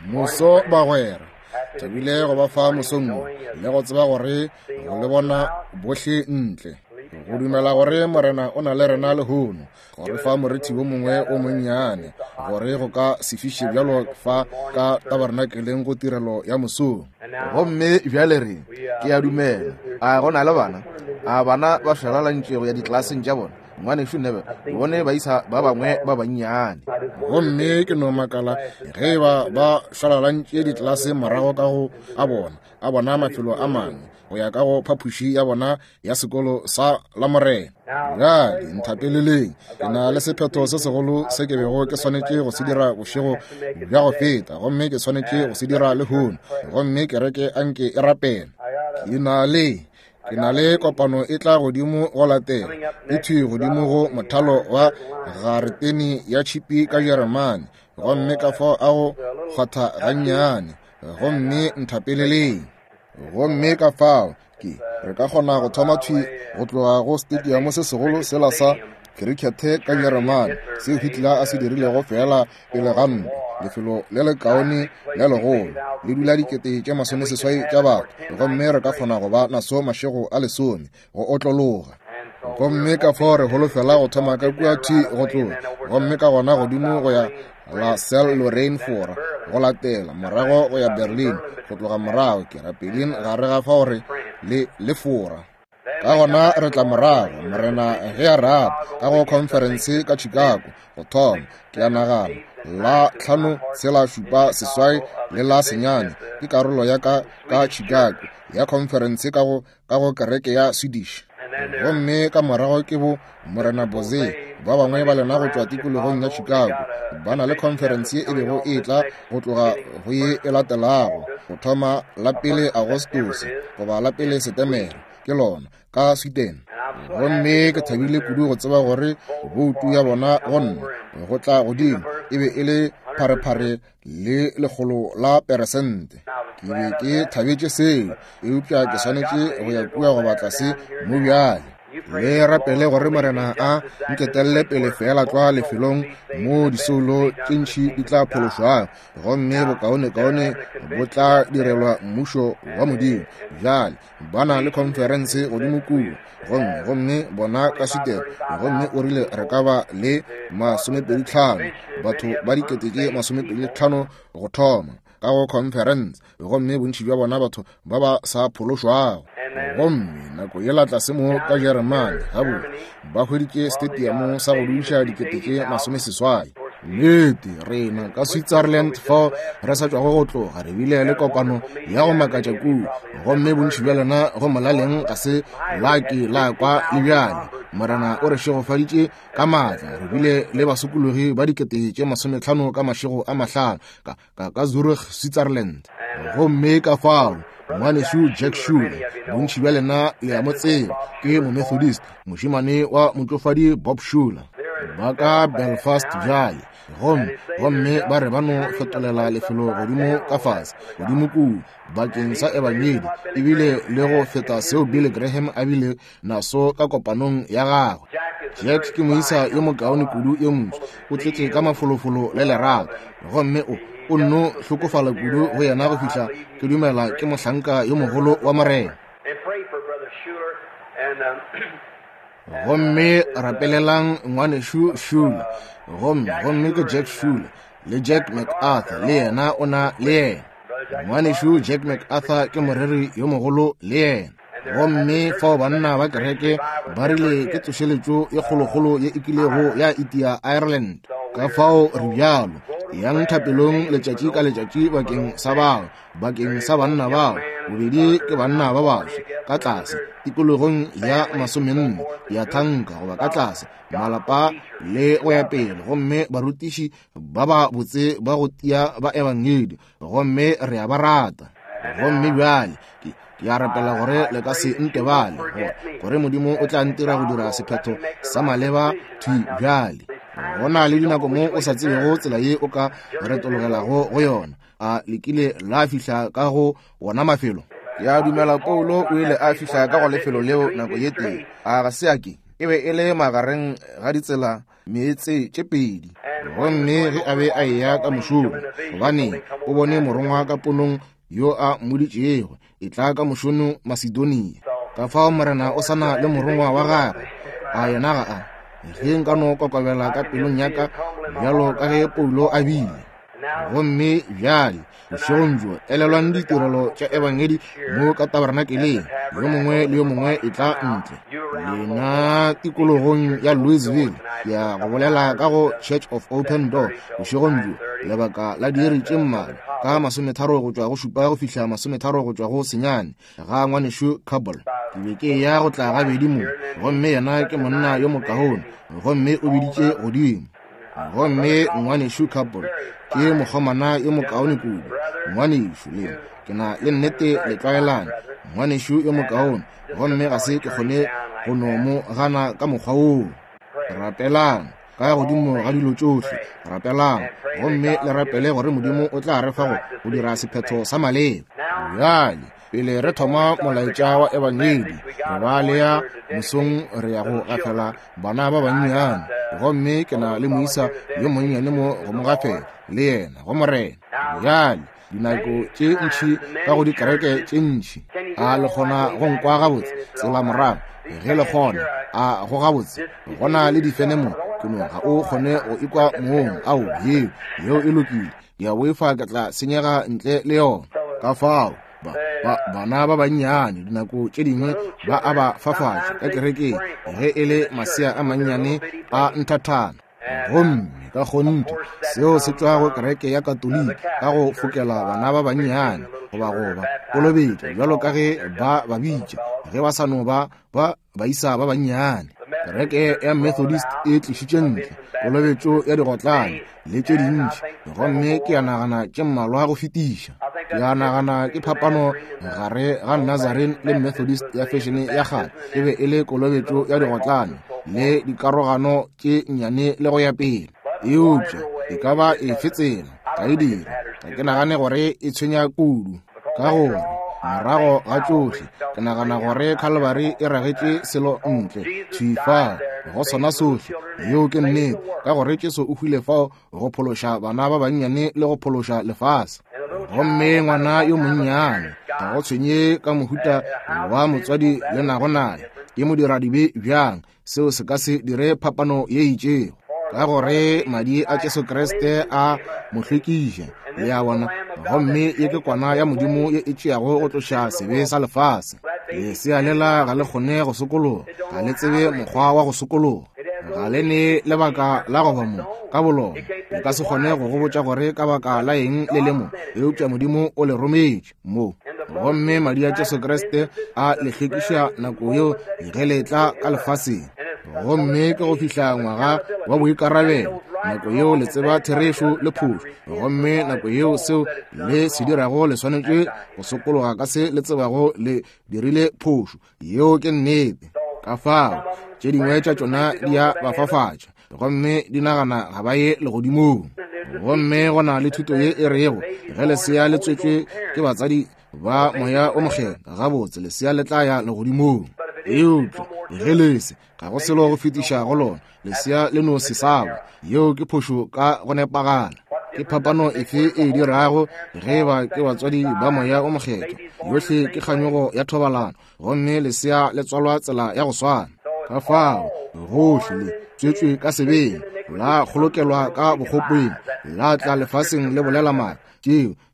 Moso bagwera, thabile go ba fa mosong wo le go tseba gore go le bona bohle ntle. Go dumela gore Morena o na le rena lehono, go re fa morithi wo mongwe o monnyane, gore go ka se fiše bjalo fa ka tabernakeleng go tirelo ya mosong. Gomme bjale re, ke a dumela, a go na le bana, a bana ba šwalalantšwe go ya diklaseng tša bona? Ngwanešu Neville, ke bone baisa ba bangwe ba bannyane. Gomme ke no makala ge e ba ba šwalalantše ditlelase morago ka go a bona, a bona mafelo a mangwe, go ya ka go phapoši ya bona ya sekolo sa Lamorena. Bjale, nthapeleleng. Ke na le sephetho se segolo se ke bego ke swanetše go se dira bošego bja go feta, gomme ke swanetše go se dira lehono. Gomme kereke a nke e rapele. Ke na le Ke na le kopano e tla godimo go latela, e thwi godimo go mothalo wa garetene ya tšhipi ka Jeremane, gomme ka fao a go kgwatha gannyane, gomme nthapeleleng. Gomme ka fao ke re ka kgona go thoma thwi go tloga go stadiamo se segolo sela sa khirikhethe ka Jeremane, seo Hitler a se dirilego feela pele ga ntwa, lefelo le lekaone le legolo le dula dikete tše masomeseswai tša batho, gomme re ka kgona go ba naso mašego a lesome go otlologa. Gomme ka fao re holofela go thoma ka kua thwi go tloga, gomme ka gona godimo go ya la Sel Lorraine Fora, go latela morago go ya Berlin, go tloga morago ke ra Berlin gare ga fao re le le Fora. Ka gona re tla morago, Morena ge a rata, ka go khonferense ka Chicago, go thoma, ke a nagana, la 5, 6, 7, 8 le la 9, ke karolo ya ka ka Chicago, ya khonferense ka go, ka go kereke ya Swedish. Gomme ka morago ke bo Morena Boze, ba bangwe ba lena go tšwa tikologong ya Chicago, ba na le khonferense ye e bego e etla go tloga go ye e latelago, go thoma la pele Agostose goba la pele Setemere, ke lona, ka Sweden. Gomme ke thabile kudu go tseba gore boutu ya bona go nna go tla godimo e be e le pharephare le lekgolo la peresente. Ke be ke thabetše seo, eupša ke swanetše go ya kua go batla se mo bjale. Le rapele gore Morena a nketelle pele feela tlwa lefelong moo disoulo tše ntši di tla phološwago, gomme bokaonekaone bo tla direlwa mmušo wa Modimo. Bjale ba na le khonferense godimo kua, gomme, gomme bona ka Sweden, gomme o rile re ka ba le masomepeditlhano, batho ba dikete tše masomepeditlhano go thoma ka go khonferense, gomme bontši bja bona batho ba ba sa phološwago. Gomme nako yela tlase mo ka Jeremane, gabotse ba hweditše stadiamo sa go dudiša dikete tše masomeseswai. Nnete, rena ka Switzerland fao re sa tšwago go tloga, re bile le kopano ya go makatša kua, gomme bontši bja lena go molaleng ga se la ke la kwa le bjale. Morena o re šegofaditše ka maatla, re bile le basokologi ba dikete tše masometlhano ka mašego a mahlano ka, ka, ka Zurich, Switzerland. Gomme ka fao ngwanešu Jack Schuler, bontši bja lena le a mo tseba, ke Momethodist, mošemane wa motšofadi Bob Schuler, ba ka Belfast bjale. Gomme, gomme ba re ba no fetolela lefelo godimo ka fase, godimo kua, bakeng sa Ebangedi, ebile le go feta seo Billy Graham a bile naso ka kopanong ya gagwe. Jack ke moisa yo mokaone kudu yo moswa, o tletše ka mafolofolo le lerato, gomme o, o nno hlokofala kudu go yena go fihla ke dumela ke mohlanka yo mogolo wa Morena. Gomme rapelelang ngwanešu Schuler, gomme, gomme ke Jack Schuler le Jack MacArthur, le yena o na le yena. Ngwanešu Jack MacArthur ke moreri yo mogolo le yena. Gomme fao banna ba kereke ba rile ke tsošeletšo ye kgolokgolo ye e kilego ya itia Ireland. Ka fao re bjalo, yang thapelong letšatši ka letšatši bakeng sa bao, bakeng sa banna bao, bobedi ke banna ba baswa, ka tlase tikologong ya masomenne ya thanka goba ka tlase, malapa le go ya pele, gomme barutiši ba ba botse ba go tia ba ebangedi, gomme re a ba rata. Gomme bjale ke, ke a rapela gore le ka se ntebale, gore, gore Modimo o tla ntira go dira sephetho sa maleba thwi bjale. Go na le dinako mo o sa tsebego tsela ye o ka retologelago go yona. A le kile la fihla ka go wona mafelo? Ke a dumela Paulo o ile a fihla ka go lefelo leo nako ye tee. A ga se a ke? E be e le magareng ga ditsela. meetse tše 2. Gomme ge a be a eya ka mošono, gobane o bone morongwa ka ponong yo a mmoditšego, e tla ka mošono Macedonia. Ka fao Morena o sana le morongwa wa gagwe, a yena ga a. Ge nka no kokobela ka pelong ya ka bjalo ka ge Paulo a bile. Gomme bjale bošegong bjo elelwang ditirelo tša ebangedi mo ka tabernakeleng, yo mongwe le yo mongwe e tla ntle. Lena tikologong ya Louisville, ke ya go bolela ka go Church of Open Door bošegong bjo, lebaka la diiri tše mmalwa, ka 30 go tšwa go 7 go fihla 30 go tšwa go 9 ga ngwanešu Cable. Ke be ke ya go tla gabedi mo, gomme yena ke monna yo mokaone, gomme o biditše godimo. Gomme ngwanešu Cable ke mokgomana yo mokaone kudu, ngwanešu le ke na le nnete le tlwaelane, ngwanešu yo mokaone, gomme ga se ke kgone go no mo gana ka mokgwa woo. Rapelang ka godimo ga dilo tšohle, rapelang gomme le rapele gore Modimo o tla re fa go dira sephetho sa maleba. Bjale pele re thoma molaetša wa ebangedi, re ba lea mosong re ya go gafela bana ba bannyane, gomme ke na le moisa yo monnyane mo go mo gafela le yena go Morena. Bjale dinako tše ntši ka go dikereke tše ntši, a le kgona go nkwa gabotse tsela morago? Ge le kgona, a go gabotse? Go na le difene mo, ke no ga o kgone go ikwa mong. Ao, yeo e lokile. Ke a boifa ke tla senyega ntle le yona. Ka fao bana ba bannyane dinako tše dingwe ba a ba fafatša ka kerekeng ge e le masea a mannyane a nthathana. Gomme ka kgonthe seo se tšwa go kereke ya Katoliki ka go fokela bana ba bannyane goba kolobetša bjalo ka ge ba ba bitša ge ba sa no ba ba baisa ba bannyane. Kereke ya Methodist e tlišitše ntle kolobetšo ya digotlane le tše dintši, gomme ke a nagana tše mmalwa go fetiša. Ke a nagana ke phapano gare ga Nazarene le Methodist ya fešene ya kgale e be e le kolobetšo ya digotlane le dikarogano tše nnyane le go ya pele. Eupša e ka ba efe tsela ka e dira, ga ke nagane gore e tshwenya kudu, ka gore morago ga tšohle ke nagana gore Calvary e ragetše selo ntle thwi fao go sona sohle. Yeo ke nnete, ka gore Jesu o hwile fao go phološa bana ba bannyane le go phološa lefase. Gomme ngwana yo monnyane ga go tshwenye ka mohuta wa motswadi le nago naye, ke modiradibe bjang, seo se ka se dire phapano ye itšego, ka gore madi a Jesu Kriste a mo hlwekiša. Le a bona? Gomme ye ke kwana ya Modimo ye e tšeago go tloša sebe sa lefase. Lesea lela ga le kgone go sokologa, ga le tsebe mokgwa wa go sokologa, ga le ne lebaka la go ba mo ka bolona. Le ka se kgone go go botša gore ka baka la eng le le mo, eupša Modimo o le rometše mo. Gomme madi a Jesu Kriste a le hlwekiša nako yeo ge le tla ka lefaseng. Gomme ke go fihla ngwaga wa boikarabelo, nako yeo le tseba therešo le phošo. Gomme nako yeo seo le se dirago le swanetše go sokologa ka se le tsebago le dirile phošo. Yeo ke nnete. Ka fao tše dingwe tša tšona di a ba fafatša, gomme di nagana ga ba ye legodimong. Gomme go na le thuto ye e rego ge lesea le tswetšwe ke batsadi ba moya o mokgethwa, gabotse lesea le tla ya legodimong. Eupša ge lese ga go selo go fetiša go lona, lesea le no se saba. Yeo ke phošo ka go nepagala. Ke phapano efe e dirago ge ba ke batswadi ba moya o mokgethwa? Yohle ke kganyogo ya thobalano, gomme lesea le tswalwa tsela ya go swana. Ka fao gohle le tswetšwe ka sebeng, la kgolokelwa ka bokgopeng, la tla lefaseng le bolela maaka.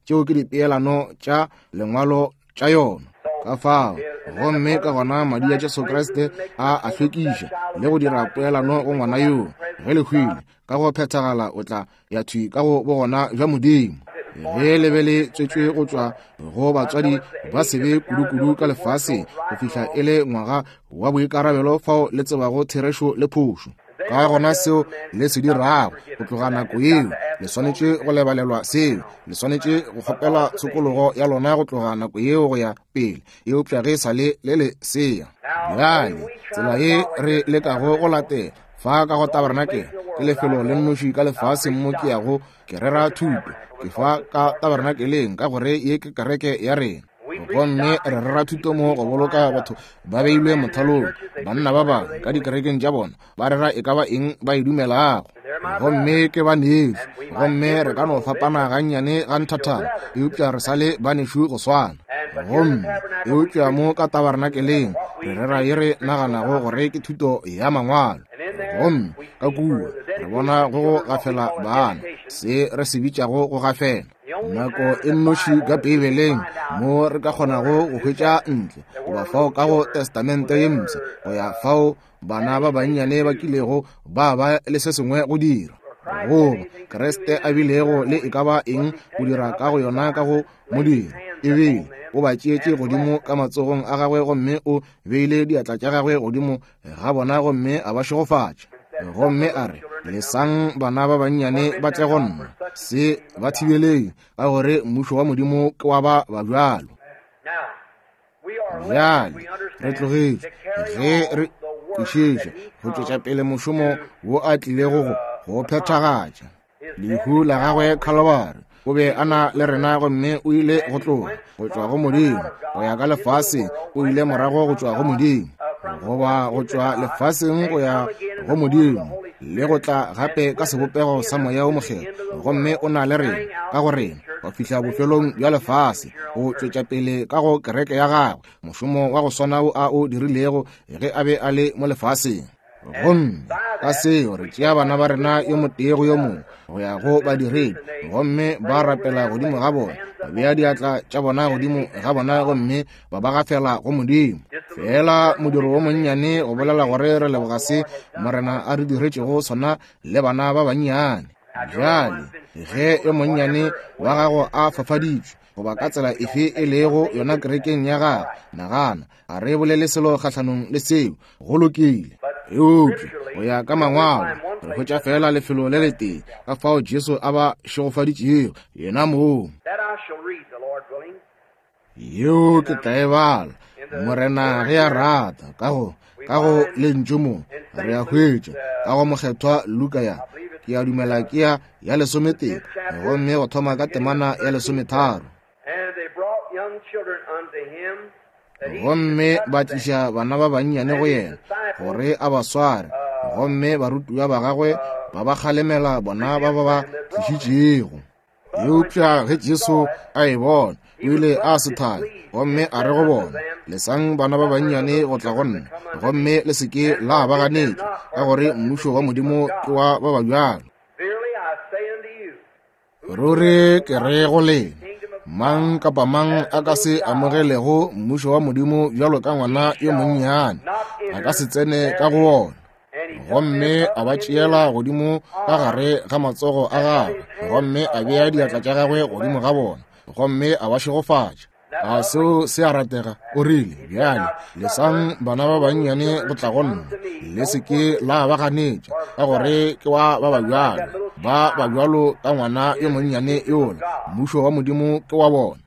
Tšeo ke dipeelano tša lengwalo tša yona. Ka fao gomme ka gona madi a Jesu Kriste a hlwekiša le go dira poelano go ngwana yoo. Ge le hwile ka go phethagala, o tla ya thwi ka go bogona bja Modimo. Ge le be le tswetšwe go tšwa go batswadi ba sebe kudu-kudu ka lefaseng go fihla e le ngwaga wa boikarabelo fao le tsebago therešo le phošo, ka gona seo le se dirago go tloga nako yeo le swanetše go lebalelwa seo. Le swanetše go kgopela tshokologo ya lona go tloga nako yeo go ya pele, eupša ge e sa le le lesea. Bjale tsela ye re lekago go latela fa ka go tabernakel ke lefelo le nnoši ka lefaseng mo ke yago ke rera thuto, ke fa ka tabernakeleng ka gore ye ke kereke ya rena. Gomme re rera thuto mo go boloka batho ba beilwe mothalong, banna ba bangwe ka dikerekeng tša bona ba rera e ka ba eng ba e dumelago. Gomme ke banešu, gomme re ka no fapana gannyane ga nthathana, eupša re sa le banešu go swana. Gomme eupša mo ka tabarnakeleng re rera ye re naganago gore ke thuto ya Mangwalo. Gomme ka kua re bona go go gafela bana, se re se bitšago go gafela. Nako e nnoši ka Beibeleng mo re ka kgonago go hwetša ntle goba fao ka go Testamente ye Mpsha go ya fao bana ba bannyane ba kilego ba ba le se sengwe go dira, goba Kriste a bilego le e ka ba eng go dira ka go yona ka go modiro, ebile o ba tšeetše godimo ka matsogong a gagwe gomme o beile diatla tša gagwe godimo ga bona gomme a ba šegofatša. Gomme a re, Lesang bana ba bannyane ba tle go nna, se ba thibeleng, ka gore mmušo wa Modimo ke wa ba ba bjalo. Bjale re tlogetše ge re kwešiša go tšwetša pele mošomo wo a tlilego go phethagatša. Lehu la gagwe Khalabari, o be a na le rena gomme o ile go tloga go tšwa go Modimo go ya ka lefaseng, o ile morago go tšwa go Modimo, goba go tšwa lefaseng go ya go Modimo, le go tla gape ka sebopego sa Moya wo Mokgethwa, gomme o na le rena ka go rena go fihla bofelong bja lefase, go tšwetša pele ka go kereke ya gagwe mošomo wa go swana wo a o dirilego ge a be a le mo lefaseng. Gomme ka seo re tšea bana ba rena yo motee go yo mongwe go ya go badiredi, gomme ba rapela godimo ga bona, ba bea diatla tša bona godimo ga bona gomme ba ba gafela go Modimo. Feela modiro wo monnyane go bolela gore re leboga se Morena a re diretšego sona le bana ba bannyane. Bjale ge yo monnyane wa gago a fafaditšwe goba ka tsela efe e lego yona kerekeng ya gagwe, nagana, ga re bolele selo kgahlanong le seo, go lokile. Eupša go ya ka Mangwalo re hwetša feela lefelo le letee ka fao Jesu a ba šegofaditšego, yena mong. Yeo ke tla e bala, Morena ge a rata, ka go ka go lentšu mo re a hwetša ka go Mokgethwa Luka ya, ke a dumela ke ya ya lesometee, gomme go thoma ka temana ya lesometharo. Gomme ba tliša bana ba bannyane go yena gore a ba sware, gomme barutiwa ba gagwe ba ba kgalemela bona ba ba ba tlišitšego. Eupša ge Jesu a e bona, o ile a se thabe, gomme a re go bona, Lesang bana ba bannyane go tla go nna, gomme le se ke la ba ganetša, ka gore mmušo wa Modimo ke wa ba ba bjalo. Ruri ke re go lena, mang kapa mang a ka se amogelego mmušo wa Modimo bjalo ka ngwana yo monnyane, a ka se tsene ka go wona. Gomme a ba tšeela godimo ka gare ga matsogo a gagwe, gomme a bea diatla tša gagwe godimo ga bona, gomme a ba šegofatša. A seo se a ratega? O rile, Bjale lesang bana ba bannyane go tla go nna, le se ke la ba ganetša, ka gore ke wa ba ba bjalo, ba ba bjalo ka ngwana yo monnyane yola, mmušo wa Modimo ke wa bona.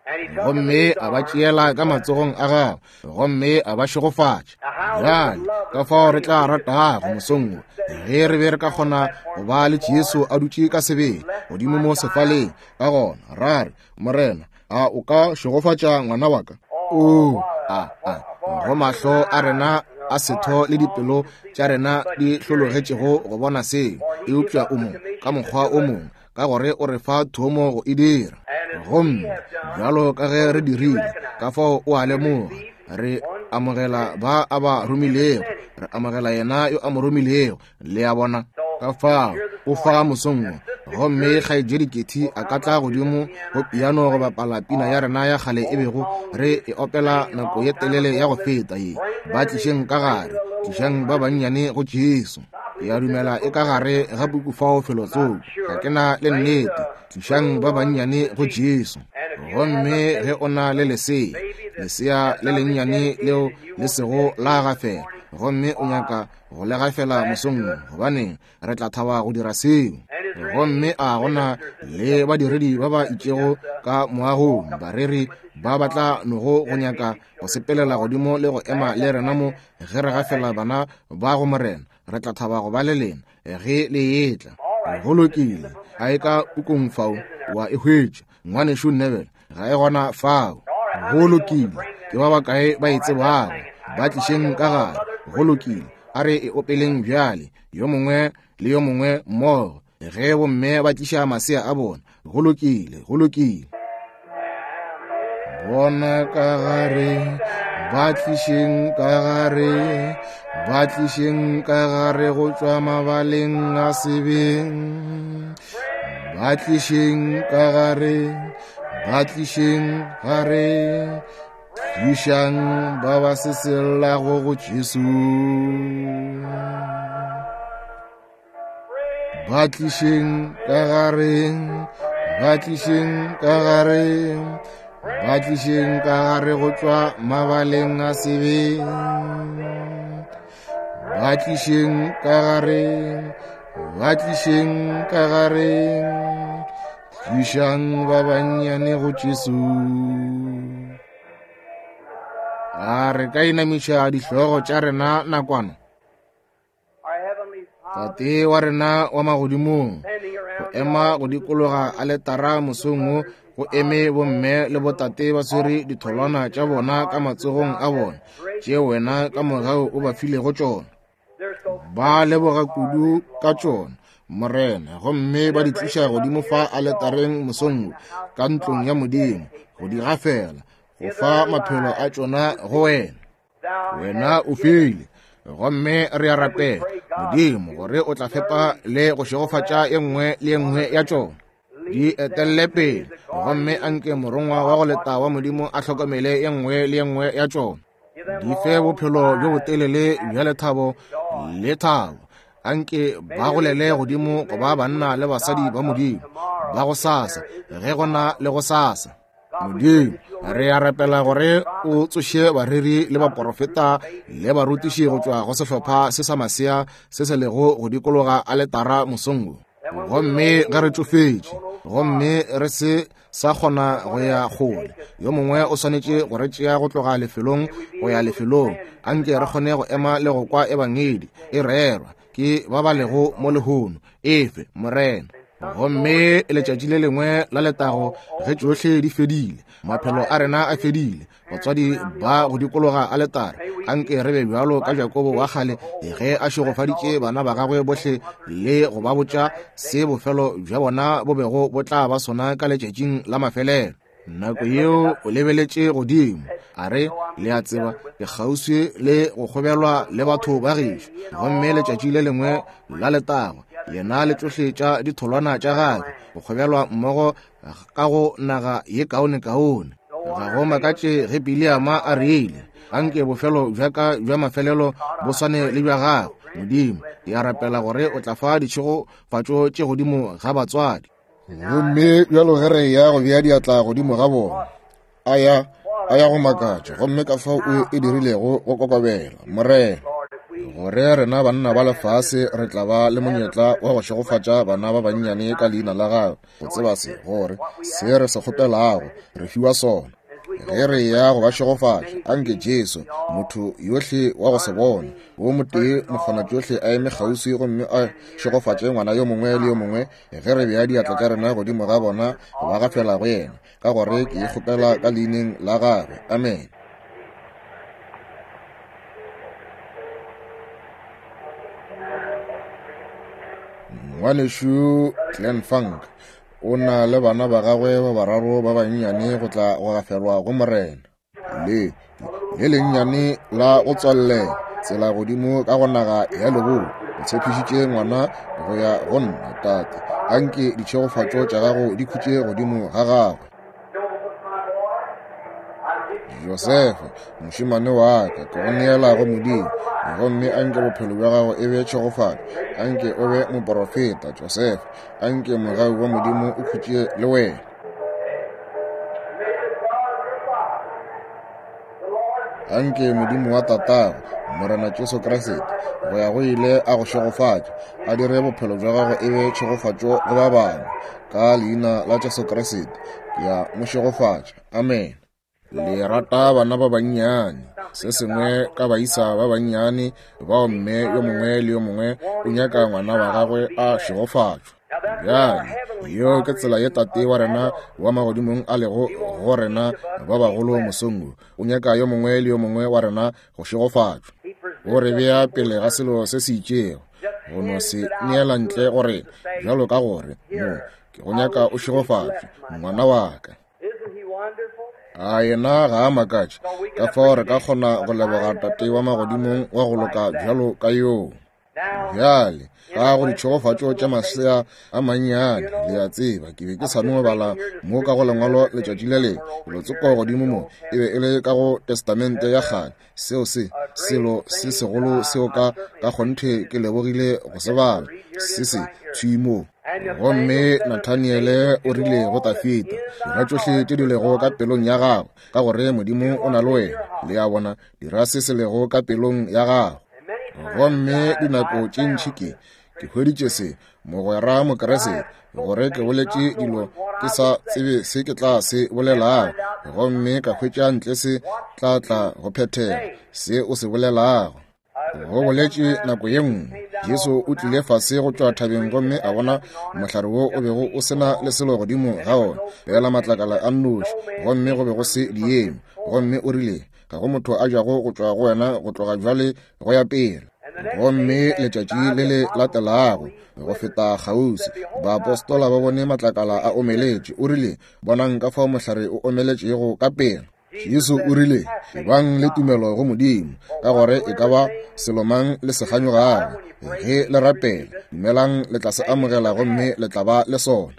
Gomme a ba tšeela ka matsogong a gagwe, gomme a ba šegofatša. Bjale ka fao re tla ratago mosong wo ge re be re ka kgona go ba le Jesu a dutše ka sebele godimo mo sefaleng, ka gona ra re, Morena, a o ka šegofatša ngwana wa ka? Oo, a, a, go mahlo a rena a setho le dipelo tša rena di hlologetšego go bona seo, eupša o mo ka mokgwa o mongwe, ka gore o re fa thomo go e dira. Gomme bjalo ka ge re dirile, ka fao o a lemoga, re amogela ba a ba romilego, re amogela yena yo a mo romilego. Le a bona? Ka fao o fa mosong wo. Gomme kgaetšedi Kethi a ka tla godimo go piano go bapala pina ya rena ya kgale e bego re e opela nako ye telele ya go feta ye, Ba tlišeng ka gare, tlišang ba bannyane go Jesu. Ke a dumela e ka gare ga puku fao felotsoko, ga ke na le nnete. Tlišang ba bannyane go Jesu. Gomme ge o na le lesea, lesea le lennyane leo le sego la gafela, gomme o nyaka go le gafela mosong wo, gobaneng, re tla thaba go dira seo. Gomme a go na le badiredi ba ba itšego ka moagong, bareri ba ba tla nogo go nyaka go sepelela godimo le go ema le rena mo ge re gafela bana ba go Morena, re tla thaba go ba le lena ge le etla. Go lokile, a e ka pukung fao wa e hwetša, Ngwanešu Neville? Ga e gona fao. Go lokile, ke ba bakae ba e tsebago? Ba tlišeng ka gare. Go lokile, a re e opeleng bjale, yo mongwe le yo mongwe mmogo, ge bomme ba tliša masea a bona. Go lokile, go lokile. Bona ka gare, ba tlišeng ka gare, ba tlišeng ka gare go tšwa mabaleng a sebeng. Ba tlišeng ka gare, ba tlišeng gare, tlišang ba ba se sellago go Jesu. Ba tlišeng ka gare, ba tlišeng ka gare, ba tlišeng ka gare go tšwa mabaleng a sebeng. Ba tlišeng ka gare, ba tlišeng ka gare, tlišang ba bannyane go Jesu. A re ka inamiša dihlogo tša rena nakwana? Tate wa rena wa magodimong, go ema go dikologa aletara mosong wo, go eme bomme le botate ba swere ditholwana tša bona ka matsogong a bona, tše wena ka mogau o ba filego tšona. Ba leboga kudu ka tšona, Morena, gomme ba di tliša godimo fa aletareng mosong wo, ka ntlong ya Modimo, go di gafela, go fa maphelo a tšona go wena. Wena o file, gomme re a rapela, Modimo, gore o tla fepa le go šegofatša ye nngwe le ye nngwe ya tšona. Di etelle pele, gomme anke morongwa wa go leta wa Modimo a hlokomele ye nngwe le ye nngwe ya tšona. Di fe bophelo bjo botelele bja lethabo le thabo. Anke ba golele godimo go ba banna le basadi ba Modimo ba go sasa, ge go na le go sasa. Modimo, re a rapela gore o tsoše bareri le baporofeta le barutiši go tšwa go sehlopha se sa masea se se lego go dikologa aletara mosong wo. Gomme ge re tšofetše gomme re se sa kgona go ya kgole, yo mongwe o swanetše go re tšea go tloga lefelong go ya lefelong. Anke re kgone go ema le go kwa ebangedi e rerwa ke ba ba lego mo lehono. Efe, Morena. Gomme letšatši le lengwe la letago ge tšohle di fedile, maphelo a rena a fedile, batswadi ba go dikologa aletare, anke re be bjalo ka Jakobo wa kgale ge a šegofaditše bana ba gagwe bohle le go ba botša se bofelo bja bona bo bego bo tla ba sona ka letšatšing la mafelelo. Nako yeo o lebeletše godimo, a re, Le a tseba, ke kgauswi le go kgobelwa le batho ba gešo. Gomme letšatši le lengwe la letago, yena le tšohle tša ditholwana tša gagwe, go kgobelwa mmogo ka go naga ye kaonekaone. Ga go makatše ge Bileama a rile, Anke bofelo bja ka bja mafelelo bo swane le bja gago. Modimo, ke a rapela gore o tla fa ditšhegofatšo tše godimo ga batswadi. Gomme bjalo ge re ya go bea diatla godimo ga bona, a ya, a ya go makatša, gomme ka fao o e dirilego go kokobela, Morena, gore rena banna ba lefase re tla ba le monyetla wa go šegofatša bana ba bannyane ka leina la gagwe, go tseba se, gore se re se kgopelago re fiwa sona. Ge re ya go ba šegofatša, anke Jesu, motho yohle wa go se bona, wo motee mokgonatšohle a eme kgauswi gomme a šegofatše ngwana yo mongwe le yo mongwe ge re bea diatla tša rena godimo ga bona go ba gafela go yena, ka gore ke e kgopela ka leineng la gagwe. Amen. Ngwanešu Glenn Funk o na le bana ba gagwe ba bararo ba bannyane go tla go gafelwa go Morena. Le le lennyane la go tswallela tsela godimo ka go naga ya leboa, o tshepišitše ngwana go ya go nna, Tate. Anke ditšhegofatšo tša gago di khutše godimo ga gagwe. Josefa, mošemane wa ka, ke go neela go Modimo, gomme anke bophelo bja gago e be tšhegofatšo. Anke o be moporofeta, Josefa. Anke mogau wa Modimo o khutše le wena. Anke Modimo wa tatago, Morena Jesu Kriste, go ya go ile a go šegofatše, a dire bophelo bja gago e be tšhegofatšo go ba bangwe. Ka leina la Jesu Kriste, ke a mo šegofatša. Amen. Le rata bana ba bannyane, se sengwe ka baisa ba bannyane bao mme yo mongwe le yo mongwe o nyaka ngwana wa gagwe a šegofatšwa. Bjale, yeo ke tsela ye Tate wa rena wa magodimong a lego go rena ba bagolo mosong wo. O nyaka yo mongwe le yo mongwe wa rena go šegofatšwa. O re bea pele ga selo se se itšego, go no se neela ntle go rena, bjalo ka gore, mo, ke go nyaka o šegofatšwe, ngwana wa ka. A yena ga a makatše? Ka fao re ka kgona go leboga Tate wa magodimong wa go loka bjalo ka yoo. Bjale, ka go ditšhegofatšo tša masea a mannyane, le a tseba, ke be ke sa no bala mo ka go Lengwalo letšatši le lengwe, felotsoko godimo mo, e be e le ka go Testamente ya Kgale, seo se, selo se segolo seo ka, ka kgonthe ke lebogile go se bala, se se, thwi mo. Gomme Nathaniele o rile go Tafita, dira tšohle tše di lego ka pelong ya gago, ka gore Modimo o na le wena. Le a bona, dira se se lego ka pelong ya gago. Gomme dinako tše ntši ke, ke hweditše se, mogwera Mokriste, gore ke boletše dilo ke sa tsebe se ke tla se bolelago, gomme ka hwetša ntle se tla tla go phethega se o se bolelago. Go boletše nako ye nngwe, Jesu o tlile fase go tšwa thabeng gomme a bona mohlare wo o bego o se na le selo godimo ga ona, fela matlakala a nnoši, gomme go be go se diemo. Gomme o rile, Ga go motho a jago go tšwa go wena go tloga bjale go ya pele. Gomme letšatši le le latelago, go feta kgauswi, baapostola ba bone matlakala a omeletše. O rile, Bonang ka fao mohlare o omeletšego ka pela. Jesu o rile, Ebang le tumelo go Modimo, ka gore e ka ba selo mang le se kganyogago, ge le rapela, dumelang le tla se amogela gomme le tla ba le sona.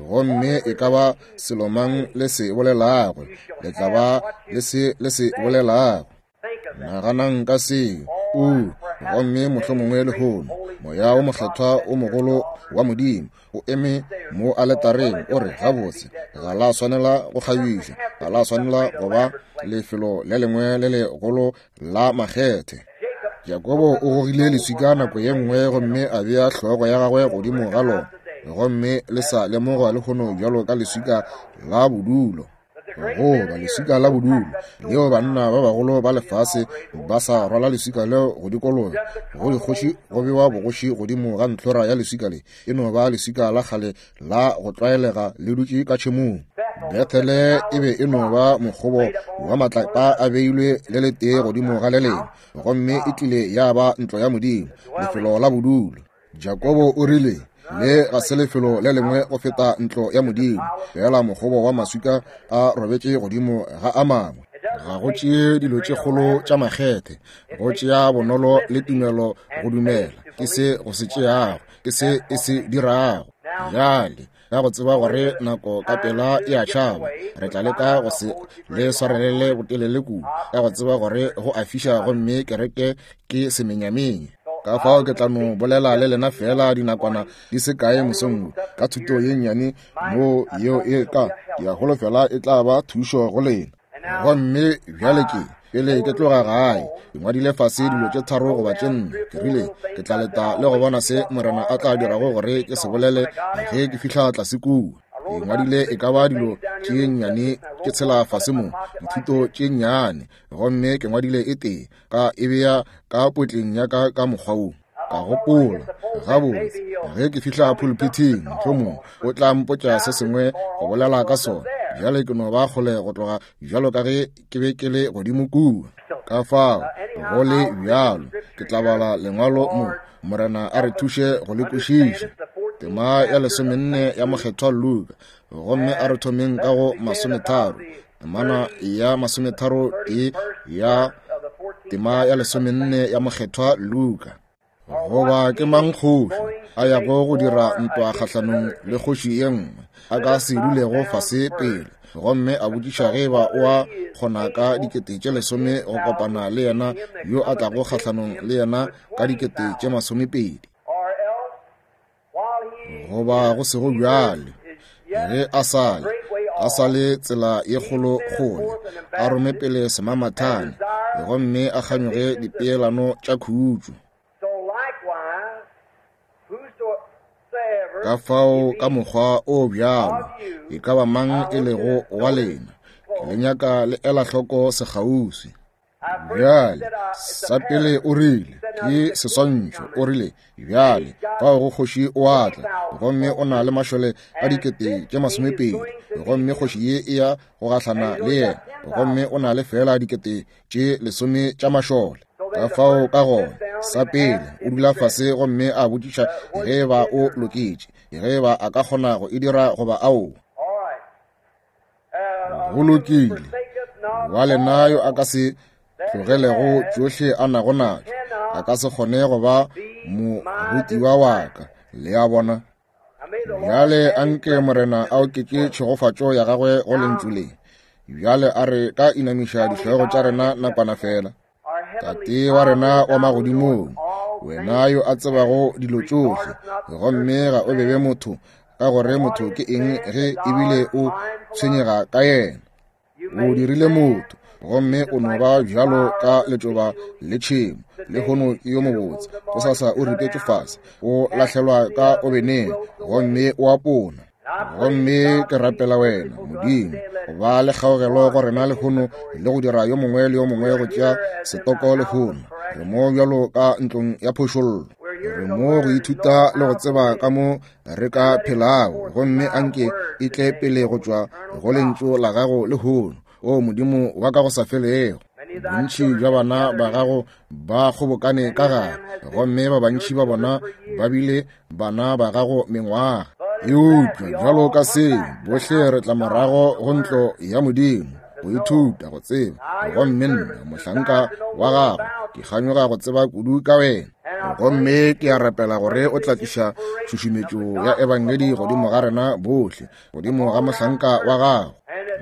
Gomme e ka ba selo mang le se bolelago, le tla ba le se le se bolelago. Naganang ka seo. U, gomme mohlomongwe lehono, Moya wo Mokgethwa o mogolo wa Modimo o eme mo aletareng, o re, Gabotse, ga la swanela go kgabišwa, ga la swanela go ba lefelo le lengwe le legolo la makgethe. Jakobo o gogile leswika nako ye nngwe gomme a bea hlogo ya gagwe godimo ga lona, gomme le sa lemogwa lehono bjalo ka leswika la bodulo, goba leswika la bodulo leo banna ba bagolo ba lefase ba sa rwala leswika leo go dikologa go dikgoši go bewa bogoši godimo ga ntlhora ya leswika le e no ba leswika la kgale la go tlwaelega le dutše ka tšhemong. Bethele e be e no ba mokgobo wa matlapa a beilwe le letee godimo ga le lengwe, gomme e tlile ya ba ntlo ya Modimo, lefelo la bodulo. Jakobo o rile, Le ga se lefelo le lengwe go feta ntlo ya Modimo, fela mokgobo wa maswika a robetše godimo ga a mangwe. Ga go tšee dilo tše kgolo tša makgethe, go tšea bonolo le tumelo go dumela. Ke se go se tšeago, ke se e se dirago. Bjale, ka go tseba gore nako ka pela e a tšhaba, re tla leka go se le swarelele botelele kudu, ka go tseba gore go a fiša gomme kereke ke semenyamenye. Ka fao ke tla no bolela le lena feela dinakwana di se kae mosong wo, ka thuto ye nnyane mo yeo e ka, ke a holofela e tla ba thušo go lena. Gomme bjale ke, pele ke tloga gae, ke ngwadile fase dilo tše tharo goba tše nne. Ke rile, ke tla leta le go bona se Morena a tla dirago gore ke se bolele ge ke fihla tlase kua. Ke ngwadile e ka ba dilo tše nnyane tše tshela fase mo, dithuto tše nnyane, gomme ke ngwadile e tee, ka e bea ka potleng ya ka ka mokgwa wo. Ka gopola, gabotse, ge ke fihla phulphithing, mohlomongwe o tla mpotša se sengwe go bolela ka sona. Bjale ke no ba kgole go tloga bjalo ka ge ke be ke le godimo kua. Ka fao, go le bjalo, ke tla bala lengwalo mo, Morena a re thuše go le kwešiša. Tema ya lesomenne ya Mokgethwa Luka, gomme a re thomeng ka go masometharo, temana ya masometharo tee ya tema ya lesomenne ya Mokgethwa Luka. Goba ke mang kgoši a yago go dira ntwa kgahlanong le kgoši ye nngwe, a ka se dulego fase pele gomme a botšiša ge eba o a kgona ka dikete tše lesome go kopana le yena yo a tlago kgahlanong le yena ka dikete tše masomepedi? Goba go sego bjale, ge a sa le, a sa le tsela ye kgolo kgole, a rome pele semamathane gomme a kganyoge dipeelano tša khutšo. Ka fao ka mokgwa o bjalo, e ka ba mang e lego wa lena, ke le nyaka le ela hloko sekgauswi. Bjale, sa pele o rile, ke seswantšho, o rile, bjale, fao go kgoši o a tla, gomme o na le mašole a 20,000, gomme kgoši ye e ya go gahlana le yena, gomme o na le feela 10,000 tša mašole. Ka fao ka gona, sa pele, o dula fase gomme a botšiša ge ba o loketše, ge ba a ka kgona go e dira goba aowa. Go lokile, wa lena yo a ka se tlogelego tšohle a nago natšo, a ka se kgone go ba morutiwa wa ka. Le a bona? Bjale anke Morena a oketše tšhegofatšo ya gagwe go lentšu le. Bjale a re ka inamiša dihlogo tša rena nakwana fela. Tate wa rena wa magodimong, wena yo a tsebago dilo tšohle, gomme ga o bebe motho, ka gore motho ke eng ge ebile o tshwenyega ka yena. O dirile motho, gomme o no ba bjalo ka letšoba le tšhemo. Lehono ke yo mobotse, gosasa o ripetšwe fase, o lahlelwa ka obeneng, gomme o a pona. Gomme ke rapela wena, Modimo, go ba le kgaogelo go rena lehono le go dira yo mongwe le yo mongwe go tšea setoko lehono. Re mo bjalo ka ntlong ya phošollo. Re mo go ithuta le go tseba ka mo re ka phelago, gomme anke e tle pele go tšwa go lentšu la gago lehono, o Modimo wa ka go sa felego. Bontši bja bana ba gago ba kgobokane ka gare, gomme ba bantši ba bona ba bile bana ba gago mengwaga. Eupša bjalo ka seo, bohle re tla morago go ntlo ya Modimo go ithuta go tseba. Gomme nna mohlanka wa gago ke kganyoga go tseba kudu ka wena, gomme ke a rapela gore o tla tliša tšhušumetšo ya ebangedi godimo ga rena bohle, godimo ga mohlanka wa gago,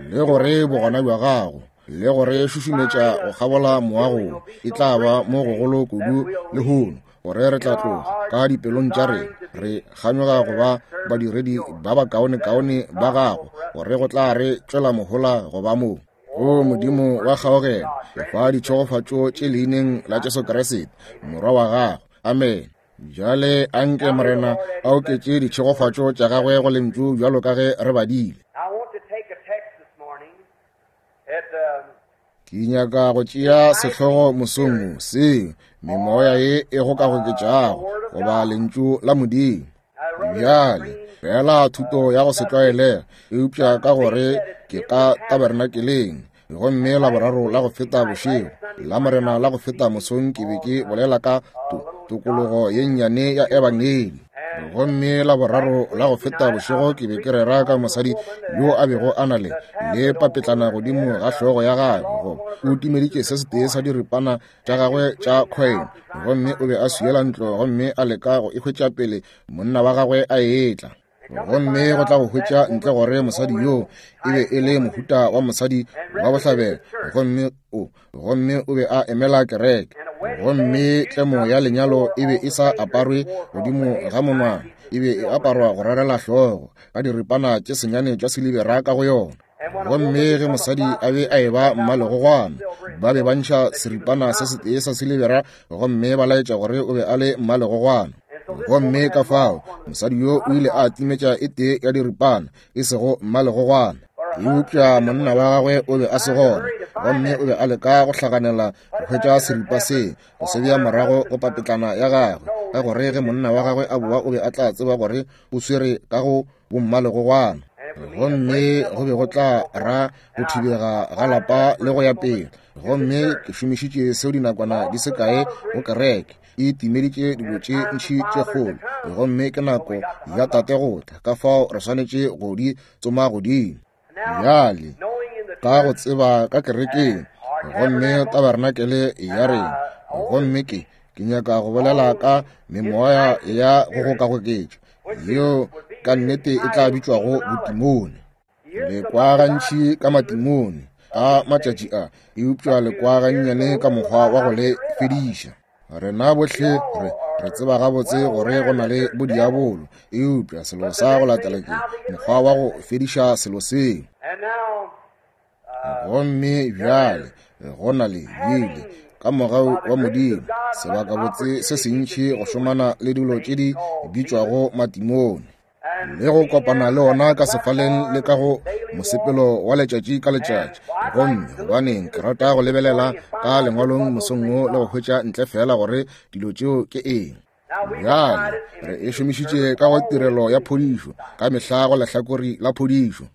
le gore bogona bja gago le gore šušumetša go kgabola moago e tla ba mo gogolo kudu lehono, gore re tla tloga ka dipelong tša rena re kganyoga go ba badiredi ba bakaonekaone ba gago, gore go tla re tšwela mohola go ba mo. O Modimo wa kgaogelo, fa ditšhegofatšo tše leineng la Jesu Kriste, Morwa wa gago. Amen. Bjale anke Morena a oketše ditšhegofatšo tša gagwe go lentšu bjalo ka ge re badile. Ke nyaka go tšea sehlogo mosong wo, seo memoya ye e gokagoketšago goba lentšu la Modimo. Bjale fela thuto ya go se tlwaelega, eupša ka gore ke ka tabernakeleng, gomme la boraro la go feta bošego, la Morena la go feta mosong, ke be ke bolela ka tokologo ye nnyane ya ebangedi. Gomme la boraro la go feta bošego ke be ke rera ka mosadi yo a bego a na le papetlana godimo ga hlogo ya gagwe, goba o timeditše se setee sa diripana tša gagwe tša coin, gomme o be a swiela ntlo gomme a leka go e hwetša pele monna wa gagwe a etla. Gomme go tla go hwetša ntle gore mosadi yoo e be e le mohuta wa mosadi wa bohlabela, gomme o be a emela kereke. Gomme tlemo ya lenyalo e be e sa aparwe godimo ga monwana, e be e aparwa go rarela hlogo ka diripana tše senyane tša silibera ka go yona. Gomme ge mosadi a be a eba mmalegogwana, ba be ba ntšha seripana se setee sa silibera gomme ba laetša gore o be a le mmalegogwana. Gomme ka fao mosadi yo o ile a timetša e tee ya diripana, e sego mmalegogwana, eupša monna wa gagwe o be a se gona, gomme o be a leka go hlaganela go hwetša seripa se go se bea morago go papetlana ya gagwe, ka gore ge monna wa gagwe a boa o be a tla tseba gore o swere ka go bommalegogwana, gomme go be go tla ra go thibega ga lapa le go ya pele. Gomme ke šomišitše seo dinakwana di se kae go kereke, e timeditše dilo tše ntši tše kgolo, gomme ke nako ya tate go tla, ka fao re swanetše go di tsoma godimo bjale ka go tseba ka kerekeng gomme tabernakele ya rena. Gomme ke nyaka go bolela ka memoya ya go gokagoketšwa yeo ka nnete e tla bitšwago botimone. Le kwa gantši ka matimone a matšatši a, eupša le kwa gannyane ka mokgwa wa go le fediša. Rena bohle re tseba gabotse gore go na le bodiabolo, eupša selo sa go latela ke mokgwa wa go fediša selo seo. Gomme bjale go na le bile ka mogau wa Modimo sebakabotse se sentši go šomana le dilo tše di bitšwago matimone. Le go kopana le ona ka sefaleng le ka go mosepelo wa letšatši ka letšatši. Gomme gobaneng ke rata go lebelela ka lengwalong mosong wo le go hwetša ntle feela gore dilo tšeo ke eng. Bjale re e šomišitše ka go tirelo ya phodišo, ka mehla go lehlakori la phodišo.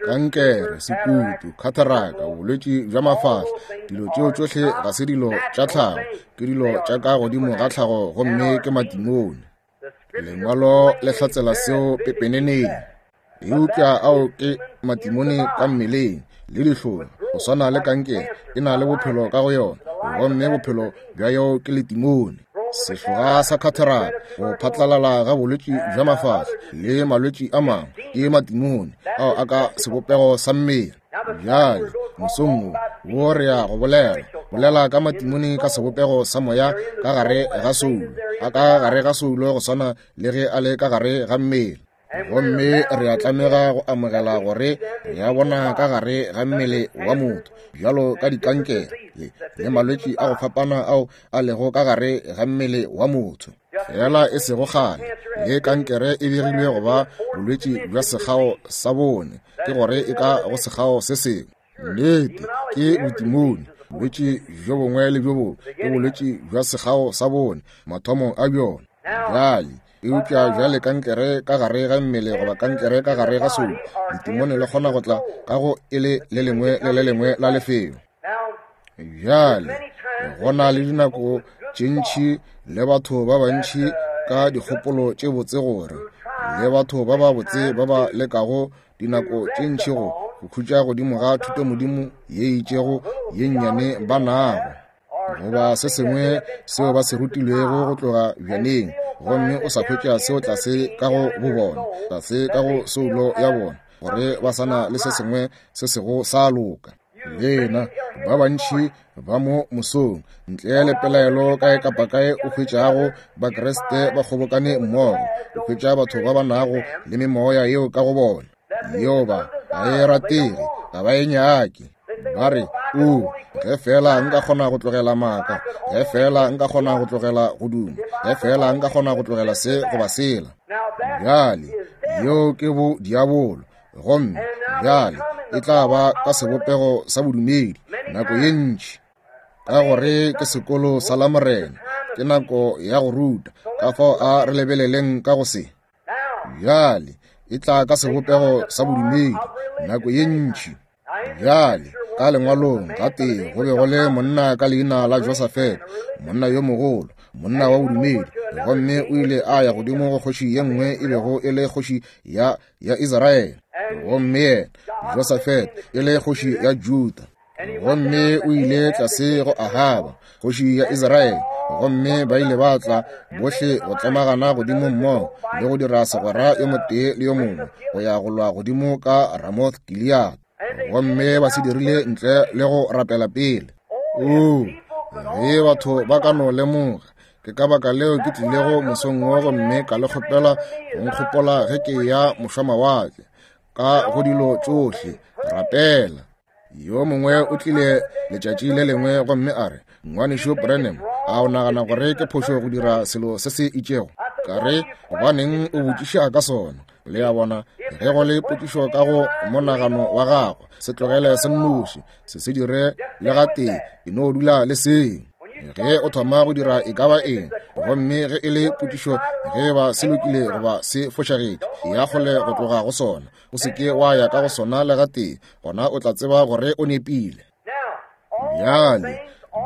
Kankere, sekutu, khatharaka, bolwetši bja mafahla, dilo tšeo tšohle ga se dilo tša tlhago, ke dilo tša ka godimo ga tlhago gomme ke matimone. Lengwalo le hlatsela seo pepeneneng. Eupša ao ke matimone ka mmeleng le dihlong, go swana le kankere e na le bophelo ka go yona, gomme bophelo bja yeo ke letimone. Sehloga sa khatharaka, go phatlalala ga bolwetši bja mafahla le malwetši a mangwe ke matimone ao a ka sebopego sa mmele. Bjale, mosong wo, wo re ya go bolela, bolela ka matimone ka sebopego sa moya ka gare ga soulo, a ka gare ga soulo go swana le ge a le ka gare ga mmele. Gomme re a tlamega go amogela gore re a bona ka gare ga mmele wa motho, bjalo ka dikankere le, le malwetši a go fapana ao a lego ka gare ga mmele wa motho. Fela e sego kgale, le kankere e begilwe go ba bolwetši bja sekgao sa bone, ke gore e ka go sekgao se sengwe. Nnete, ke botimone. Bolwetši bjo bongwe le bjo bongwe ke bolwetši bja sekgao sa bone, mathomong a bjona. Bjale, eupša bjale kankere ka gare ga mmele goba kankere ka gare ga soulo, letimone le kgona go tla ka go e le le lengwe le le lengwe la lefelo. Bjale, go na le dinako tše ntši le batho ba bantši ka dikgopolo tše botse gore le batho ba ba botse ba ba lekago dinako tše ntši go go khutša godimo ga thutomodimo ye itšego ye nnyane ba nago goba se sengwe seo ba se rutilwego go tloga bjaneng, gomme o sa hwetša seo tlase ka go bobona, tlase ka go soulo ya bona, gore ba sa na le se sengwe se sego sa loka. Lena ba bantši ba mo mosong, ntle le pelaelo kae kapa kae o hwetšago Bakriste ba kgobokane mmogo, o hwetša batho ba ba nago le memoya yeo ka go bona. Yeo ba ga e ratege, ga ba e nyake. Ba re, O, ge feela nka kgona go tlogela maaka, ge feela nka kgona go tlogela go duma, ge feela nka kgona go tlogela se goba sela. Bjale, yeo ke bo diabolo. Gomme bjale e tla ba ka sebopego sa bodumedi nako ye ntši, ka gore ke sekolo sa Lamorena, ke nako ya go ruta. Ka fao a re lebeleleng ka go se. Bjale e tla ka sebopego sa bodumedi nako ye ntši. Bjale ka lengwalong gatee go be go le monna ka leina la Josafete, monna yo mogolo, monna wa bodumedi, gomme o ile a ya godimo go kgoši ye nngwe e bego e le kgoši ya, ya Israele, gomme yena Josafete e le kgoši ya Juda. Gomme o ile tlase go Ahaba, kgoši ya Israele, gomme ba ile ba tla bohle go tlemagana godimo mmogo le go dira segwera yo motee le yo mongwe go ya go lwa godimo ka Ramoth Gilead. Gomme ba se dirile ntle le go rapela pele. Oo, ge batho ba ka no lemoga, ke ka baka leo ke tlilego mosong wo gomme ka le kgopela go nkgopola ge ke ya mošwamawatle ka go dilo tšohle, rapela. Yo mongwe o tlile letšatši le lengwe gomme a re, Ngwanešu Branham, a o nagana gore ke phošo go dira selo se se itšego? Ka re, Gobaneng o botšiša ka sona? Le a bona, ge go le potšišo ka go monagano wa gago, se tlogele se nnoši, se se dire le gatee, e no dula le seng. Ge o thoma go dira e ka ba eng, gomme ge e le potšišo ge ba se lokile goba se fošagetše, ya kgole go tloga go sona. O se ke wa ya ka go sona le gatee, gona o tla tseba gore o nepile. Bjale,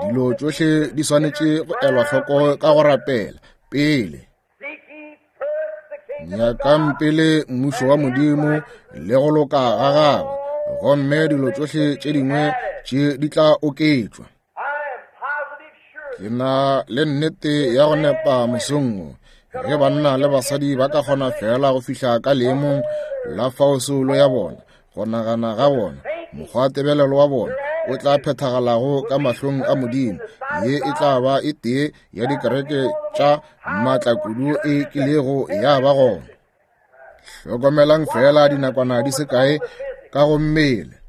dilo tšohle di swanetše go elwa hloko ka go rapela pele. Nyakang pele mmušo wa Modimo le go loka ga gagwe, gomme dilo tšohle tše dingwe tše di tla oketšwa. Ke na le nnete ya go nepa mosong wo, ge banna le basadi ba ka kgona feela go fihla ka leemong la fao soulo ya bona, go nagana ga bona, mokgwa tebelelo wa bona o tla phethagalago ka mahlong a Modimo, ye e tla ba e tee ya dikereke tša maatla kudu e kilego ya ba gona. Hlokomelang feela dinakwana di se kae ka go mmele.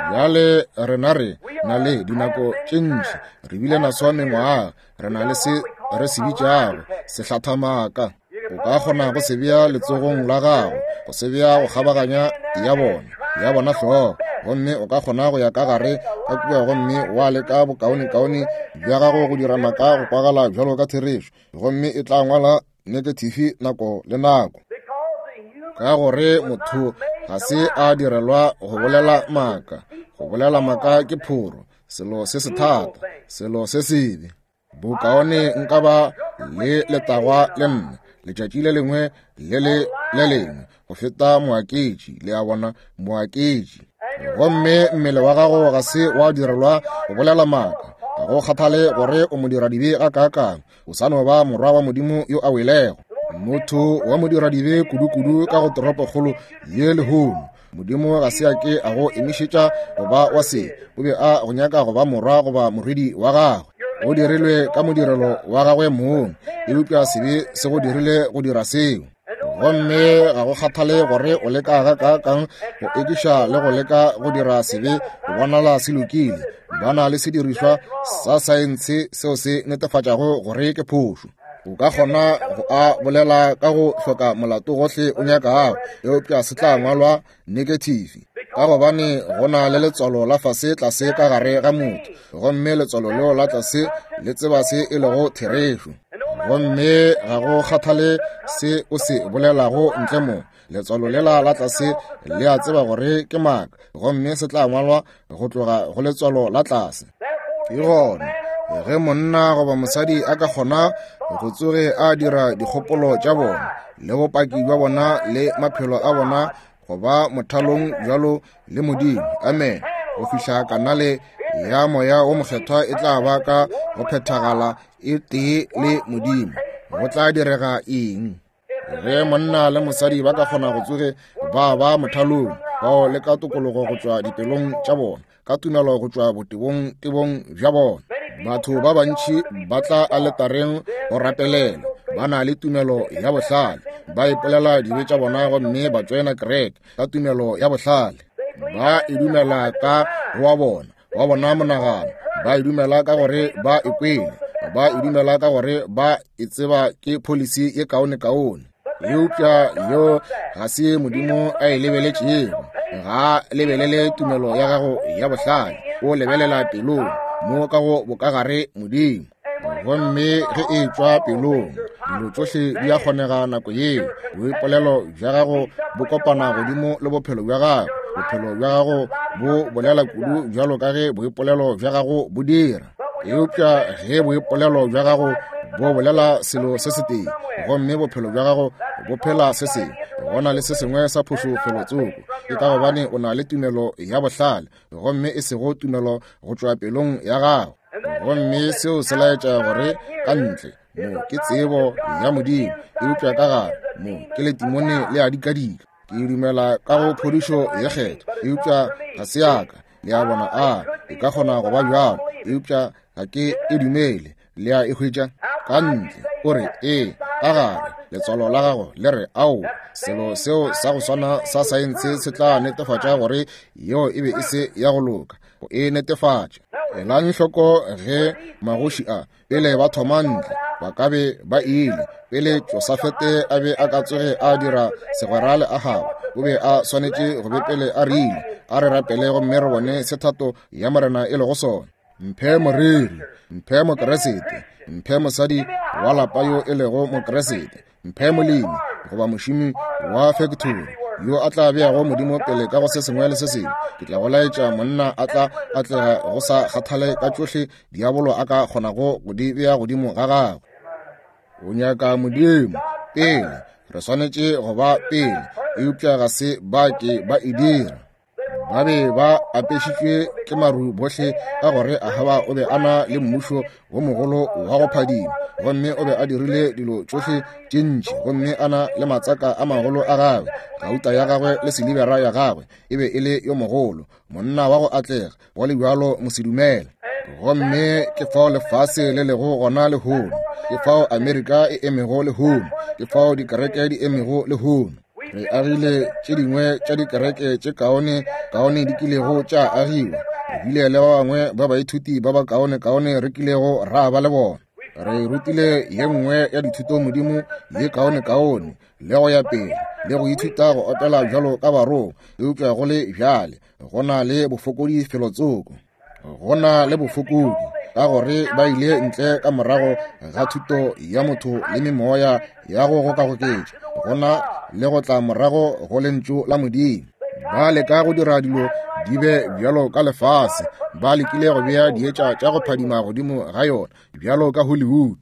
Bjale rena re na le dinako tše ntši, re bile naso mengwaga, re na le se re se bitšago sehlathamaka. O ka kgona go se bea letsogong la gago, go se bea go kgabaganya ya bona, ya bona hlogo, gomme o ka kgona go ya ka gare ka kua gomme wa leka bokaonekaone bja gago go dira maaka go kwagala bjalo ka therešo, gomme e tla ngwala nekethifi nako le nako. Ka gore motho ga se a direlwa go bolela maaka. Go bolela maaka ke phoro, selo se se thata, selo se sebe. Bokaone nka ba le letagwa le nna letšatši le lengwe le le le lengwe go feta moaketši, le a bona, moaketši. Gomme mmele wa gago ga se wa direlwa go bolela maaka. Ga go kgathale gore o modiradibe gakaakang, o sa no ba morwa wa Modimo yo a welego. Motho wa modiradibe kudu-kudu ka go toropokgolo ye lehono. Modimo ga se a ke a go emišetša go ba wa se, o be a go nyaka go ba morwa goba morwedi wa gagwe. O dirilwe ka modirelo wa gagwe mong, eupša sebe se go dirile go dira seo. Gomme ga go kgathale gore o leka gakaakang go ekiša le go leka go dira sebe go bonala se lokile, ba na le sedirišwa sa saense seo se netefatšago gore ke phošo. O ka kgona go a bolela ka go hloka molato gohle o nyakago, eupša se tla ngwalwa negative, ka gobane go na le letswalo la fase tlase ka gare ga motho, gomme letswalo leo la tlase le tseba se e lego therešo. Gomme ga go kgathale se o se bolelago ntle mo, letswalo lela la tlase le a tseba gore ke maaka, gomme se tla ngwalwa go tloga go letswalo la tlase. Ke gona ge monna goba mosadi a ka kgona go tsoge a dira dikgopolo tša bona le bopaki bja bona le maphelo a bona go ba mothalong bjalo le Modimo, amen, go fihla kanale ya Moya wo Mokgethwa e tla ba ka go phethagala e tee le Modimo, go tla direga eng? Ge monna le mosadi ba ka kgona go tsoge ba ba mothalong bao le ka tokologo go tšwa dipelong tša bona, ka tumelo go tšwa botebong tebong bja bona, batho ba bantši ba tla aletareng go rapelela, ba na le tumelo ya bohlale, ba ipolela dibe tša bona gomme ba tšoena kereke ka tumelo ya bohlale, ba e dumela ka go wa bona wa bona monagano, ba e dumela ka gore ba e kwele, ba e dumela ka gore ba e tseba ke pholisi ye kaone-kaone. Eupša yo ga se Modimo a e lebeletšego. Ga a lebelele tumelo ya gago ya bohlale, o lebelela pelong, mo ka go bokagare Modimo. Gomme ge e tšwa pelong, dilo tšohle di a kgonega nako yeo. Boipolelo bja gago bo kopana godimo le bophelo bja gago. Bophelo bja gago bo bolela kudu bjalo ka ge boipolelo bja gago bo dira. Eupša ge boipolelo bja gago bo bolela selo se setee, gomme bophelo bja gago bo phela se sengwe, go na le se sengwe sa phošo felotsoko. Ke ka gobane o na le tumelo ya bohlale, gomme e sego tumelo go tšwa pelong ya gago. Gomme seo se laetša gore ka ntle mo ke tsebo ya Modimo, eupša ka gare mo ke letimone le a dikadika. Ke dumela ka go phodišo ye kgethwa, eupša ga se ya ka. Le a bona? A e ka kgona go ba bjalo, eupša ga ke e dumele. Le a e hwetša ka ntle, o re ee, ka gare letswalo la gago le re ao. Selo seo sa go swana sa saense se tla netefatša gore yeo e be e se ya go loka, go e netefatša. Elang hloko ge magoši a pele ba thoma ntle, ba ka be ba ile pele Josafete a be a ka tsoge a dira segwera le Ahaba, o be a swanetše go be pele a rile, a re rapele gomme re bone se thato ya Morena e lego sona. Mphe moreri, mphe Mokeresete, mphe mosadi wa lapa yo e lego Mokeresete, mphe molemi goba mošomi wa fekthori yo a tla beago Modimo pele ka go se sengwe le se sengwe. Ke tla go laetša monna a tla atlega go sa kgathale ka tšohle diabolo a ka kgonago go di bea godimo ga gagwe. O nyaka Modimo pele, re swanetše go ba pele, eupša ga se ba ke ba e dira. Ba be ba apešitšwe ke maru bohle ka gore Ahaba o be a na le mmušo wo mogolo wa go phadima, gomme o be a dirile dilo tšohle tše ntši, gomme a na le matsaka a magolo a gagwe, gauta ya gagwe le silibera ya gagwe. E be e le yo mogolo, monna wa go atlega, go le bjalo mosedumele. Gomme ke fao lefase le lego gona lehono, ke fao Amerika e emego lehono, ke fao dikereke di emego lehono. Re agile tše dingwe tša dikereke tše kaone kaone di kilego tša agiwa. Re bile le ba bangwe ba baithuti ba ba kaone kaone re kilego ra ba le bona. Re rutile ye nngwe ya dithuto modimo ye kaonekaone le go ya pele le go ithuta go opela bjalo ka barong, eupša go le bjale go na le bofokodi felotsoko. Go na le bofokodi ka gore ba ile ntle ka morago ga thuto ya motho le memoya ya go gokagoketša, go na le go tla morago go lentšu la Modimo. Ba leka go dira dilo di be bjalo ka lefase, ba lekile go bea dietša tša go phadima godimo ga yona bjalo ka Hollywood.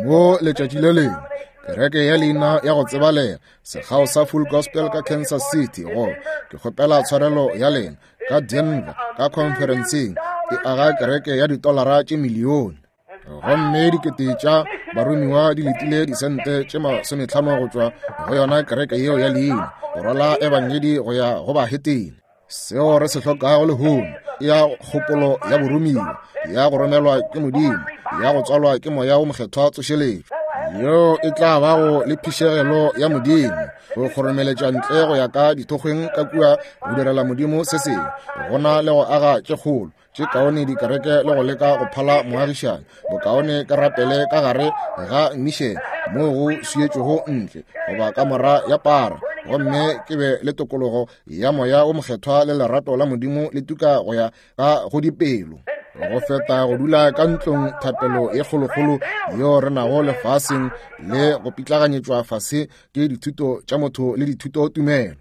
Mo letšatši le lengwe kereke ya leina ya go tsebalega sekgao sa Full Gospel ka Kansas City, go ke kgopela tshwarelo ya lena, ka Denver ka conferenceng e aga kereke ya ditolara tše milione, gomme dikete tša baromiwa di letile disente tše 50 go tšwa go yona kereke yeo ya leina go rwala ebangedi go ya go bahetene. Seo re se hlokago lehono ya kgopolo ya boromiwa ya go romelwa ke Modimo, ya go tswalwa ke Moya wo Mokgethwa tsošeletšo, yeo e tla bago le phišegelo ya Modimo go kgoromeletša ntle go ya ka dithokgweng ka kua go direla Modimo se sengwe, go na le go aga tše kgolo tše kaone dikereke le go leka go phala moagišani. Bokaone ke rapele ka gare ga mišene moo go swietšwego ntle goba kamora ya para, gomme ke be le tokologo ya Moya wo Mokgethwa le lerato la Modimo le tuka go ya ka go dipelo, go feta go dula ka ntlong thapelo ye kgolokgolo yeo re nago lefaseng le go pitlaganyetšwa fase ke dithuto tša motho le dithuto tumelo.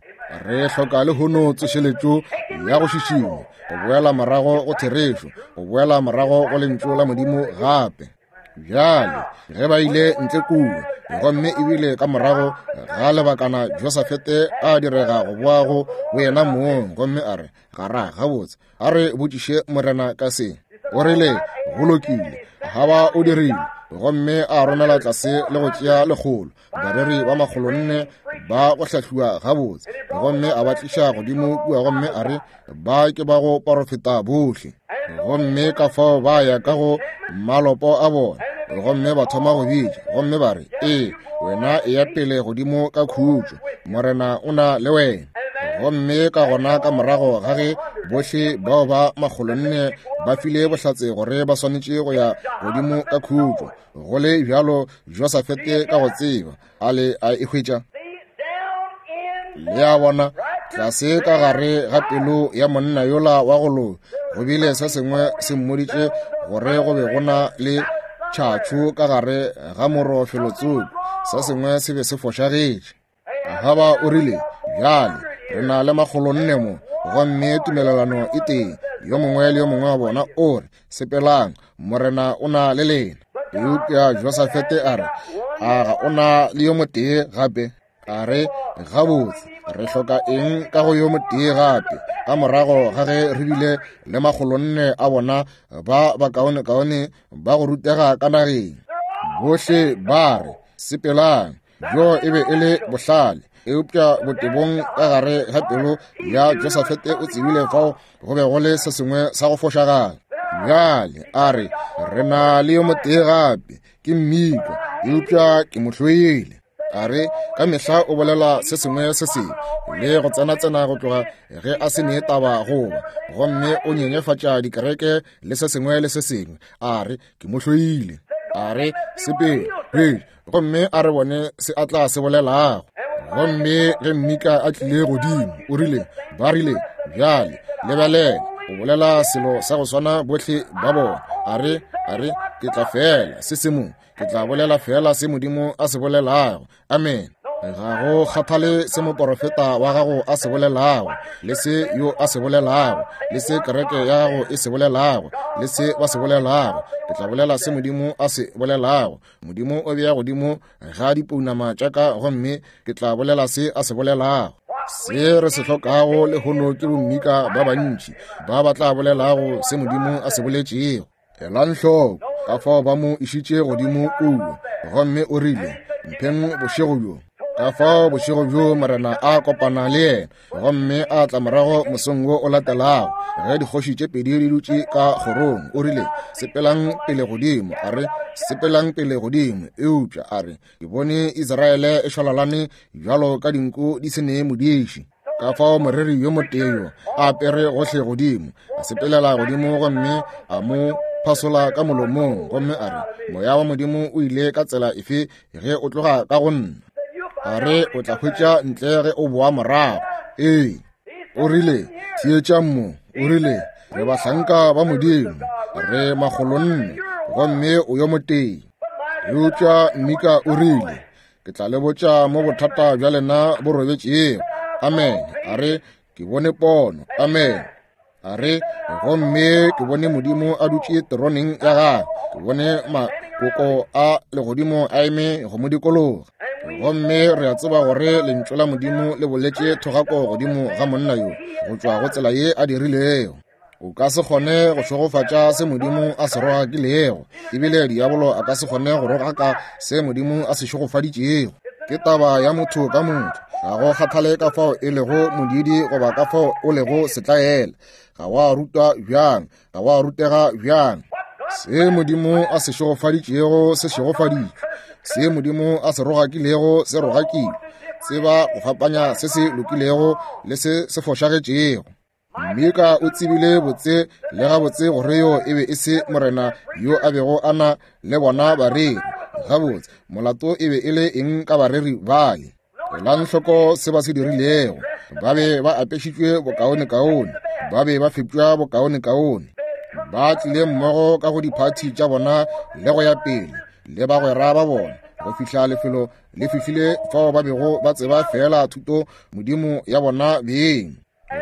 Re hloka lehono tsošeletšo ya go šišinya, go boela morago go therešo, go boela morago go lentšu la Modimo gape. Bjale ge ba ile ntle kua, gomme ebile ka morago ga lebakana Josafete a direga go boa go boyena mong, gomme a re, Ga ra gabotse, a re botšiše Morena ka se. O rile, Go lokile. Ahaba o dirile, gomme a romela tlase le go tšea 100 bareri ba 400 ba go hlahliwa gabotse, gomme a ba tliša godimo kua, gomme a re, Ba ke ba go porofeta bohle. Gomme ka fao ba ya ka go malopo a bona, gomme ba thoma go bitša, gomme ba re, Ee, wena eya pele godimo ka khutšo, Morena o na le wena. Gomme ka gona ka morago ga ge bohle bao ba 400 ba file bohlatse gore ba swanetše go ya godimo ka khutšo, go le bjalo Josafete ka go tseba a le a e hwetša. Le a bona, tlase ka gare ga pelo ya monna yola wa go loka go bile se sengwe se mmoditše gore go be go na le tšhatšho ka gare ga moro felotsoko, se sengwe se be se fošagetše. Ahaba o rile, Bjale re na le 400 mo, gomme tumelelano e tee, yo mongwe le yo mongwe wa bona o re, Sepelang, Morena o na le lena. Eupša Josafete a re, A ga o na le yo motee gape? A re, Gabotse, re hloka eng ka go yo motee gape, ka morago ga ge re bile le 400 a bona ba bakaonekaone ba go rutega ka nageng? Bohle ba re, Sepelang. Bjo e be e le bohlale, eupša botebong ka gare ga pelo ya Josafete o tsebile fao go be go le se sengwe sa go fošagala. Bjale a re, Re na le yo motee gape, ke Mmika, eupša ke mo hloile. A re, Ka mehla o bolela se sengwe se sengwe le go tsenatsena go tloga ge a se ne taba goba, gomme o nyenyefatša dikereke le se sengwe le se sengwe. A re, Ke mo hloile. A re, Sepele, hwetša, gomme a re bone se a tla se bolelago. Gomme ge Mmika a tlile godimo, o rile, ba rile, Bjale, lebelela, o bolela selo sa go swana bohle ba bona. A re, a re, ke tla fela se se mo, ke tla bolela fela se Modimo a se bolelago. Amen. Ga go kgathale se moporofeta wa gago a se bolelago, le se yo a se bolelago, le se kereke ya gago e se bolelago, le se ba se bolelago, ke tla bolela se Modimo a se bolelago. Modimo o bea godimo ga dipounama tša ka, gomme ke tla bolela se a se bolelago. Se re se hlokago lehono ke bommika ba bantši ba ba tla bolelago se Modimo a se boletšego. Elang hloko ka fao ba mo išitše godimo kua, gomme o rile, Mpheng bošego bjo. Ka fao bošego bjo Morena a kopana le yena, gomme a tla morago mosong wo o latelago, ge dikgoši tše pedi di dutše ka kgorong. O rile, Sepelang pele godimo. A re, Sepelang pele godimo. Eupša a re, Ke bone Israele e šwalalane bjalo ka dinku di se ne modiši. Ka fao moreri yo motee yo a apere gohle godimo, a sepelela godimo gomme a mo phasola ka molomong, gomme a re, Moya wa Modimo o ile ka tsela efe ge o tloga ka go nna? A re, O tla hwetša ntle ge o boa morago. Ee. O rile, Theetšang mo. O rile, Re bahlanka ba Modimo, re makgolonne, gomme o yo motee. Eupša Mika o rile, Ke tla le botša mo bothata bja lena bo robetšego. Amen. A re, Ke bone pono. Amen. A re, Gomme ke bone Modimo a dutše teroneng ya gagwe. Ke bone makoko a legodimo a eme go mo dikologa. Gomme re a tseba gore Lentšu la Modimo le boletše thogako godimo ga monna yo go tšwa go tsela ye a dirilego. O ka se kgone go šegofatša se Modimo a se rogakilego, ebile diabolo a ka se kgone go rogaka se Modimo a se šegofaditšego. Ke taba ya motho ka motho. Ga go kgathale ka fao e lego modidi goba ka fao o lego setlaela. Ga wa rutwa bjang, ga wa rutega bjang. Se Modimo a se šegofaditšego se šegofaditšwe, se Modimo a se rogakilego se rogakilwe. Tseba go fapanya se se lokilego le se se fošagetšego. Mika o tsebile botse le gabotse gore yo e be e se morena yo a bego a na le bona bareri. Gabotse, molato e be e le eng ka bareri bale? Elang hloko se ba se dirilego. Ba be ba apešitšwe bokaonekaone, ba be ba fepša bokaonekaone, ba tlile mmogo ka go diphathi tša bona le go ya pele le bagwera ba bona go fihla lefelo le fihlile fao ba bego ba tseba feela thuto modimo ya bona beng.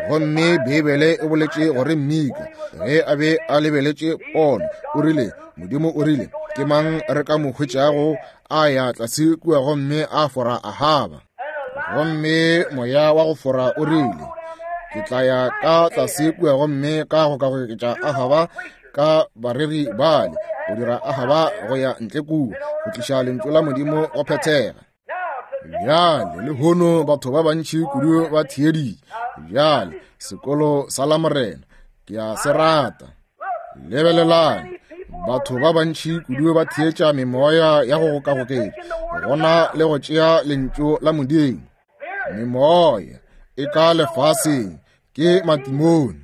Gomme Beibele e boletše gore Mika, ge a be a lebeletše pono, o rile, Modimo o rile, ke mang re ka mo hwetšago a ya tlase kua gomme a fora Ahaba? Gomme moya wa go fora o rile, Ke tla ya ka tlase kua gomme ka gokagoketša Ahaba ka bareri bale, go dira Ahaba go ya ntle kua, go tliša lentšu la Modimo go phethega. Bjale, lehono batho ba bantši kudu ba theeditše. Bjale, sekolo sa Lamorena, ke a se rata. Lebelelang, batho ba bantši kudu ba theetša memoya ya go gokagoketša gona le go tšea lentšu la Modimo. Memoya e ka lefaseng ke matimone.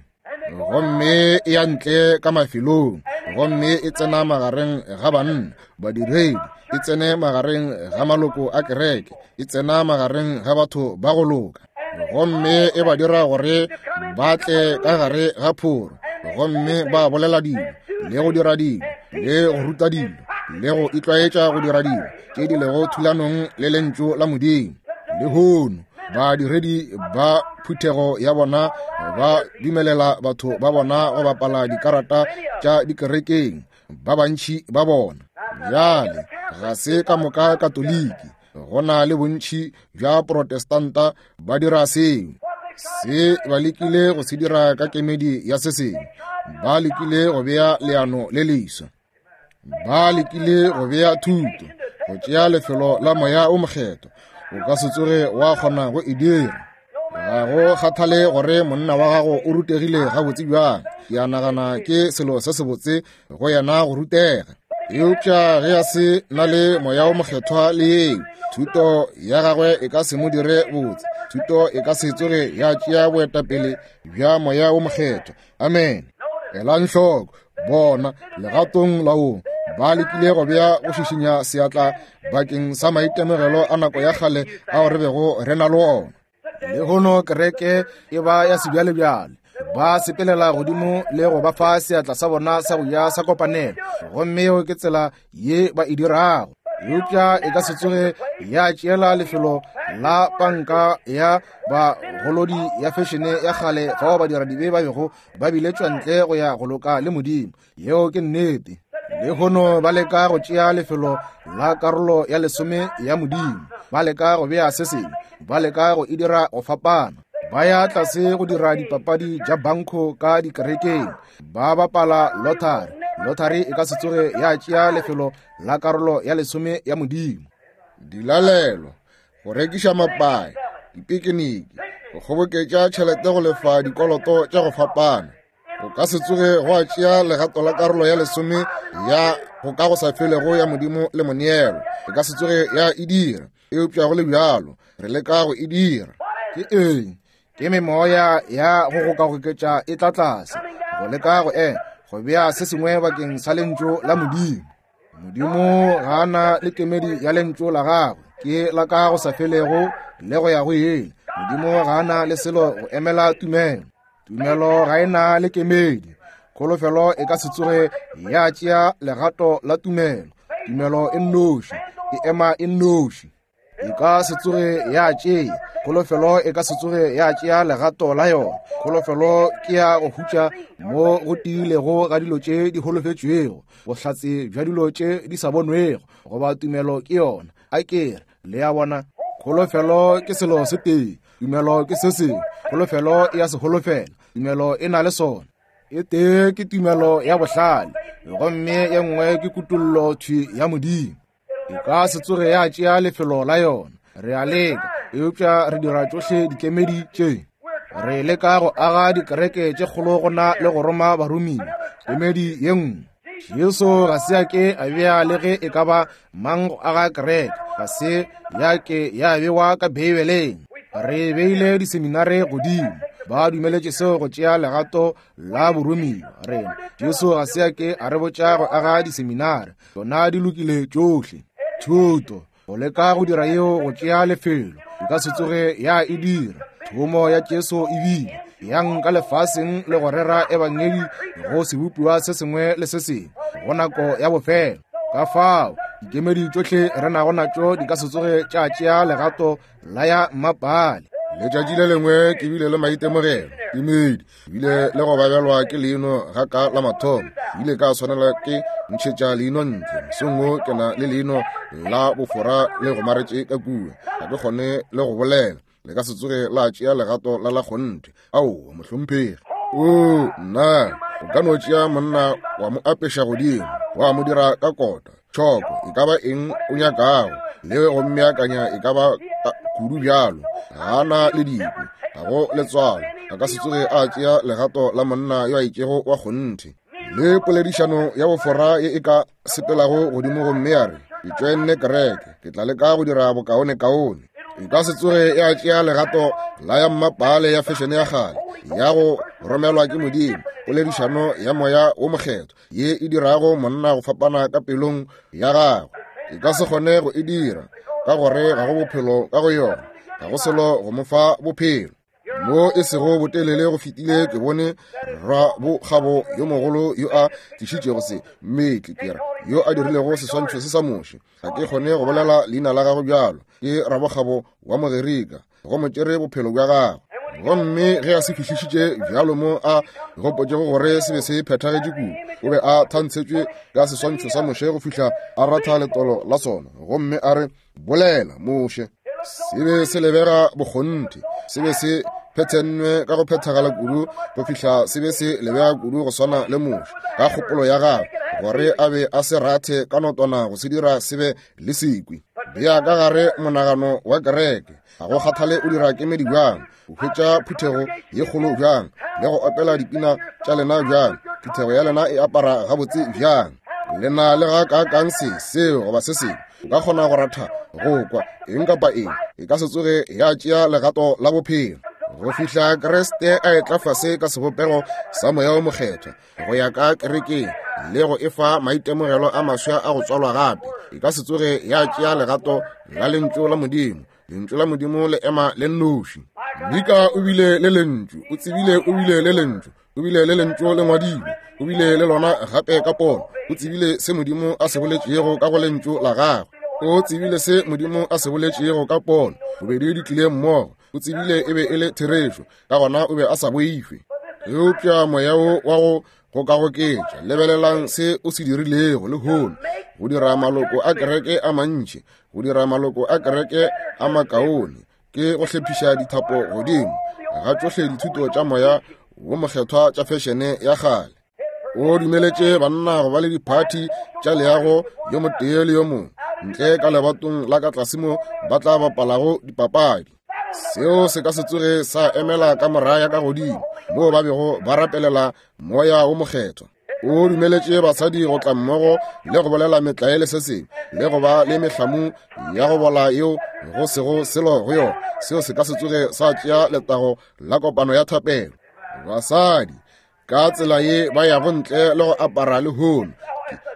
Gomme e ya ntle ka mafelong, gomme e tsena magareng ga banna badiredi, e tsene magareng ga maloko a kereke, e tsena magareng ga batho ba go loka, gomme e ba dira gore ba tle ka gare ga phoro, gomme ba bolela dilo le go dira dilo le go ruta dilo le go itlwaetša go dira dilo tše di lego thulanong le lentšu la Modimo. Lehono badiredi ba phuthego ya bona ba dumelela batho ba bona go bapala dikarata tša dikerekeng, ba bantši ba bona. Bjale ga se ka moka Katoliki, go na le bontši bja Protestanta ba dira seo. Se ba lekile go se dira ka kemedi ya se sengwe, ba lekile go bea leano le leswa. Ba lekile go bea thuto go tšea lefelo la Moya o Mokgethwa. O ka se tsoge wa kgona go e dira. Ga go kgathale gore monna wa gago o rutegile gabotse bjang, ke a nagana ke selo se sebotse go yena go rutega. Eupša ge a se na le Moya o Mokgethwa le yeo, thuto ya gagwe e ka se mo dire botse. Thuto e ka se tsoge ya tšea boetapele bja Moya o Mokgethwa. Amen. Elang hloko, bona legatong la wo ba lekile go bea go šišinya seatla bakeng sa maitemogelo a nako ya kgale ao re bego re na le ona. Lehono kereke e ba ya sebjalebjale, ba sepelela godimo le go ba fa seatla sa bona sa go ja sa kopanelo, gomme yeo ke tsela ye ba e dirago. Eupša e ka se tsoge ya tšeela lefelo la panka ya bagolodi ya fešene ya kgale fao badiradibe ba bego ba biletšwa ntle go ya go loka le Modimo. Yeo ke nnete. Lehono ba leka go tšea lefelo la karolo ya lesome ya Modimo, ba leka go bea se sengwe, ba leka go e dira go fapana. Ba ya tlase go dira dipapadi tša banko ka dikerekeng, ba bapala lottery. Lottery e ka se tsoge ya tšea lefelo la karolo ya lesome ya Modimo. Dilalelo, go rekiša mapai, dipikiniki, go kgoboketša tšhelete go lefa dikoloto tša go fapana. O ka se tsoge gwa tšea legato la karolo ya lesome ya go ka go sa felego ya Modimo le moneelo. E ka se tsoge ya e dira, eupša go le bjalo re leka go e dira. Ke eng? Ke memoya ya go gokagoketša e tla tlase go leka go ema. go bea se sengwe bakeng sa lentšu la Modimo. Modimo ga a na le kemedi ya lentšu la gagwe, ke la ka go sa felego le go ya go ile. Modimo ga a na le selo go emela tumelo. Tumelo ga e na le kemedi. Kholofelo e ka se tsoge ya tšea legato la tumelo. Tumelo e nnoši e ema e nnoši. E ka se tsoge ya tšea kholofelo, e ka se tsoge ya tšea legato la yona. Kholofelo ke ya go hutša mo go tiilego ga dilo tše di holofetšwego, bohlatse bja dilo tše di sa bonwego, goba tumelo ke yona. A ke re, le ya bona, kholofelo ke selo se tee, tumelo ke se sengwe. Kholofelo e ya se holofela, tumelo e na le sona. E tee ke tumelo ya bohlale, gomme ye nngwe ke kutollo thwi ya Modimo. E ka se tsoge ya tšea lefelo la yona. Re a leka, eupša re dira tšohle dikemedi tše. Re leka go aga dikereke tše kgolo go na le go roma baromiwa, kemedi ye nngwe. Jesu ga se a ke a bea le ge e ka ba mang go aga kereke, ga se ya ke ya bewa ka Beibeleng. Re beile diseminare godimo, ba dumeletše seo go tšea legato la boromiwa. Rena, Jesu ga se a ke a re botša go aga diseminare, tšona di lokile tšohle. Thuto, go leka go dira yeo go tšea lefelo, e ka se tsoge ya e dira. Thomo ya Jesu e bile yang ka lefaseng le go rera ebangedi go sebopiwa se sengwe le se sengwe go nako ya bofelo. Ka fao dikemedi tšohle re nago natšo di ka se tsoge tša tšea legato la ya mmapale. Letšatši le lengwe ke bile le maitemogelo kemedi, bile le go babelwa ke leino ga ka la mathomo. Ke ile ka swanela ke ntšhetša leino ntle. Mosong wo ke na le leino la bofora le gomaretše ka kua, ga ke kgone le go bolela. Le ka se tsoge la tšea legato la la kgonthe. Aowa, mohlomphegi. O nna, o ka no tšea monna wa mo apeša godimo, wa mo dira ka kota, tšhoko, e ka ba eng o nyakago, le go mmeakanya e ka ba kudu bjalo. Ga a na le dikwe, ga go letswalo, a ka se tsoge a tšea legato la monna yo a itšego wa kgonthe. Le poledišano ya bofora ye e ka sepelago godimo gomme ya re, ke tšoenne kereke, ke tla leka go dira bokaonekaone. E ka se tsoge ya tšea legato la ya mmapaale ya fešene ya kgale ya go romelwa ke Modimo, poledišano ya Moya wo Mokgethwa ye e dirago monna go fapana ka pelong ya gagwe. E ka se kgone go e dira, ka gore ga go bophelo ka go yona, ga go selo go mo fa bophelo. Mo e sego botelele go fetile ke bone rabokgabo yo mogolo yo a tlišitšego se mmetli, ke ra yo a dirilego seswantšho se sa Moshe. Ga ke kgone go bolela leina la gagwe bjalo, ke rabokgabo wa Mogerika, go mo tšere bophelo bja gagwe. Gomme ge a se fihlišitše bjalo mo a gopotšego gore se be se phethagetše kudu, o be a thantshetšwe ka seswantšho sa Moshe go fihla a ratha letolo la sona, gomme a re, Bolela, Moshe. Se be se lebega bokgonthe, se be se phethennwe ka go phethagala kudu go fihla se be se lebega kudu go swana le Moshe ka kgopolo ya gagwe, gore a be a se rathe ka notwana go se dira se be le sekwi. Bea ka gare monagano wa kereke, ga go kgathale o dira kemedi bjang, o hwetša phuthego ye kgolo bjang, le go opela dipina tša lena bjang, phuthego ya lena e apara gabotse bjang, le na le ga kaakang se seo goba se sengwe, o ka kgona go ratha go kwa eng kapa eng, e ka se tsoge ya tšea legato la bophelo go fihla Kriste a etla fase ka sebopego sa Moya wo Mokgethwa go ya ka kerekeng le go efa maitemogelo a maswa a go tswalwa gape. E ka se tsoge ya tšea legato la Lentšu la Modimo. Lentšu la Modimo le ema le nnoši. Mika o bile le Lentšu, o tsebile o bile le Lentšu, o bile le Lentšu le ngwadilwe, o bile le lona gape ka pono. O tsebile se Modimo a se boletšego ka go Lentšu la gagwe. O tsebile se Modimo a se boletšego ka pono. Bobedi di tlile mmogo. O tsebile e be e le therešo, ka gona o be a sa boife. Eupša moya wo wa go gokagoketša, lebelelang se o se dirilego lehono, go dira maloko a kereke a mantši, go dira maloko a kereke a makaone, ke go hlephiša dithapo godimo ga tšohle dithuto tša Moya wo Mokgethwa tša fešene ya kgale. O dumeletše banna go ba le diphathi tša leago yo motee le yo mongwe ntle ka lebatong la ka tlase mo ba tla bapalago dipapadi. Seo se ka se tsoge sa emela ka moraya ka godimo moo ba bego ba rapelela Moya wo Mokgethwa. O dumeletše basadi go tla mmogo le go bolela metlae le se sengwe, le go ba le mehlamu ya go bola yeo go sego selo go yona. Seo se ka se tsoge sa tšea letago la kopano ya thapelo. Basadi, Ka tsela ye ba yago ntle le go apara lehono,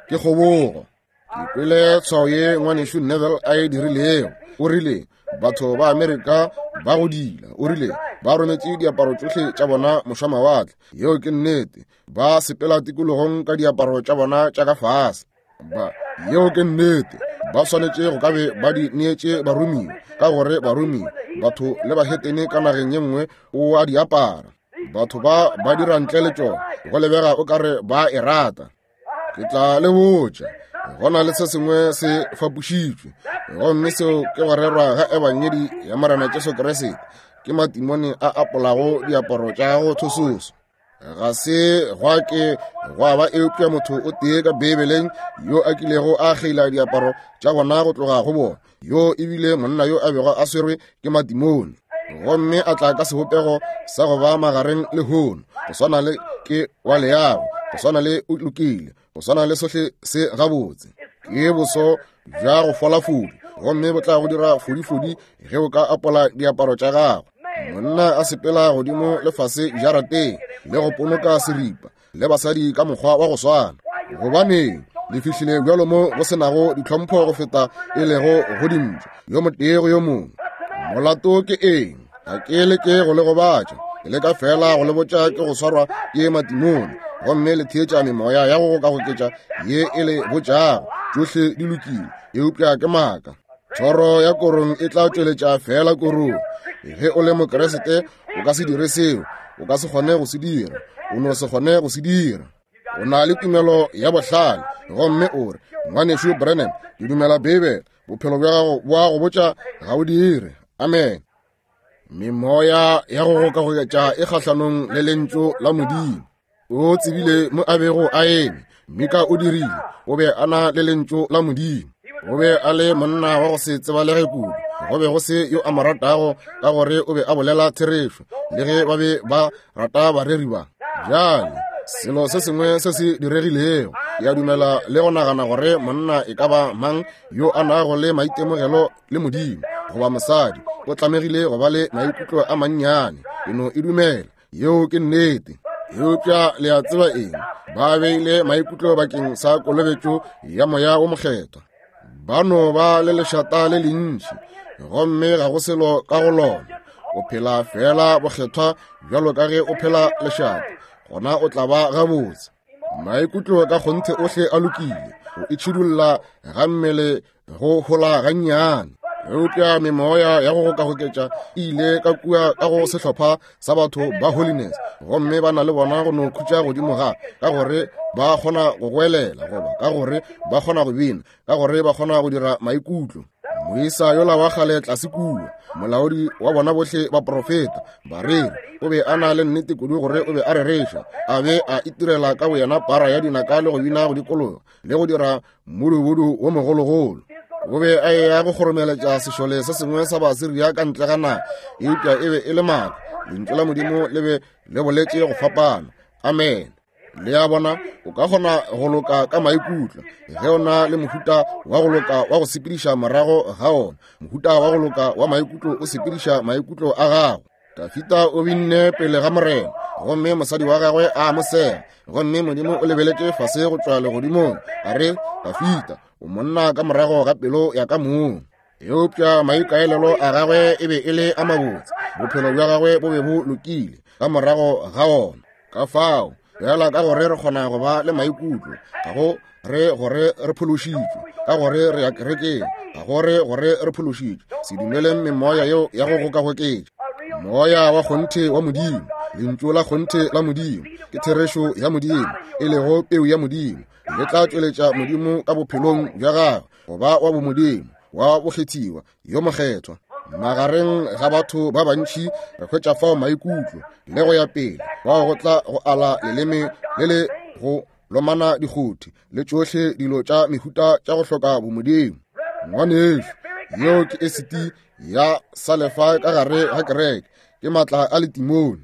ke kgobogo. Ke kwele tshwao ye ngwanešu Neville a e dirilego. O rile, batho ba Amerika ba go dila. O rile, ba rometše diaparo tšohle tša bona mošwamawatle. Yeo ke nnete. Ba sepela tikologong ka diaparo tša bona tša ka fase. Ba, yeo ke nnete. Ba swanetše go ka be ba di neetše baromiwa, ka gore baromiwa, batho le bahetene ka nageng ye nngwe o a di apara. Batho ba ba dira ntle le tšona, go lebega o ka re ba e rata. Ke tla le botša, go na le se sengwe se fapošitšwe, gomme seo ke go rerwa ga Ebangedi ya Morena Jesu Kriste. Ke matimone a apolago diaparo tša gago thososo. Ga se gwa ke gwa ba eupša motho o tee ka Beibeleng yo a kilego a kgeila diaparo tša bona go tloga go bona, yo e bile monna yo a bego a swerwe ke matimone, gomme a tla ka sebopego sa go ba magareng lehono, go swana le ke wa leago, go swana le o lokile, go swana le sohle se gabotse. Ke boso bja go fola fodi, gomme bo tla go dira fodifodi ge o ka apola diaparo tša gago. Monna a sepela godimo le fase jarateng le go ponoka seripa, le basadi ka mokgwa wa go swana. Gobaneng le fihlile bjalo mo go se nago ditlhompho go feta e lego go dimpša, yo motee go yo mongwe? Molato ke eng? Ga ke leke go le gobatša, ke leka fela go le botša ke go swarwa ke matimone, gomme le theetša memoya ya go gokagoketša ye e le botšago tšohle di lokile, eupša ke maaka. Thoro ya korong e tla tšweletša fela korong. Ge o le Mokriste, o ka se dire seo, o ka se kgone go se dira, o no se kgone go se dira. O na le tumelo ya bohlale, gomme o re, Ngwanešu Branham, ke dumela Beibele. Bophelo bja gago bo a go botša ga o dire. Amen. Memoya ya go gokagoketša e kgahlanong le Lentšu la Modimo. O tsebile mo a bego a eme. Mika o dirile. O be a na le Lentšu la Modimo. O be a le monna wa go se tsebalege kudu. Go be go se yo a mo ratago, ka gore o be a bolela therešo, le ge ba be ba rata bareri ba. Bjale, selo se sengwe se se diregilego, ke a dumela le go nagana gore monna e ka ba mang yo a nago le maitemogelo le Modimo, goba mosadi, o tlamegile go ba le maikutlo a mannyane. Ke no e dumela. Yeo ke nnete. Eupša le a tseba eng? Ba beile maikutlo bakeng sa kolobetšo ya Moya wo Mokgethwa. Ba no ba le lešata le lentši, gomme ga go selo ka go lona. O phela fela bokgethwa bjalo ka ge o phela lešata, gona o tla ba gabotse. Maikutlo ka kgonthe ohle a lokile, go itšhidulla ga mmele go hola gannyane. Eupša memoya ya go gokagoketša e ile ka kua ka go sehlopha sa batho ba Holiness, gomme ba na le bona go no khutša godimo ga, ka gore ba kgona go goelela, goba ka gore ba kgona go bina, ka gore ba kgona go dira maikutlo. Moisa yola wa kgale tlase kua, molaodi wa bona bohle baprofeta, bareri, o be a na le nnete kudu gore o be a rereša, a be a itirela ka boyena para ya dinaka le go bina go dikologa le go dira mmudubudu wo mogologolo. O be a eya go kgoromeletša sešole se sengwe sa Basiria ka ntle ga naga, eupša e be e le maaka. Lentšu la Modimo le be le boletše go fapana. Amen. Le a bona, o ka kgona go loka ka maikutlo ge o na le mohuta wa go loka wa go sepediša morago ga ona. Mohuta wa go loka wa maikutlo o sepediša maikutlo a gago. Dafita o binne pele ga Morena, gomme mosadi wa gagwe a mo sega. Gomme Modimo o lebeletše fase go tšwa legodimong, a re, Dafita, o monna ka morago ga pelo ya ka mong. Eupša maikaelelo a gagwe e be e le a mabotse, bophelo bja gagwe bo be bo lokile ka morago ga ona. Ka fao, bjala ka gore re kgona go ba le maikutlo, ga go re gore re phološitšwe, ka gore re ya kerekeng, ga gore gore re phološitšwe. Se dumeleng memoya yeo ya go gokagoketša. Moya wa kgonthe wa Modimo, Lentšu la kgonthe la Modimo, ke therešo ya Modimo, e lego peu ya Modimo, le tla tšweletša Modimo ka bophelong bja gagwe, go ba wa bomodimo, wa bokgethiwa, yo mokgethwa. Magareng ga batho ba bantši re hwetša fao maikutlo le go ya pele, bao go tla go ala leleme le le go lomana dikgothi le tšohle dilo tša mehuta tša go hloka bomodimo. Ngwanešu, yeo ke esiti ya salefa ka gare ga kereke, ke matla a letimone.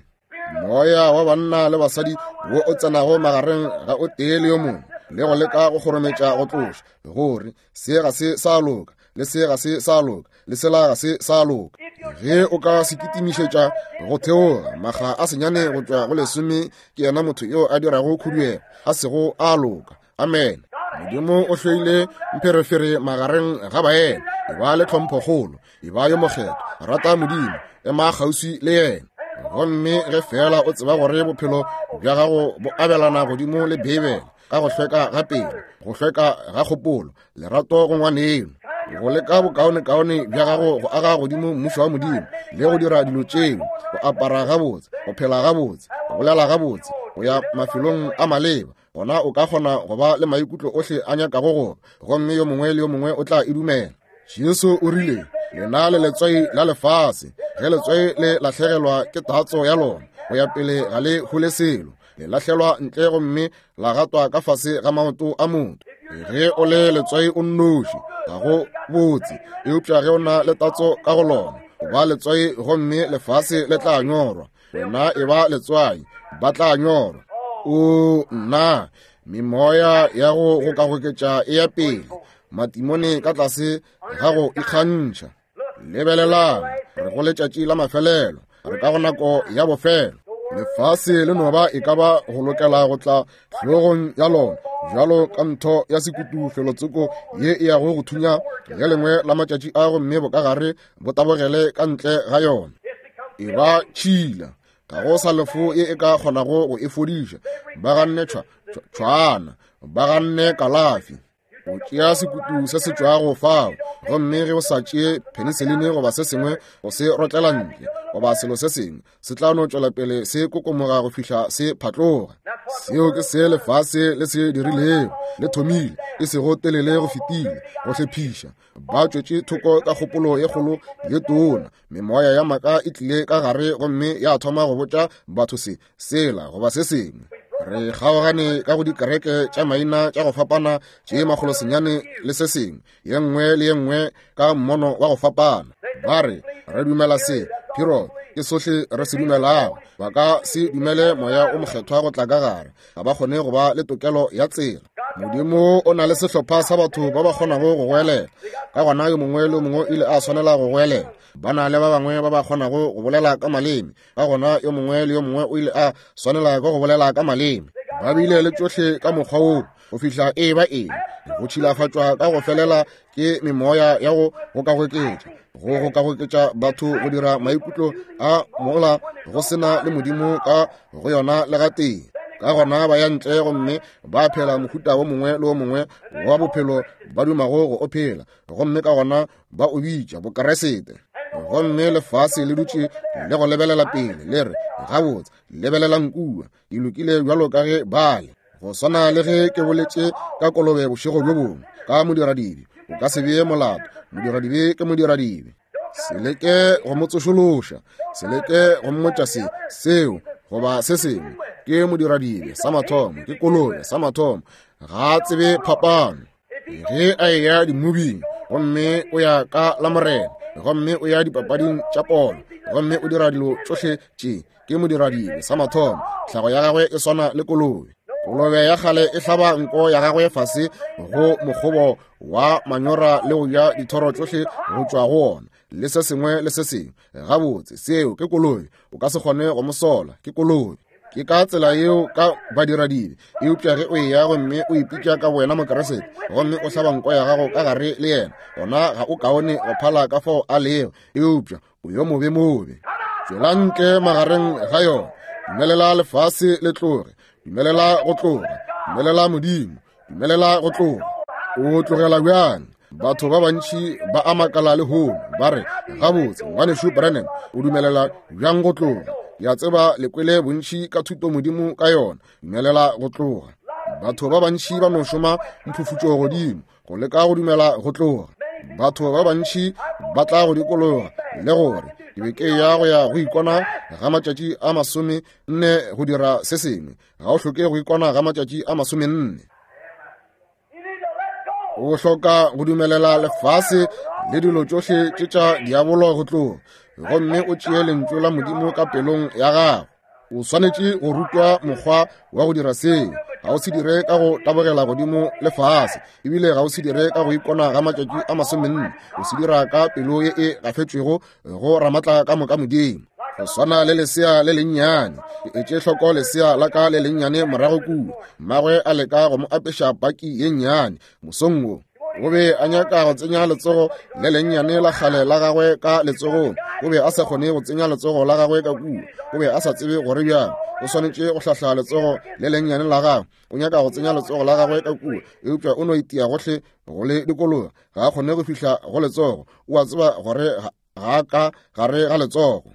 Moya wa banna le basadi wo o tsenago magareng ga o tee le yo mongwe le go leka go kgorometša go tloša, gore se ga se sa loka, le se ga se sa loka, le sela ga se sa loka. Ge o ka se kitimišetša go theoga makga a senyane go tšwa go lesome, ke yena motho yo a dirago khuduego, a sego a loka. Amen. Modimo o hloile mpherefere magareng ga baena. E ba le tlhomphokgolo, e ba yo mokgethwa, rata Modimo, ema kgauswi le yena. Gomme ge feela o tseba gore bophelo bja gago bo abelana godimo le Beibele, ka go hlweka ga pelo, go hlweka ga kgopolo, lerato go ngwaneno, go leka bokaonekaone bja gago go aga godimo mmušo wa Modimo le go dira dilo tšeo, go apara gabotse, go phela gabotse, go bolela gabotse, go ya mafelong a maleba, gona o ka kgona go ba le maikutlo ohle a nyakago go, gomme yo mongwe le yo mongwe o tla e dumela. Jesu o rile, Lena le letswai la lefase. Ge letswai le lahlegelwa ke tatso ya lona, go ya pele ga le hole selo, le lahlelwa ntle gomme la gatwa ka fase ga maoto a motho. Ge o le letswai o nnoši, ga go botse, eupša ge o na le tatso ka go lona, o ba letswai gomme lefase le tla nyorwa. Wena e ba letswai, ba tla nyorwa. O nna, memoya ya go gokagoketša e ya pele, matimone ka tlase ga go ikgantšha. Lebelelang, re go letšatši la mafelelo, re ka go nako ya bofelo. Lefase le no ba e ka ba go lokela go tla hlogong ya lona bjalo ka ntho ya sekutu felotsoko ye e yago go thunya le lengwe la matšatši a, gomme bokagare bo tabogele ka ntle ga yona. E ba tšhila, ga go sa lefo ye e ka kgonago go e fodiša. Ba ganne tšhwana, ba ganne kalafi. O tšea sekutu se se tšwago fao, gomme ge o sa tšee peniseline goba se sengwe go se rotlela ntle, goba selo se sengwe, se tla no tšwela pele se kokomoga go fihla se phatloga. Seo ke se lefase le se dirilego. Le thomile e sego telele go fetile, go hlephiša. Ba tšwetše thoko ka kgopolo ye kgolo ye tona. Memoya ya maaka e tlile ka gare gomme ya thoma go botša batho se, sela goba se sengwe. Re kgaogane ka go dikereke tša maina tša go fapana tše 900 le se sengwe, ye nngwe le ye nngwe ka mmono wa go fapana. Ba re, re dumela se, Pirot, ke sohle re se dumelago. Ba ka se dumele Moya o Mokgethwa go tla ka gare, ga ba kgone go ba le tokelo ya tsela. Modimo o na le sehlopha sa batho ba ba kgonago go goelela, ka gona yo mongwe le yo mongwe o ile a swanela go goelela. Ba na le ba bangwe ba ba kgonago go bolela ka maleme, ka gona yo mongwe le yo mongwe o ile a swanela ke go bolela ka maleme. Ba bile le tšohle ka mokgwa woo go fihla e ba eng, go tšhilafatšwa ka go felela ke memoya ya go gokagoketša, go gokagoketša batho go dira maikutlo a mola go sena le Modimo ka go yona le gatee. Ka gona ba ya ntle gomme ba phela mohuta wo mongwe le wo mongwe wa bophelo ba dumago go o phela, gomme ka gona ba o bitša Bokeresete. Gomme lefase le dutše le go lebelela pele le re, gabotse, lebelelang kua, di lokile bjalo ka ge bale. Go swana le ge ke boletše ka kolobe bošego bjo bongwe, ka modiradibe, o ka se bee molato, modiradibe ke modiradibe. Se leke go mo tsošološa, se leke go mmotša se, seo, goba se sengwe. Ke modiradibe sa mathomo, ke kolobe sa mathomo, ga a tsebe phapano. Ge a eya dimobing, gomme o ya ka Lamorena, gomme o ya dipapading tša polo, gomme o dira dilo tšohle tše, ke modiradibe sa mathomo. Tlhago ya gagwe e swana le kolobe. Kolobe ya kgale e hlaba nko ya gagwe fase go mokgobo wa manyora le go ja dithoro tšohle go tšwa go ona, le se sengwe le se sengwe. Gabotse, seo ke kolobe. O ka se kgone go mo sola, ke kolobe. Ke ka tsela yeo ka badiradibe. Eupša ge o eya gomme o ipitša ka wena Mokeresete, gomme o hlaba nko ya gago ka gare le yena, gona ga o kaone go phala ka fao a lego, eupša o yo mobe mobe. Tšwela ntle magareng ga yona. Dumelela lefase le tloge. Dumelela go tloga. Dumelela Modimo. Dumelela go tloga. O tlogela bjang? Batho ba bantši ba a makala lehono, ba re, gabotse, Ngwanešu Branham, o dumelela bjang go tloga? Ke a tseba le kwele bontši ka thuto Modimo ka yona. Dumelela go tloga. Batho ba bantši ba no šoma mphufutšo godimo, go leka go dumela go tloga. Batho ba bantši ba tla go dikologa le gore ke be ke ya go ya go ikona ga matšatši a 40 go dira se sengwe. Ga o hloke go ikona ga matšatši a 40. O hloka go dumelela lefase le dilo tšohle tše tša diabolo go tloga, gomme o tšee lentšu la Modimo ka pelong ya gago. O swanetše go rutwa mokgwa wa go dira seo. Ga o se dire ka go tabogela godimo le fase, ebile ga o se dire ka go ikona ga matšatši a 40. O se dira ka pelo ye e gafetšwego go Ramatla ka moka Modimo. Go swana le lesea le lennyane. Ke etše hloko lesea la ka le lennyane morago kua. Mmagwe a leka go mo apeša paki ye nnyane mosong wo. O be a nyaka go tsenya letsogo le lennyane la kgale la gagwe ka letsogong. O be a sa kgone go tsenya letsogo la gagwe ka kua. O be a sa tsebe gore bjang. O swanetše go hlahla letsogo le lennyane la gagwe. O nyaka go tsenya letsogo la gagwe ka kua, eupša o no itia gohle go le dikologa. Ga a kgone go fihla go letsogo. O a tseba gore ga ka gare ga letsogo.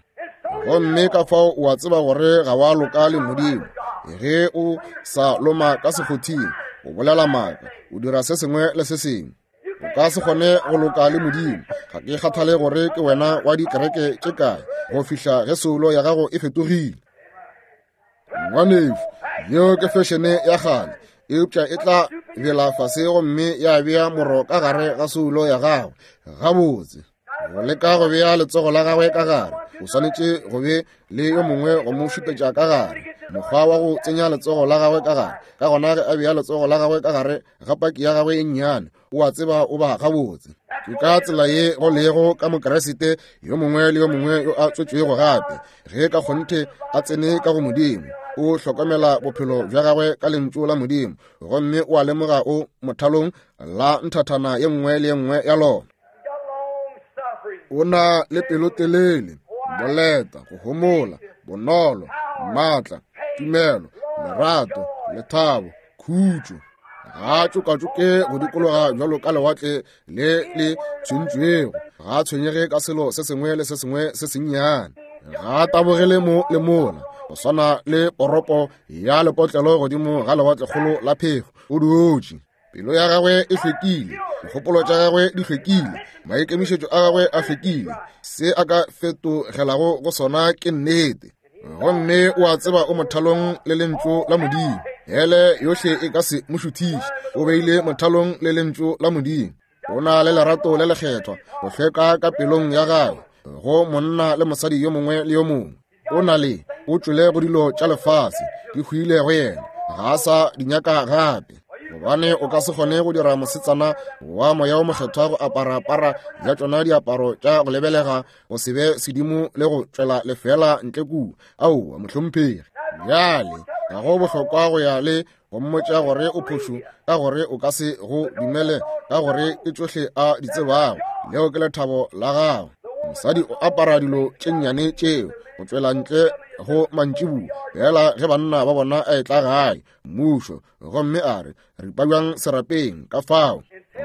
Gomme ka fao o a tseba gore ga wa loka le Modimo. Ge o sa loma ka sekgothing, o bolela maaka, o dira se sengwe le se sengwe. O ka se kgone go loka le Modimo. Ga ke kgathale gore ke wena wa dikereke tše kae, go fihla ge soulo ya gago e fetogile. Ngwanešu, yeo ke fešene ya kgale, eupša e tla bela fase gomme ya bea moro ka gare ga soulo ya gago. Gabotse. Go leka go bea letsogo la gagwe ka gare, o swanetše go be le yo mongwe go mo šupetša ka gare mokgwa wa go tsenya letsogo la gagwe ka gare. Ka gona ge a bea letsogo la gagwe ka gare ga paki ya gagwe e nnyane, o a tseba o ba gabotse. Ke ka tsela ye go lego ka Mokriste yo mongwe le yo mongwe yo a tswetšwego gape. Ge ka kgonthe a tsene ka go Modimo, o hlokomela bophelo bja gagwe ka lentšu la Modimo, gomme o a lemoga o mothalong la nthathana ye nngwe le ye nngwe ya lona. O na le pelotelele, boleta, go homola, bonolo, maatla, tumelo, lerato, lethabo, khutšo. Ga a tšokatšoke go dikologa bjalo ka lewatle le le tshwentšwego. Ga a tshwenyege ka selo se sengwe le se sengwe se sennyane. Ga a tabogele mo le mola go swana le poropo ya lepotlelo godimo ga lewatlekgolo la phefo. O dutše. Pelo ya gagwe e hlwekile, dikgopolo tša gagwe di hlwekile, maikemišetšo a gagwe a hlwekile. Se a ka fetogelago go sona ke nnete. Gomme o a tseba o mothalong le lentšu la Modimo. Hele yohle e ka se mo šuthiše. O beile mothalong le lentšu la Modimo. O na le lerato le lekgethwa go hlweka ka pelong ya gagwe go monna le mosadi yo mongwe le yo mongwe. O na le, o tšwele go dilo tša lefase, di hwile go yena, ga a sa di nyaka gape. Gobane o ka se kgone go dira mosetsana wa Moya wo Mokgethwa go apara para ya tšona diaparo tša go lebelega go se be sedimo le go tšwela lefeela ntle kua. Aowa, mohlomphegi. Bjale, ga go bohlokwa go ya le go mmotša gore o phošo, ka gore o ka se go dumele, ka gore ke tšohle a di tsebago. Leo ke lethabo la gago. Mosadi o apara dilo tše nnyane tšeo go tšwela ntle go mantšibua, fela ge banna ba bona a etla gae, mmušo, gomme a re, ripa bjang serapeng ka fao.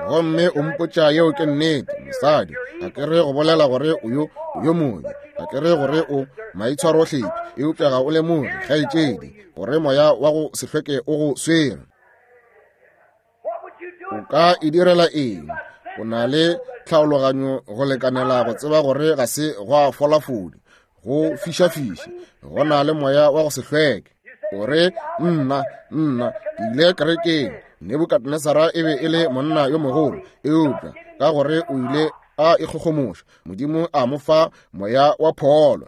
Gomme o mpotša yeo ke nnete, mosadi. Ga ke re go bolela gore o yo, o yo mobe, ga ke re gore o maitshwarohlephi, eupša ga o lemoge, kgaetšedi, gore moya wa go se hlweke o go swere. O ka e direla eng? O na le tlhaologanyo go lekanela go tseba gore ga se gwa folafodi, go fišafiša, go na le moya wa go se hlweke. O re, nna, nna, ke ile kerekeng. Nebukadnesara e be e le monna yo mogolo, eupša ka gore o ile a ikgogomoša, Modimo a mo fa moya wa pholo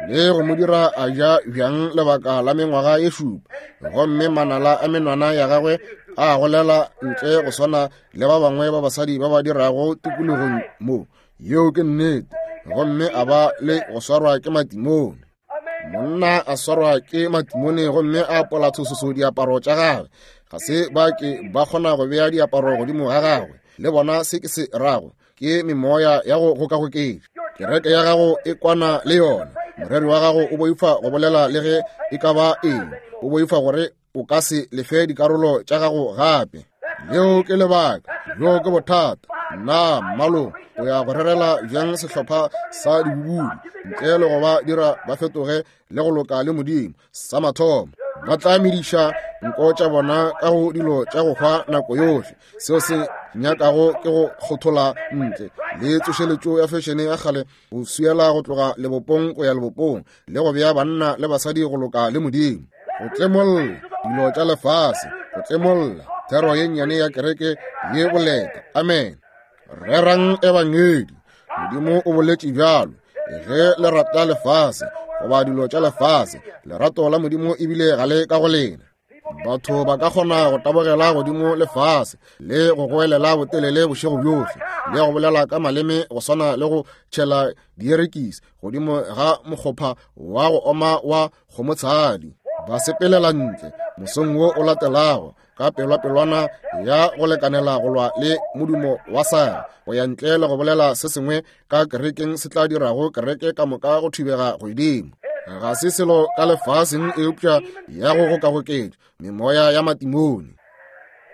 le go mo dira a ja bjang lebaka la mengwaga ye šupa, gomme manala a menwana ya gagwe a golela ntle go swana le ba bangwe ba basadi ba ba dirago tikologong mo. Yeo ke nnete. Gomme a ba le go swarwa ke matimone. Monna a swarwa ke matimone gomme a apola tshososo diaparo tša gagwe. Ga se ba ke ba kgona go bea diaparo godimo ga gagwe. Le bona se ke se rago? Ke memoya ya go gokagoketša. Kereke ya gago e kwana le yona. Moreri wa gago o boifa go bolela le ge e ka ba eng. O boifa gore o ka se lefe dikarolo tša gago gape. Leo ke lebaka, bjoo ke bothata. Na mmalo o ya go rerela bjang sehlopha sa dibubudi ntle le go ba dira ba fetoge le go loka le Modimo? Sa mathomo, ba tla mediša nko tša bona ka go dilo tša go hwa nako yohle. Seo se nyakago ke go kgothola ntle le tsošeletšo ya fešene ya kgale, go swiela go tloga lebopong go ya lebopong, le go bea banna le basadi go loka le Modimo. Go tlemolla dilo tša lefase, go tlemolla thero ye nnyane ya kereke ye boleta. Amen. Rerang ebangedi. Modimo o boletše bjalo. Ge le rata lefase goba dilo tša lefase, lerato la Modimo ebile ga le ka go lena. Batho ba ka kgona go tabogela godimo le fase le go goelela botelele bošego bjohle le go bolela ka maleme go swana le go tšhela dierekisi godimo ga mokgopha wa go oma wa kgomotshadi. Ba sepelela ntle mosong wo o latelago ka pelwapelwana ya go lekanela go lwa le modumo wa sara go ya ntle le go bolela se sengwe ka kerekeng se tla dirago kereke ka moka go thubega godimo. Ga se selo ka lefaseng eupša ya go gokagoketša memoya ya matimone.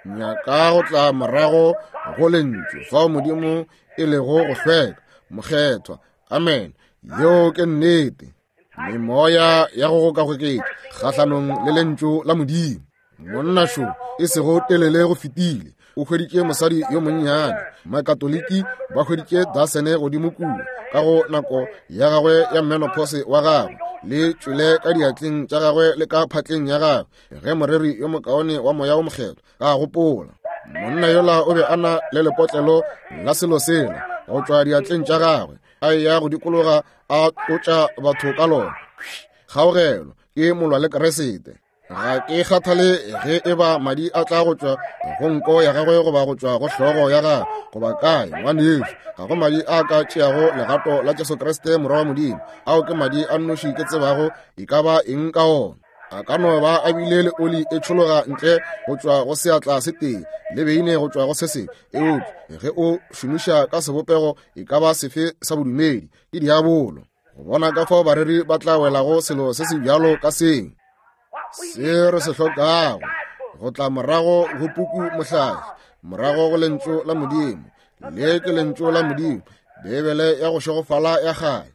Nyaka go tla morago go lentšu fao Modimo e lego go hlweka mokgethwa. Amen. Yeo ke nnete. Memoya ya go gokagoketša kgahlanong le lentšu la Modimo. Monna šo e sego telele go fetile o hweditše mosadi yo monnyane. Makatoliki ba hweditše dasene godimo kua ka go nako ya gagwe ya menopause wa gagwe, le tšwele ka diatleng tša gagwe le ka phatleng ya gagwe, ge moreri yo mokaone wa moya wo mokgethwa ka gopola monna yola o be a na le lepotlelo la selo sela go tšwa diatleng tša gagwe, a eya go dikologa a tlotša batho ka lona. Kgaogelo ke molwa le Keresete. Ga ke kgathale ge e ba madi a tla go tšwa go nko ya gagwe goba go tšwa go hlogo ya gagwe goba kae, ngwanešu, ga go madi a ka tšeago legato la Jesu Kriste Morwa wa Modimo. Ao ke madi a nnoši ke tsebago e ka ba eng ka ona. A ka no ba a bile le oli e tšhologa ntle go tšwa go seatla se tee le beine go tšwa go se sengwe, eupša ge o šomiša ka sebopego e ka ba sefe sa bodumedi, ke diabolo. Go bona ka fao bareri ba tla welago selo se se bjalo ka seng. Se re se hlokago go tla morago go puku mohlahli, morago go lentšu la Modimo. Le ke lentšu la Modimo, Beibele ya go šegofala ya kgale.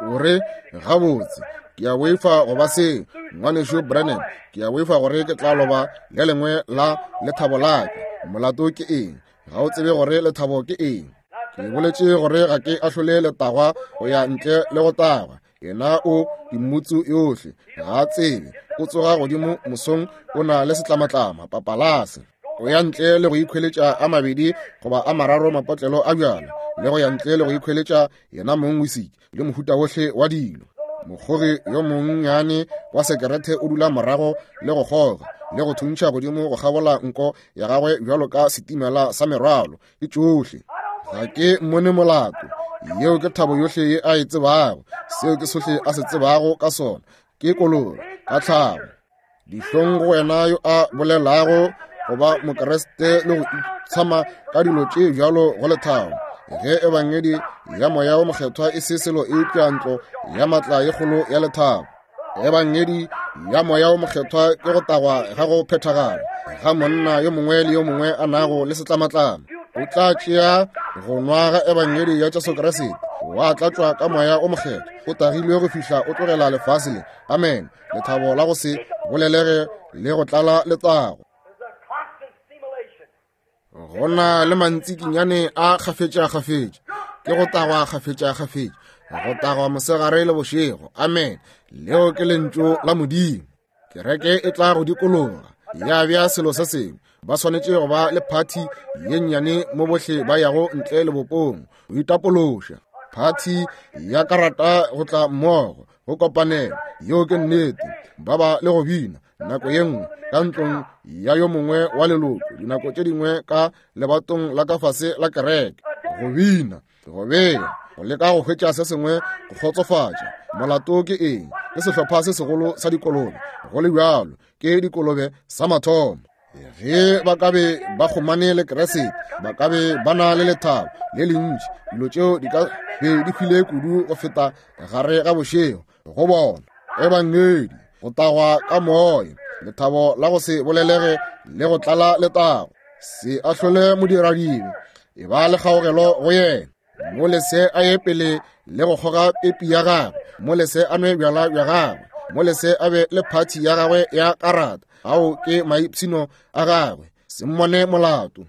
O re, gabotse, ke a boifa go ba seo, ngwanešu Branham. Ke a boifa gore ke tla loba le lengwe la lethabo la ka. Molato ke eng? Ga o tsebe gore lethabo ke eng. Ke boletše gore ga ke ahlole letagwa go ya ntle le go tagwa. Yena o dimutsu yohle, ga a tsebe. O tsoga godimo mosong o na le setlamatlama papalase. O ya ntle le go ikhweletša a mabedi goba a mararo mapotlelo a bjala, le go ya ntle le go ikhweletša yena mong wisiki le mohuta wohle wa dilo. Mokgogi yo monnyane wa sekerete o dula morago le go kgoga le go thuntšha godimo go kgabola nko ya gagwe bjalo ka setimela sa merwalo. Ke tšohle. Ga ke mmone molato. Yeo ke thabo yohle ye a e tsebago. Seo ke sohle a se tsebago ka sona. Ke kolobe ka tlhago. Dihlong go wena yo a bolelago go ba Mokriste le go itshama ka dilo tše bjalo go lethabo. Ge ebangedi ya moya wo mokgethwa e se selo eupša ntlo ya matla ye kgolo ya lethabo. Ebangedi ya moya wo mokgethwa ke go tagwa ga go phethagala ga monna yo mongwe le yo mongwe a nago le setlamatlama. O tla tšea go nwa ga ebangedi ya Jesu Kriste wa tlatšwa ka moya o mokgethwa, o tagilwe go fihla o tlogela lefase le. Amen. Lethabo la go se bolelege le go tlala letago. Go na le mantsikinyane a kgafetša-kgafetša, ke go tagwa kgafetša-kgafetša, go tagwa mosegare le bošego. Amen. Leo ke lentšu la Modimo. Kereke e tla go dikologa ya bja selo se sengwe. Ba swanetše go ba le phathi ye nnyane mo bohle ba yago ntle lebopong go itapološa. Phathi ya karata go tla mmogo go kopanela. Yeo ke nnete. Ba ba le go bina nako ye nngwe ka ntlong ya yo mongwe wa leloko, dinako tše dingwe ka lebatong la ka fase la kereke, go bina, go bea, go leka go hwetša se sengwe go kgotsofatša. Molato ke eng? Ke sehlopha se segolo sa dikolobe. Go le bjalo, ke dikolobe sa mathomo. Ge ba ka be ba kgomane le Kriste, ba ka be ba na le lethabo le lentši. Dilo tšeo di ka be di hwile kudu go feta gare ga bošego go bona. Ebangedi, go tagwa ka moya, lethabo la go se bolelege le go tlala letago. Se ahlole modiradibe, e ba le kgaogelo go yena. Mo lese a ye pele le go kgoga pepi ya gagwe, mo lese a nwe bjala bja gagwe, mo lese a be le phathi ya gagwe ya karata. Ao ke maipshino a gagwe. Se mmone molato.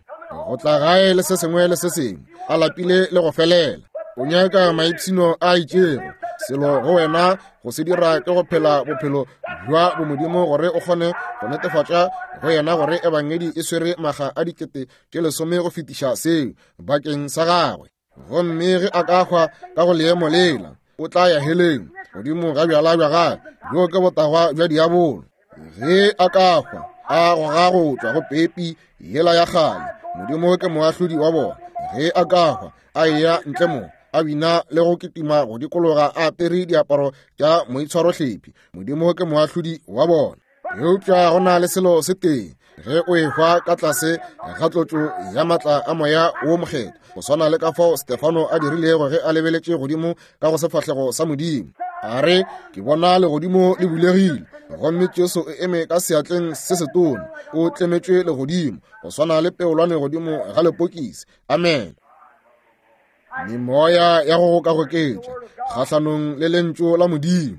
Go tla gae le se sengwe le se sengwe, a lapile le go felela. O nyaka maipshino a itšego. Selo go wena go se dira ke go phela bophelo bja bomodimo gore o kgone go netefatša go yena gore ebangedi e swere maga a 10,000 go fetiša seo bakeng sa gagwe. Gomme ge a ka hwa ka go leemo lela, o tla ya heleng godimo ga bjala bja gagwe. Bjo ke botagwa bja diabolo. Ge a ka hwa a goga go tšwa go pepi yela ya kgale. Modimo ke moahlodi wa bona. Ge a ka hwa a eya ntle mo, a bina le go kitima go dikologa a apere diaparo tša moitshwarohlephi, Modimo ke moahlodi wa bona. Eupša go na le selo se tee, ge o ehwa ka tlase ga tlotšo ya matla a Moya wo Mokgethwa, go swana le ka fao Stefano a dirilego ge a lebeletše godimo ka go sefahlego sa Modimo, a re, Ke bona legodimo le bulegile, gomme Jesu o eme ka seatleng se setona, o tlemetšwe legodimo, go swana le peolwane godimo ga lepokisi. Amen. Memoya ya go gokagoketša kgahlanong le lentšu la Modimo.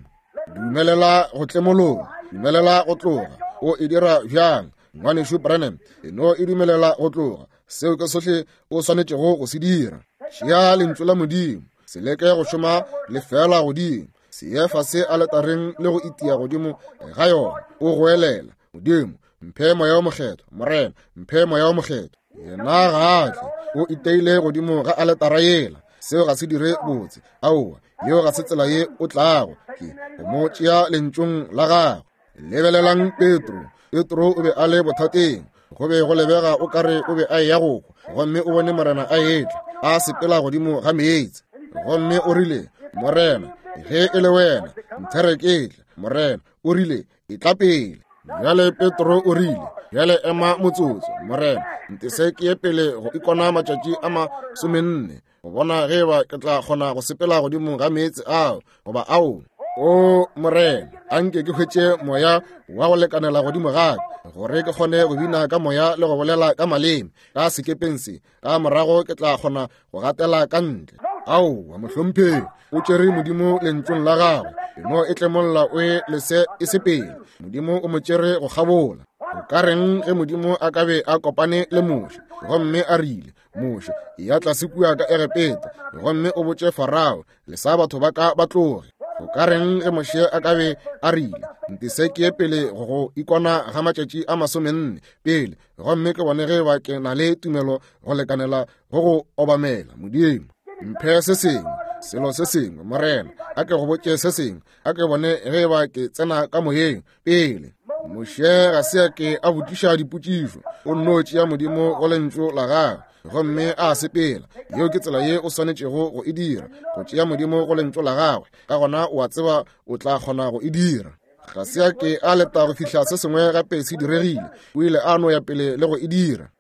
Dumelela go tlemologa, dumelela go tloga. O e dira bjang, Ngwanešu Branham? E no e dumelela go tloga. Seo ke sohle o swanetšego go se dira. Tšea lentšu la Modimo, se leke go šoma lefeela godimo, se ye fase aletareng le go itia godimo ga yona. O goelela, Modimo, mphe Moya wo Mokgethwa. Morena, mphe Moya wo Mokgethwa. Yena ga a tle, o iteile godimo ga aletara yela. Seo ga se dire botse. Aowa, yeo ga se tsela ye o tlago. Ke go mo tšea lentšung la gagwe. Lebelelang Petro. Petro o be a le bothateng. Go be go lebega o kare o be a eya go hwa, gomme o bone Morena a etla, a sepela godimo ga meetse. Gomme o rile, Morena, ge e le wena, nthere ke tle. Morena o rile, Etla pele. Bjale Petro o rile, Bjale ema motsotso, Morena, ntese ke ye pele go ikona matšatši a 40, go bona ge eba ke tla kgona go sepela godimo ga meetse ao goba ao. O Morena, anke ke hwetše moya wa go lekanela godimo ga ka, gore ke kgone go bina ka moya le go bolela ka maleme ka sekepeng se. Ka morago ke tla kgona go gatela ka ntle. Aowa, mohlomphegi, o tšere Modimo lentšung la gagwe. E no e tlemolla o e lese e sepele. Modimo o mo tšere go kgabola. O ka reng ge Modimo a ka be a kopane le Moshe gomme a rile, Moshe, eya tlase kua ka Egepeta gomme o botše Farao, lesa batho ba ka ba tloge? Go ka reng ge Moshe a ka be a rile, ntese ke ye pele go go ikona ga matšatši a 40 pele, gomme ke bone ge ba ke na le tumelo go lekanela go go obamela? Modimo, mphe se sengwe, selo se sengwe, Morena, a ke go botše se sengwe, a ke bone ge ba ke tsena ka moyeng pele. Moshe ga se a ke a botšiša dipotšišo, o nno tšea Modimo go lentšu la gagwe gomme a sepela. Yeo ke tsela ye o swanetšego go e dira, go tšea Modimo go lentšu la gagwe, ka gona o a tseba o tla kgona go e dira. Ga se a ke a leta go fihla se sengwe gape se diregile, o ile a no ya pele le go e dira.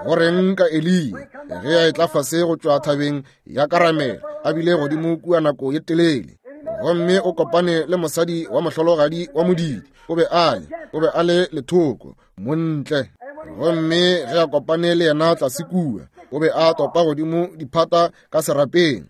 Go reng ka Eliya ge a etla fase go tšwa thabeng ya Karamele, a bile godimo kua nako ye telele, gomme o kopane le mosadi wa mohlologadi wa modidi? O be a le, o be a le lethoko montle. Gomme ge a kopane le yena tlase kua, o be a topa godimo diphata ka serapeng,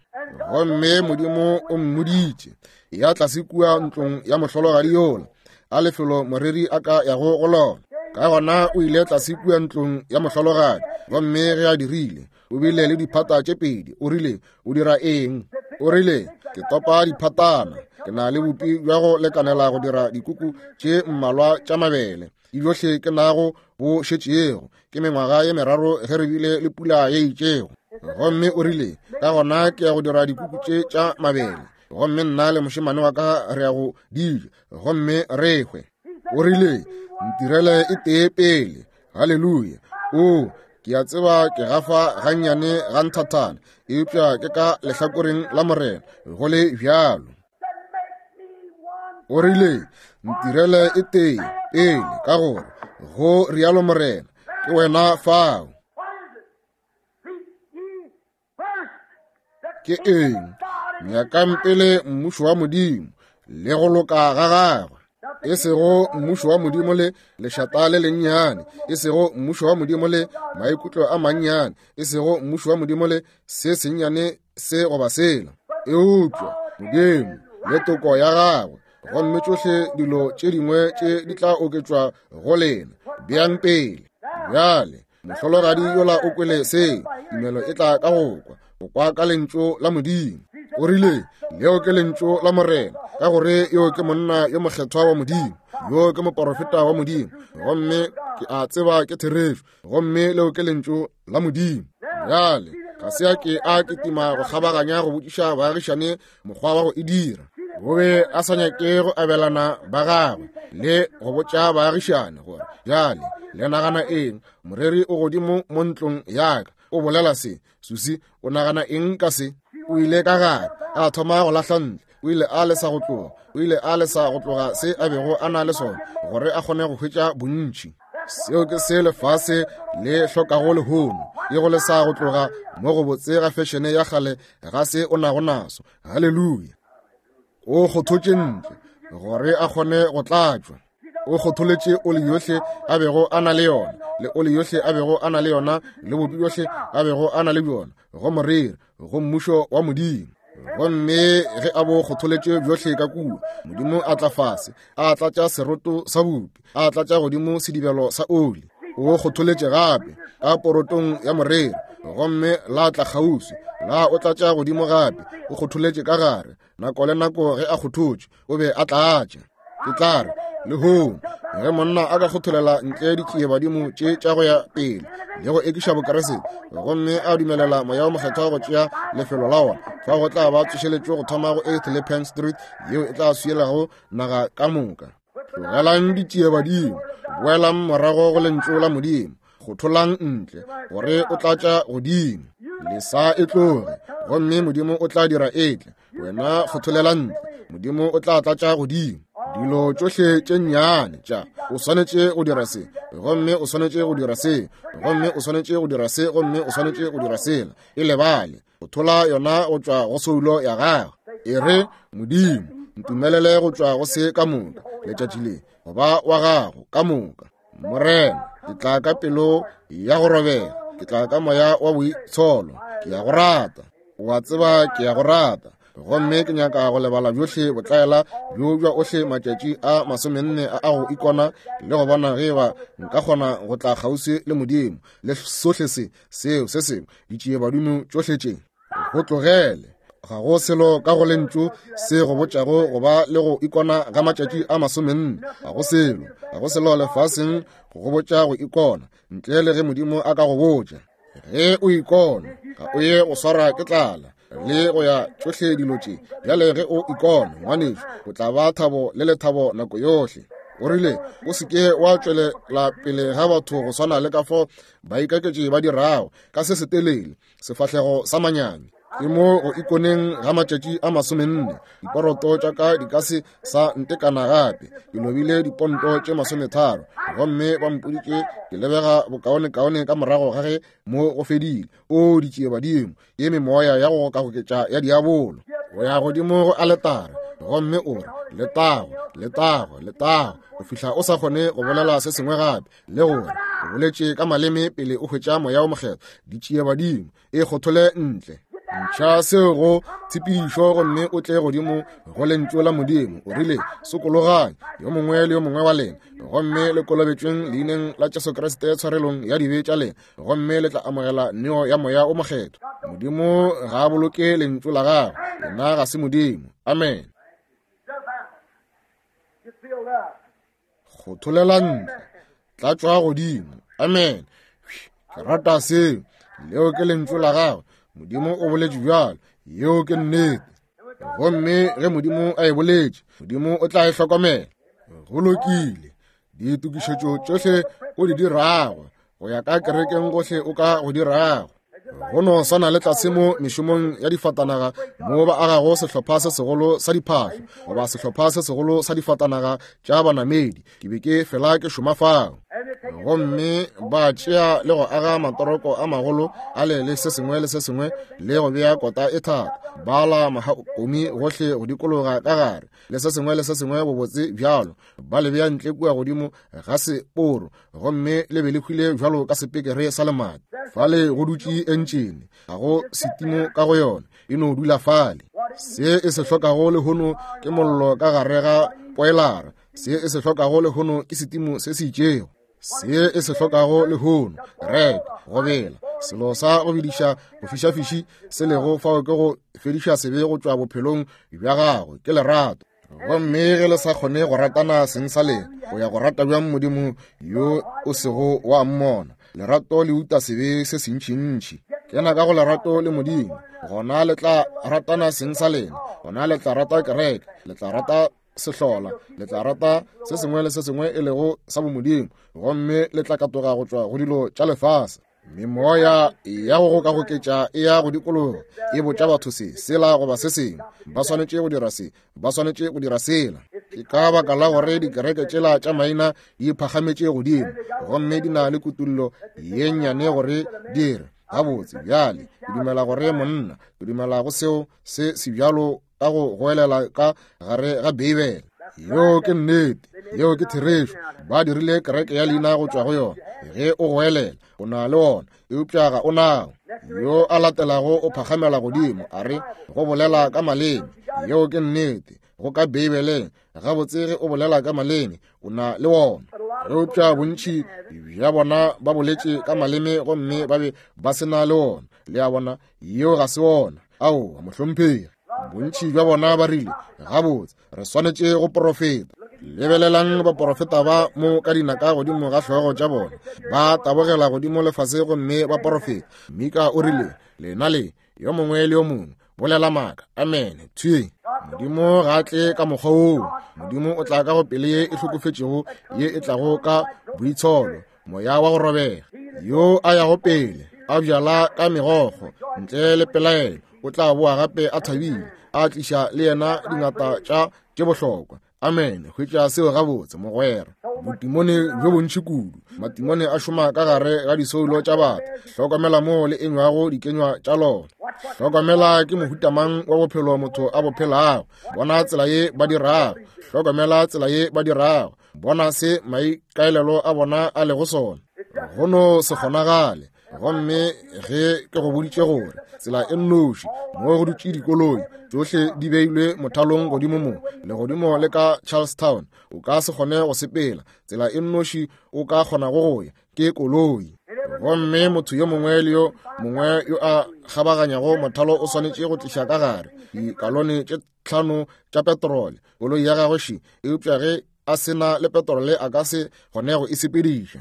gomme Modimo o mmoditše, ya tlase kua ntlong ya mohlologadi yola, a lefelo moreri a ka yago go lona. Ka gona o ile tlase kua ntlong ya mohlologadi, gomme ge a dirile, o bile le diphata tše pedi. O rile, O dira eng? O rile, Ke topa diphatana, ke na le bupi bja go lekanela go dira dikuku tše mmalwa tša mabele. Dibjohle ke nago bo šetšego ke mengwaga ye meraro ge re bile le pula ye itšego. Gomme o rile, Ka gona ke ya go dira dikuku tše tša mabele, gomme nna le mošemane wa ka re ya go di ja gomme re hwe. O rile, Ntirele e tee pele. Haleluya! O, ke a tseba ke gafa gannyane ga nthathana, eupša ke ka lehlakoreng la Morena go le bjalo. O rile, Ntirele e tee pele, ka gore go rialo Morena, ke wena fao. Ke eng? Nyakang pele mmušo wa Modimo le go loka ga gagwe, e sego mmušo wa Modimo le lešata le lennyane, e sego mmušo wa Modimo le maikutlo a mannyane, e sego mmušo wa Modimo le se sennyane se goba sela, eupša Modimo le toko ya gagwe, gomme tšohle dilo tše dingwe tše di tla oketšwa go lena. Beang pele bjale. Mohlologadi yola o kwele seo. Tumelo e tla ka go kwa, go kwa ka lentšu la Modimo. O rile, Leo ke lentšu la Morena, ka gore yo ke monna yo mokgethwa wa Modimo, yo ke moporofeta wa Modimo, gomme ke a tseba ke therešo, gomme leo ke lentšu la Modimo. Bjale, ga se a ke a kitima go kgabaganya go botšiša baagišane mokgwa wa go e dira. O be a sa nyake go abelana ba gagwe le go botša baagišane gore bjale Le nagana eng? Moreri o godimo mo ntlong ya ka, o bolela se. Susie, o nagana eng ka se? O ile ka gare, a thoma go lahla ntle. O ile a lesa go tloga, o ile a lesa go tloga se a bego a na le sona, gore a kgone go hwetša bontši. Seo ke se lefase le hlokago lehono, ke go lesa go tloga mo go botse ga fešene ya kgale ga se o nago naso. Haleluya! O kgothotše ntle gore a kgone go tlatšwa. O kgotholetše oli yohle a bego a na le yona, le oli yohle a bego a na le yona, le bopi bjohle a bego a na le bjona, go moriri, go mmušo wa Modimo. Gomme ge a bo kgotholetše bjohle ka kua, Modimo a tla fase, a tlatša seroto sa bupi, a tlatša godimo sedibelo sa oli. O kgotholetše gape ka porotong ya moriri, gomme la tla kgauswi, la o tlatša godimo gape. O kgotholetše ka gare, nako le nako ge a kgothotše o be a tlatša. Ke tla re lehono ge monna a ka kgotholela ntle ditšiebadimo tše tša go ya pele le go ekiša Bokeresete, gomme a dumelela Moya wo Mokgethwa go tšea lefelo la ona, fa go tla ba tsošeletšo go thoma go 8 le Penn Street yeo e tla swielago naga ka moka. Tlogelang ditšiebadimo, boelang morago go lentšu la Modimo, kgotholang ntle gore o tlatša godimo, lesa e tloge, gomme Modimo o tla dira e tle. Wena kgotholela ntle, Modimo o tla tlatša godimo. Dilo tšohle tše nnyane tša o swanetše go dira se, gomme o swanetše go dira se, gomme o swanetše go dira se, gomme o swanetše go dira sela, e lebale. O thola yona go tšwa go soulo ya gago. E re, Modimo, ntumelele go tšwa go se ka moka letšatši le, go ba wa gago ka moka. Morena, ke tla ka pelo ya go robega, ke tla ka moya wa boitsholo, ke ya go rata. O a tseba ke ya go rata, gomme ke nyaka go lebala bjohle botlaela bjo bja ohle matšatši a 40 a go ikona le go bona ge eba nka kgona go tla kgauswi le Modimo le sohle se seo se sengwe, ditšiebadimo tšohle tše. Go tlogele. Ga go selo ka go lentšu se go botšago go ba le go ikona ga matšatši a 40. Ga go selo, ga go selo lefaseng go go botša go ikona, ntle le ge Modimo a ka go botša. Ge o ikona, ga o ye go swara ke tlala le go ya tšohle dilo tše. Bjale ge o ikona, ngwanešu, o tla ba thabo le lethabo nako yohle. O rile, o se ke wa tšwelela pele ga batho go swana le ka fao baikaketši ba dirago, ka se setelele sefahlego sa manyami. Ke mo go ikoneng ga matšatši a 40, diporoto tša ka di ka se sa ntekana gape. Ke lobile diponto tše 30, gomme ba mpoditše ke lebega bokaonekaone ka morago ga ge mo go fedile. O ditšiebadimo, ke memoya ya go gokagoketša ya diabolo. O ya godimo go aletare gomme o re, Letago, letago, letago, go fihla o sa kgone go bolela se sengwe gape, le gore o boletše ka maleme pele o hwetša Moya wo Mokgethwa. Ditšiebadimo, e kgothole ntle. Ntšha seo go tshepedišo gomme o tle godimo go lentšu la Modimo. O rile, Sokologang, yo mongwe le yo mongwe wa lena, gomme le kolobetšweng leineng la Jesu Kriste tshwarelong ya dibe tša lena, gomme le tla amogela neo ya Moya o Mokgethwa. Modimo ga a boloke lentšu la gagwe, yena ga se Modimo. Amen. Kgotholela ntle, tlatšwa godimo. Amen. Ke rata seo. Leo ke lentšu la gagwe. Modimo o boletše bjalo. Yeo ke nnete. Gomme ge Modimo a e boletše, Modimo o tla e hlokomela. Go lokile. Ditokišetšo tšohle o di dirago, go ya ka kerekeng gohle o ka go dirago, go no swana le tlase mo mešomong ya difatanaga mo ba agago sehlopha se segolo sa diphahlo goba sehlopha se segolo sa difatanaga tša banamedi. Ke be ke fela ke šoma fao, gomme ba tšea le go aga matoroko a magolo a le le se sengwe le se sengwe le go bea kota e thata, ba la mahakomi gohle go dikologa ka gare le se sengwe le se sengwe bobotse bjalo, ba le bea ntle kua godimo ga seporo, gomme le be le hwile bjalo ka sepekere sa lemati. Fale go dutše entšene, ga go setimo ka go yona, e no dula fale. Se e se hlokago lehono ke mollo ka gare ga poelara. Se e se hlokago lehono ke setimo se se itšego. Se e se hlokago lehono, reke, go bela, selo sa go bediša go fišafiši se lego fao ke go fediša sebe go tšwa bophelong bja gago, ke lerato. Gomme ge le sa kgone go ratana seng sa lena, o ya go rata bjang Modimo yo o sego wa mmona? Lerato le uta sebe se sentšintši. Kena ka go lerato le Modimo, gona le tla ratana seng sa lena, gona le tla rata kereke, le tla rata sehlola, le tla rata se sengwe le se sengwe e lego sa bomodimo, gomme le tla katoga go tšwa go dilo tša lefase. Memoya ya go gokagoketša e ya go dikologa e botša batho se, sela goba se sengwe. Ba swanetše go dira se, ba swanetše go dira sela. Ke ka baka la gore dikereke tšela tša maina di phagametše godimo gomme di na le kutullo ye nnyane gore di re, Gabotse, bjale, ke dumela gore monna, ke dumela go seo se sebjalo ka go goelela ka gare ga Beibele. Yeo ke nnete, yeo ke therešo. Ba dirile kereke ya leina go tšwa go yona. Ge o goelela, o na le ona, eupša ga o nao. Yo a latelago o phagamela godimo, a re, go bolela ka maleme. Yeo ke nnete, go ka Beibeleng. Gabotse, ge o bolela ka maleme, o na le wona. Eupša bontši bja bona ba boletše ka maleme gomme ba be ba se na le wona. Le a bona, yeo ga se wona. Aowa, mohlomphegi. Bontši bja bona ba rile, Gabotse, re swanetše go porofeta. Lebelelang baporofeta ba mo ka dinaka godimo ga hlogo tša bona, ba tabogela godimo lefase gomme ba porofeta. Mika o rile, Lena le yo mongwe le yo mongwe bolela maaka. Amene. Thwi. Modimo ga a tle ka mokgwa woo. Modimo o tla ka go pele ye e hlokofetšego ye e tlago ka boitsholo, moya wa go robega. Yo a yago pele a bjala ka megokgo ntle le pelaelo, o tla boa gape a thabile, a tliša le yena dingata tša tše bohlokwa. Amene. Hwetša seo gabotse, mogwera. Botimone bjo bontši kudu. Matimone a šoma ka gare ga disoulo tša batho. Hlokomela moo le enywago dikenywa tša lona. Hlokomela ke mohutamang wa bophelo motho a bo phelago. Bona tsela ye ba dirago. Hlokomela tsela ye ba dirago. Bona se maikaelelo a bona a lego sona. Go no se kgonagale. Gomme ge ke go boditše gore tsela e nnoši mo go dutše dikoloi tšohle di beilwe mothalong godimo mo legodimo le ka Charlestown, o ka se kgone go sepela. Tsela e nnoši o ka kgonago go ya ke koloi. Gomme motho yo mongwe le yo mongwe yo a kgabaganyago mothalo o swanetše go tliša ka gare dikalone tše 5 tša petrole koloi ya gagwe še, eupša ge a se na le petrole a ka se kgone go e sepediša.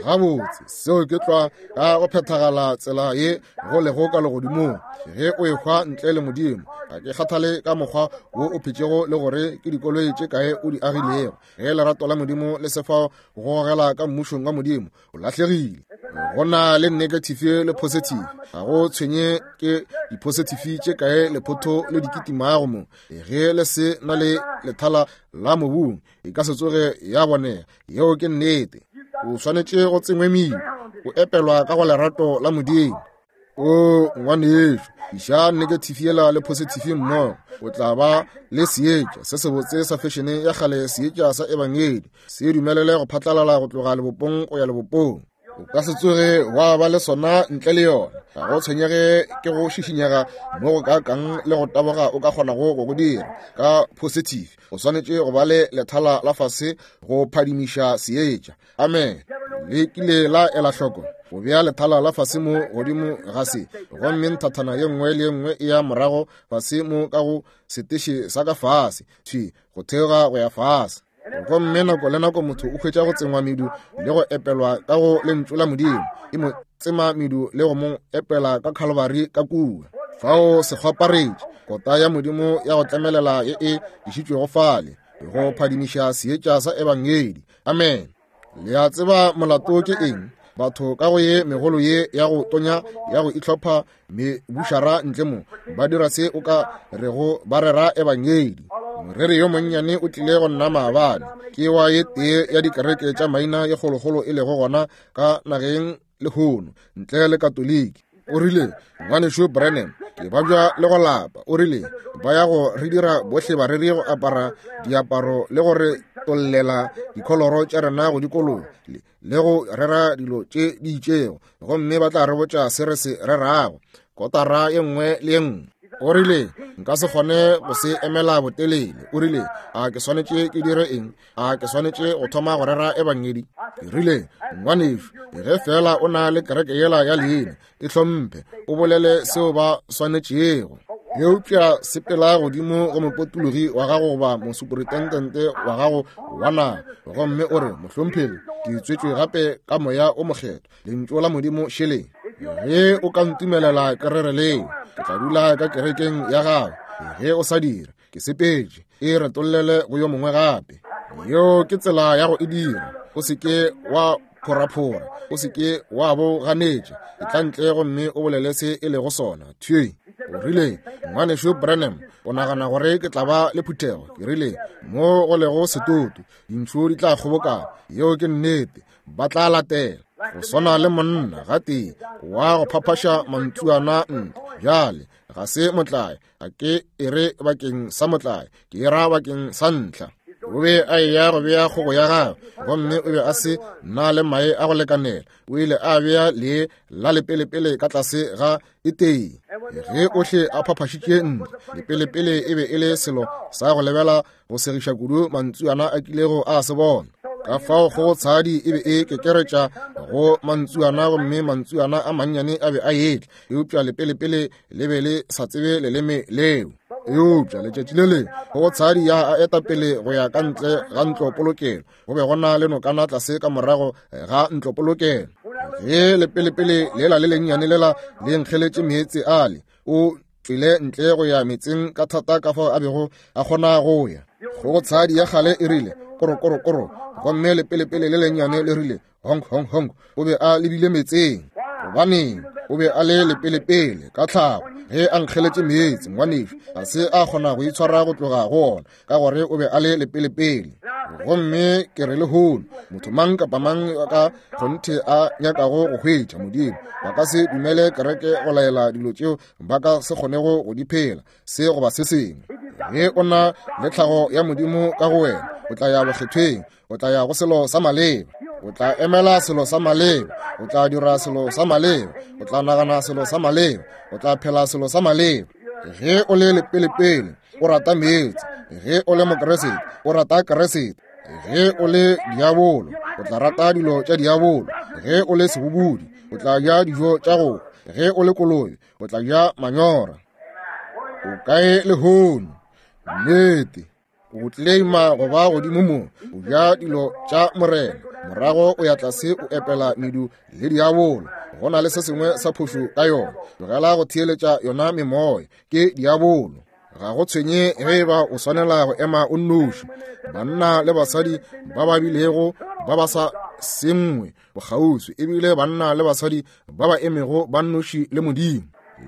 Gabotse, seo ke tlwa ka go phethagala tsela ye go lego ka legodimong ge o ehwa ntle le Modimo. Ga ke kgathale ka mokgwa wo o phetšego le gore ke dikoloi tše kae o di agilego. Ge lerato la Modimo le se fao go gogela ka mmušong wa Modimo, o lahlegile. Go na le negative le positive. Ga go tshwenye ke dipositive tše kae lephotho le di kitimago mo. Ge le se na le lethala la mobung, e ka se tsoge ya bonega. Yeo ke nnete. O swanetše go tsengwe medu, o epelwa ka go lerato la Modimo. O ngwanešu, iša negative yela le positive mmogo, o tla ba le seetša se sebotse sa fešene ya kgale, seetša sa ebangedi. Se dumelele go phatlalala go tloga lebopong go ya lebopong. O ka se tsoge wa ba le sona ntle le yona. Ga go tshwenyege ke go šišinyega mo go ka kang le go taboga o ka kgonago go go dira ka positive. O swanetše go ba le lethala la fase go phadimiša seetša. Amen. Le kile la ela hloko go bea lethala la fase mo godimo ga se, gomme nthathana ye nngwe le ye nngwe e ya morago fase mo ka go seteše sa ka fase, thwi go theoga go ya fase. Gomme nako le nako motho o hwetša go tsengwa medu le go epelwa ka go lentšu la Modimo, e mo tsema medu le go mo epela ka Calvary ka kua. Fao sekgwaparetši, kota ya Modimo ya go tlemelela ye e išitšwego fale, go phadimiša seetša sa Ebangedi. Amen. Le a tseba molato ke eng? Batho ka go ye megolo ye ya go tonya ya go itlhopha mebušara ntle mo, ba dira se o ka rego ba rera ebangedi. Moreri yo monnyane o tlile go nna maabane, ke wa ye tee ya dikereke tša maina ye kgolokgolo e lego gona ka nageng lehono, ntle le Katoliki. O rile, Ngwanešu Branham, ke babja le go lapa. O rile, ba ya go re dira bohle bareri go apara diaparo le go re tollela dikholoro tša rena go dikologa le go rera dilo tše di itšego, gomme ba tla re botša se re se rerago kotara ye nngwe le ye nngwe. O rile, nka se kgone go se emela botelele. O rile, a ke swanetše ke dire eng? A ke swanetše go thoma go rera ebangedi? Ke rile, ngwanešu, ge feela o na le kereke yela ya leina, e hlomphe, o bolele seo ba swanetšego. Eupša sepela godimo go mopotologi wa gago goba mosuperitentente wa gago wa naga, gomme o re, mohlomphegi, ke tswetšwe gape ka Moya o Mokgethwa, Lentšu la Modimo šele. Ge o ka ntumelela ke rere leo, ke tla dula ka kerekeng ya gago. Ge o sa dire, Ke sepetše. E retollele go yo mongwe gape. Yeo ke tsela ya go e dira. O se ke wa phoraphora, o se ke wa bo ganetša. Etla ntle gomme o bolele se e lego sona. Thwi. O rile, Ngwanešu Branham, o nagana gore ke tla ba le phuthego? Ke rile, Mo go lego setoto, dintšhu di tla kgobokana. Yeo ke nnete. Ba tla latela. Go swana le monna gatee wa go phaphaša mantsuana ntle. Bjale, ga se motlae. Ga ke e re bakeng sa motlae, ke e ra bakeng sa ntlha. O be a eya go bea kgogo ya gagwe, gomme o be a se na le mae a go lekanela. O ile a bea lee la lepelepele ka tlase ga e tee. Ge ohle a phaphašitše ntle, lepelepele e be e le selo sa go lebela go segiša kudu mantsuana a kilego a se bona. Ka fao kgogo tshadi e be e kekeretša go mantsuana, gomme mantsuana a mannyane a be a etla, eupša lepelepele le be le sa tsebe leleme leo. Eupša letšatši le lengwe kgogo tshadi ya a eta pele go ya ka ntle ga ntlopolokelo. Go be go na le nokana tlase ka morago ga ntlopolokelo. Ge lepelepele lela le lennyane lela le nkgeletše meetse ale, o tšwele ntle go ya metseng ka thata ka fao a bego a kgona go ya. Kgogo tshadi ya kgale e rile koro koro koro, gomme lepelepele le lennyane le rile honk honk honk. O be a lebile metseng. Gobaneng? O be a le lepelepele ka tlhago. Ge a nkgeletše meetse, ngwanešu, ga se a kgona go itshwara go tloga go ona, ka gore o be a le lepelepele. Gomme ke re lehono, motho mang kapa mang ka kgonthe a nyakago go hwetša Modimo, ba ka se dumele kereke go laela dilo tšeo ba ka se kgonego go di phela, se goba se sengwe. Ge o na le tlhago ya Modimo ka go wena, o tla ya bokgethweng, o tla ya go selo sa maleba, o tla emela selo sa maleba, o tla dira selo sa maleba, o tla nagana selo sa maleba, o tla phela selo sa maleba. Ge o le lepelepele, o rata meetse. Ge o le Mokeresete, o rata Keresete. Ge o le diabolo, o tla rata dilo tša diabolo. Ge o le sebobodi, o tla ja dijo tša go. Ge o le kolobe, o tla ja manyora. O kae lehono? Nnete. O tleleima go ba godimo mo, o ja dilo tša Morena, morago o ya tlase o epela medu le diabolo. Go na le se sengwe sa phošo ka yona. Tlogela go theeletša yona memoya, ke diabolo. Ga go tshwenye ge e ba o swanela go ema o nnoši. Banna le basadi ba ba bilego ba ba sa sengwe bokgauswi, ebile banna le basadi ba ba emego ba nnoši le Modimo.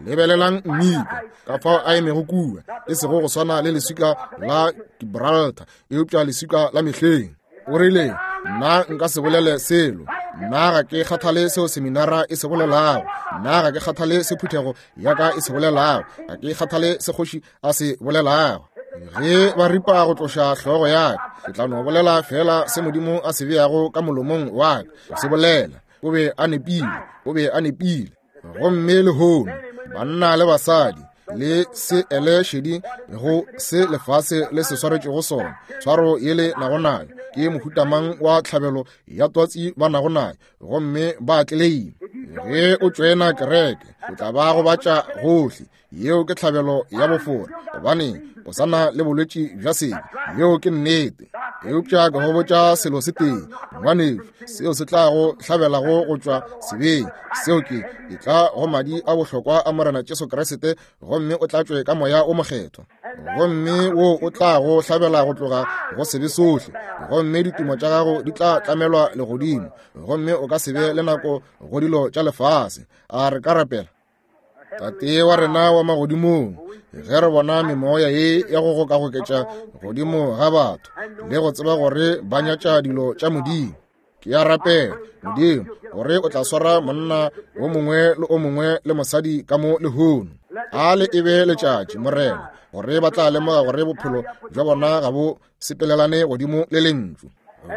Lebelelang Mika, ka fao a emego kua, e sego go swana le leswika la Gibraltar, eupša leswika la mehleng. O rile, nna nka se bolele selo. Nna ga ke kgathale seo seminara e se bolelago. Nna ga ke kgathale se phuthego ya ka e se bolelago. Ga ke kgathale se kgoši a se bolelago. Ge ba ripa go tloša hlogo ya ka, ke tla no bolela fela se Modimo a se beago ka molomong wa ka go se bolela. O be a nepile, o be a nepile. Gomme lehono, banna le basadi, le se ele šedi go se lefase le se swaretšego sona. Tshwaro yele nago nayo ke mohutamang wa tlhabelo ya twatsi ba nago nayo, gomme ba tleleima. Ge o tšoena kereke, o tla ba gobatša gohle. Yeo ke tlhabelo ya bofora, gobane o sa na le bolwetši bja sebe. Yeo ke nnete. Eupša ke go botša selo se tee, ngwanešu, seo se tla go hlabelago go tšwa sebeng, seo ke, etla go madi a bohlokwa a Morena Jesu Kriste, gomme o tlatšwe ka Moya o Mokgethwa, gomme wo o tla go hlabela go tloga go sebe sohle, gomme ditumo tša gago di tla tlamelwa legodimo, gomme o ka se be le nako go dilo tša lefase. A re ka rapela? Tate wa rena wa magodimong, ge re bona memoya ye ya go gokagoketša godimo ga batho le go tseba gore ba nyatša dilo tša Modimo, ke a rapela, Modimo, gore o tla swara monna o mongwe le o mongwe le mosadi ka mo lehono. A le e be letšatši, Morena, gore ba tla lemoga gore bophelo bja bona ga bo sepelelane godimo le lentšu,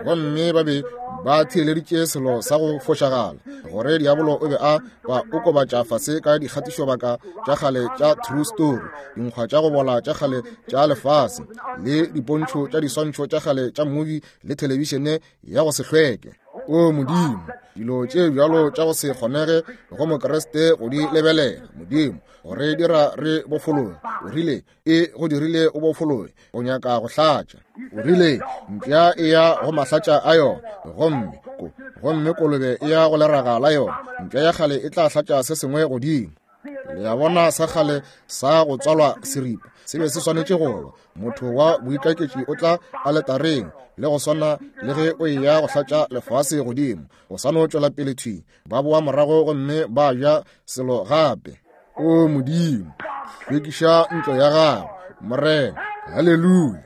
gomme ba be ba theeleditše selo sa go fošagala, gore diabolo o be a ba okobatša fase ka dikgatišobaka tša kgale tša True Story, dinkgwa tša go bola tša kgale tša lefase, le dipontšho tša diswantšho tša kgale tša movie le thelebišene ya go se hlweke. O Modimo, dilo tše bjalo tša go se kgonege go Mokriste go di lebelela, Modimo, gore dira re bofologe. O rile, e go dirile o bofologe, o nyaka go hlatša. O rile, mpša e ya go mahlatša a yona, gomme ko, gomme kolobe e ya go leraga la yona. Mpša ya kgale e tla hlatša se sengwe godimo. Le a bona, sa kgale sa go tswalwa seripa. Se be se swanetše go ba. Motho wa boikaketši o tla aletareng, le go swana le ge o eya go hlatša lefase godimo, o sa no tšwela pele thwi, ba boa morago gomme ba ja selo gape. O Modimo, hlwekiša ntlo ya gago, Morena. Haleluya.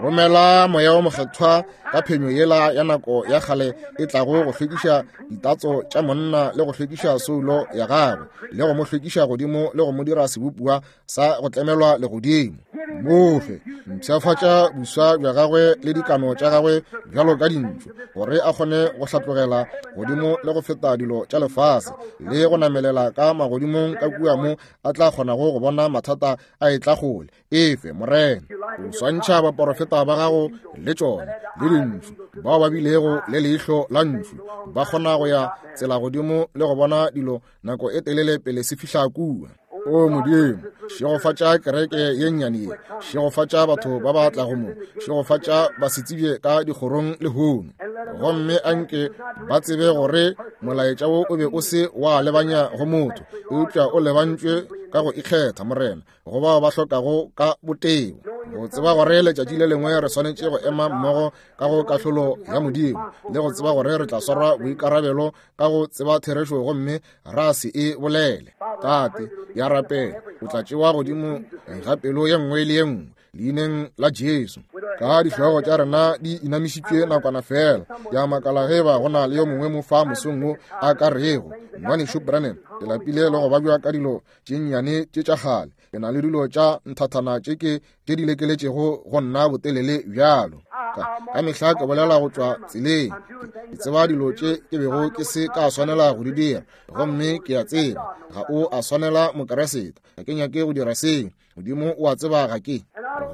Romela Moya wo Mokgethwa ka phenyo yela ya nako ya kgale e tlago go hlwekiša ditatso tša monna le go hlwekiša soulo ya gagwe le go mo hlwekiša godimo le go mo dira sebopiwa sa go tlemelwa legodimo. Mofe mpshafatša buswa bja gagwe le dikano tša gagwe bjalo ka dintšu, gore a kgone go hlatlogela godimo le go feta dilo tša lefase le go namelela ka magodimong ka kua mo a tla kgonago go bona mathata a etla kgole. Efe, Morena, o swantšha baporofeta ba gago le tšona le dintšu, bao ba bilego le leihlo la ntšu, ba kgona go ya tsela godimo le go bona dilo nako e telele pele se fihla kua. O Modimo, šegofatša kereke ye nnyane ye, šegofatša batho ba ba tlago mo, šegofatša basetsebje ka dikgorong lehono. Gomme anke ba tsebe gore molaetša wo o be o se wa lebanya go motho, eupša o lebantšwe ka go ikgetha, Morena, go bao ba hlokago ka botebo go tseba gore letšatši le lengwe re swanetše go ema mmogo ka go kahlolo ya Modimo, le go tseba gore re tla swarwa boikarabelo ka go tseba therešo gomme ra se e bolele. Tate, ya rapela, o tla tšewa godimo ga pelo ye nngwe le ye nngwe leineng la Jesu. Ka dihlogo tša rena di inamišitšwe nakwana fela, ya makala ge ba go na le yo mongwe mo fa mosong wo a ka rego, Ngwanešu Branham, ke lapile le go babja ka dilo tše nnyane tše tša kgale. Ke na le dilo tša nthathana tše ke tše di lekeletšego go nna botelele bjalo. Ka, ka mehla ke bolela go tšwa tseleng. Ke tseba dilo tše ke bego ke se ka swanela go di dira, gomme ke a tseba ga o a swanela Mokeresete. Ga ke nyake go dira seo. Modimo o a tseba ga ke.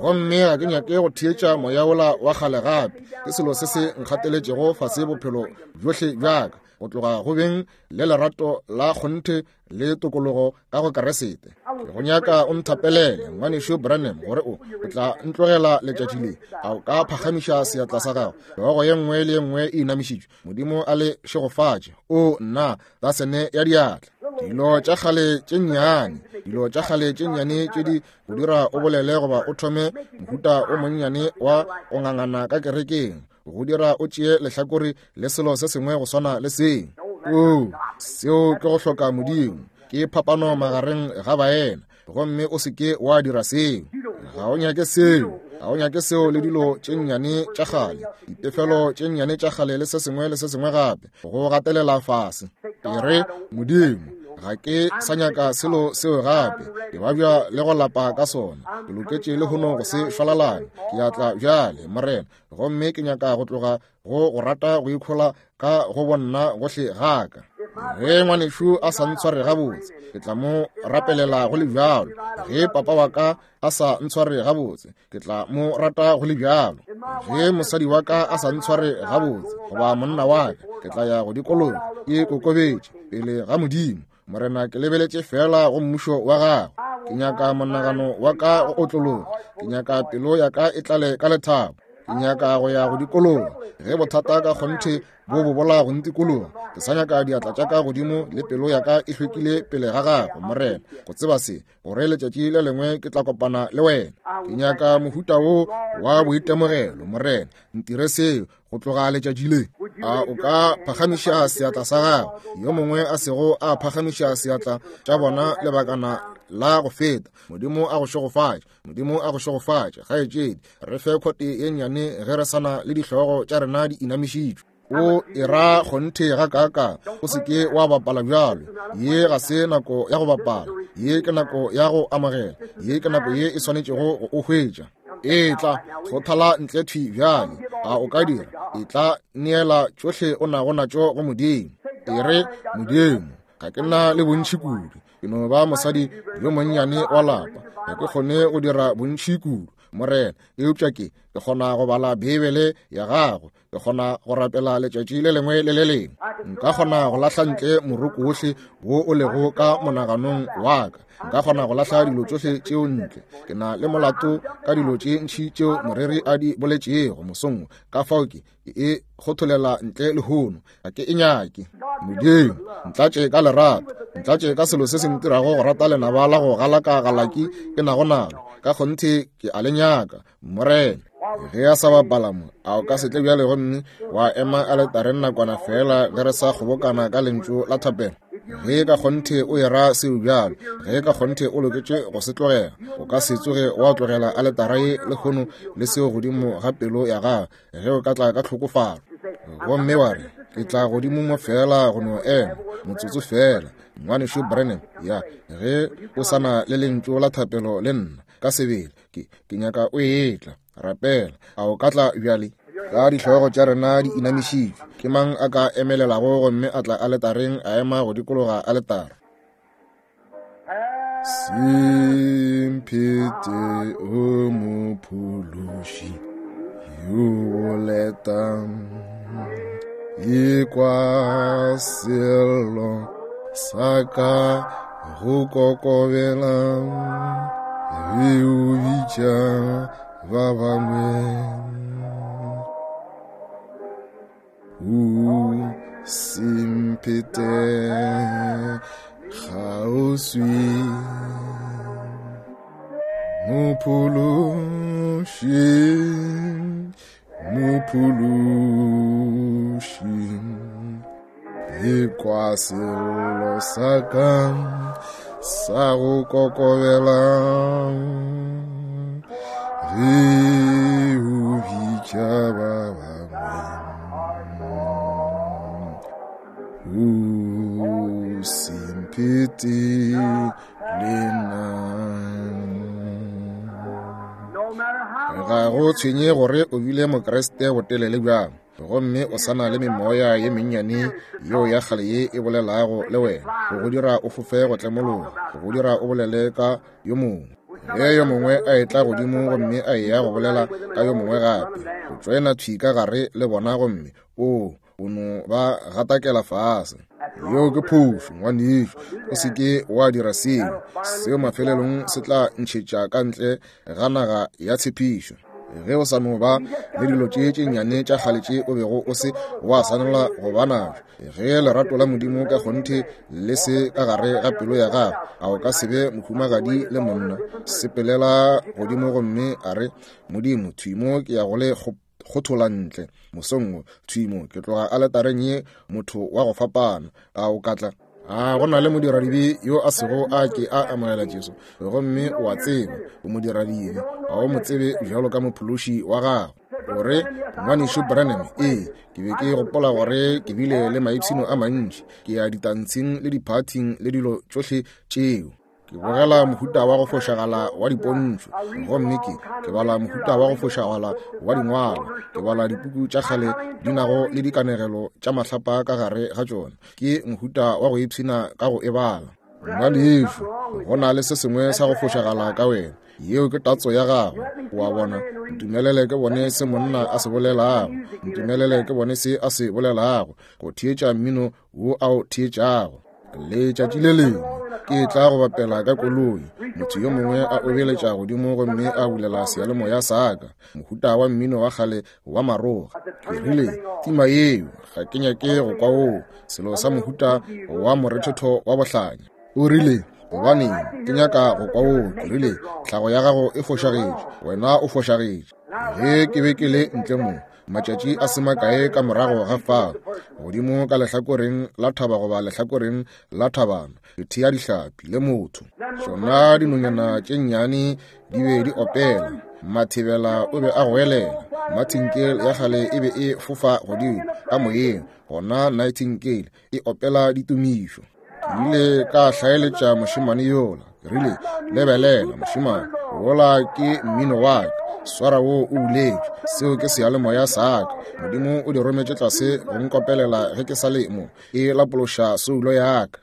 Gomme ga ke nyake go theetša moya wola wa kgale gape. Ke selo se se nkgateletšego fase bophelo bjohle bja ka, go tloga go beng le lerato la kgonthe le tokologo ka go Keresete. Ke go nyaka o nthapelele, Ngwanešu Branham, gore o o tla ntlogela letšatši le. A o ka phagamiša seatla sa gago? Hlogo ye nngwe le ye nngwe e inamišitšwe. Modimo a le šegofatše. O nna, tasene ya diatla. Dilo tša kgale tše nnyane, dilo tša kgale tše nnyane tše di go dira o bolele goba o thome mohuta o monnyane wa go ngangana ka kerekeng, go dira o tšee lehlakore le selo se sengwe go swana le seo. Oo, seo ke go hloka Modimo. Ke phapano magareng ga baena, gomme o se ke wa dira seo. Ga o nyake seo, ga o nyake seo le dilo tše nnyane tša kgale, dipefelo tše nnyane tša kgale le se sengwe le se sengwe gape, go gatelela fase. E re, Modimo, ga ke sa nyaka selo seo gape. Ke babja le go lapa ka sona. Ke loketše lehono go se šwalalanya. Ke a tla bjale, Morena, gomme ke nyaka go tloga go go rata go ikhola ka go bonna gohle ga ka. Ge ngwanešu a sa ntshware gabotse, ke tla mo rapelela go le bjalo. Ge papa wa ka a sa ntshware gabotse, ke tla mo rata go le bjalo. Ge mosadi wa ka a sa ntshware gabotse, goba monna wa ka, ke tla ya go dikologa ke kokobetše pele ga Modimo. Morena, ke lebeletše fela go mmušo wa gago. Ke nyaka monagano wa ka go otlologa. Ke nyaka pelo ya ka e tlale ka lethabo. Ke nyaka go ya go dikologa. Ge bothata ka kgonthe bo bobola go ntikologa, ke sa nyaka diatla tša ka godimo le pelo ya ka e hlwekile pele ga gago, Morena, go tseba se, gore letšatši le lengwe ke tla kopana le wena. Ke nyaka mohuta wo wa boitemogelo, Morena. Ntire seo go tloga letšatši le. A o ka phagamiša seatla sa gago? Yo mongwe a sego a phagamiša seatla tša bona lebakana la go feta. Modimo a go šegofatše. Modimo a go šegofatše, kgaetšedi. Re fe khote ye nnyane ge re sa na le dihlogo tša rena di inamišitšwe. O e ra kgonthe ga kaaka, o se ke wa bapala bjalo. Ye ga se nako ya go bapala, ye ke nako ya go amogela, ye ke nako ye e swanetšego go o hwetša. Etla, kgothala ntle thwi bjale. A o ka dira? Etla, neela tšohle o nago natšo go Modimo. E re, Modimo, ga ke na le bontši kudu. Ke no ba mosadi yo monnyane wa lapa. Ga ke kgone go dira bontši kudu, Morena, eupša ke kgona go bala Beibele ya gago. Ke kgona go rapela letšatši le lengwe le le lengwe. Nka kgona go lahla ntle moroko wohle wo o lego ka monaganong wa ka. Nka kgona go lahla dilo tšohle tšeo ntle. Ke na le molato ka dilo tše ntši tšeo moreri a di boletšego mosong wo. Ka fao ke e kgotholela ntle lehono. Ga ke e nyake. Modimo, ntlatše ka lerato. Ntlatše ka selo se se ntirago go rata lenaba la go galaka galaki ke nago nalo. Ka kgonthe ke a le nyaka, Morena. Ge a sa bapala mo, a o ka se tle bjale gomme wa ema aletareng nakwana feela ge re sa kgobokana ka lentšu la thapelo? Ge ka kgonthe o era seo bjalo, ge ka kgonthe o loketše go se tlogela, o ka se tsoge wa tlogela aletara ye lehono le seo godimo ga pelo ya gago, ge o ka tla ka tlhokofalo gomme wa re, Ke tla godimo mo feela go no ema motsotso feela, Ngwanešu Branham, ya, ge o sa na le lentšu la thapelo le nna, ka sebele, ke, ke nyaka o etla, rapela. A o ka tla bjale? Ka dihlogo tša rena di inamišitšwe, ke mang a ka emelelago gomme a tla aletareng a ema go dikologa aletara? Semphete o mophološi yo o leta ekwa sello sa ka go kokobela ge o bitša ba bangwe o semphete kgauswi mophološi mophološi ekwa sello sa ka sa go kokobela ge o bitša ba bangwe o semphete le nna. Ga go tshwenye gore o bile Mokriste botelele bjang, gomme o sa na le memoya ye mennyane yeo ya kgale ye e bolelago le wena, go go dira o fofe go tlemologa, go go dira o bolele ka yo mongwe. Ge yo mongwe a etla godimo gomme a eya go bolela ka yo mongwe gape, o tšoena thwi ka gare le bona gomme o o no ba gatakela fase. Yeo ke phošo, ngwanešu. O se ke wa dira seo. Seo mafelelong se tla ntšhetša ka ntle ga naga ya tshepišo. Ge o sa no ba le dilo tše tše nnyane tša kgale tše o bego o se wa swanela go ba najo, ge lerato la Modimo ka kgonthe le se ka gare ga pelo ya gago, a o ka se be mohumagadi le monna? Sepelela godimo gomme a re, Modimo, thwi mo ke ya go le kgothola ntle mosong wo, thwi mo ke tloga aletareng ye, motho wa go fapana. A o ka tla? A go na le modiradibe yo a sego a ke a amogela Jesu, gomme o a tseba o modiradibe, ga o mo tsebe bjalo ka mophološi wa gago. O re, Ngwanešu Branham, ee, ke be ke gopola gore ke bile le maipshino a mantši, ke ya ditantshing le diphathing le dilo tšohle tšeo. Ke bogela mohuta wa go fošagala wa dipontšho, gomme ke, ke bala mohuta wa go fošagala wa dingwalo, ke bala dipuku tša kgale di nago le dikanegelo tša mahlapa ka gare ga tšona. Ke mohuta wa go ipshina ka go e bala. Ngwanešu, go na le se sengwe sa go fošagala ka wena. Yeo ke tatso ya gago. O a bona? Ntumelele ke bone se monna a se bolelago. Ntumelele ke bone se a se bolelago. Go theetša mmino wo a o theetšago. Letšatši le lengwe ke tla go bapela ka koloi, motho yo mongwe a obeletša godimo gomme a bulela seyalemoya sa ka, mohuta wa mmino wa kgale wa maroga. Ke rile, Tima yeo, ga ke nyake go kwa woo, selo sa mohuta wa morethetho wa bohlanya. O rile, Gobaneng ke nyaka go kwa woo? Ke rile, Tlhago ya gago e fošagetše, wena o fošagetše. Ge ke be ke le ntle mo, matšatši a se makae ka morago ga fao, godimo ka lehlakoreng la thaba goba lehlakoreng la thabana, ke thea dihlapi le motho. Tšona dinonyana tše nnyane di be di opela, mathibela o be a goelela, martingale ya kgale e be e fofa godimo ka moyeng, gona nightingale e opela ditumišo. Ke ile ka hlaeletša mošemane yola, ke rile, Lebelela, mošemane, wola ke mmino wa ka, swara wo o buletšwe, seo ke seyalemoya sa ka. Modimo o di rometše tlase go nkopelela ge ke sa le mo, e lapološa soulo ya ka.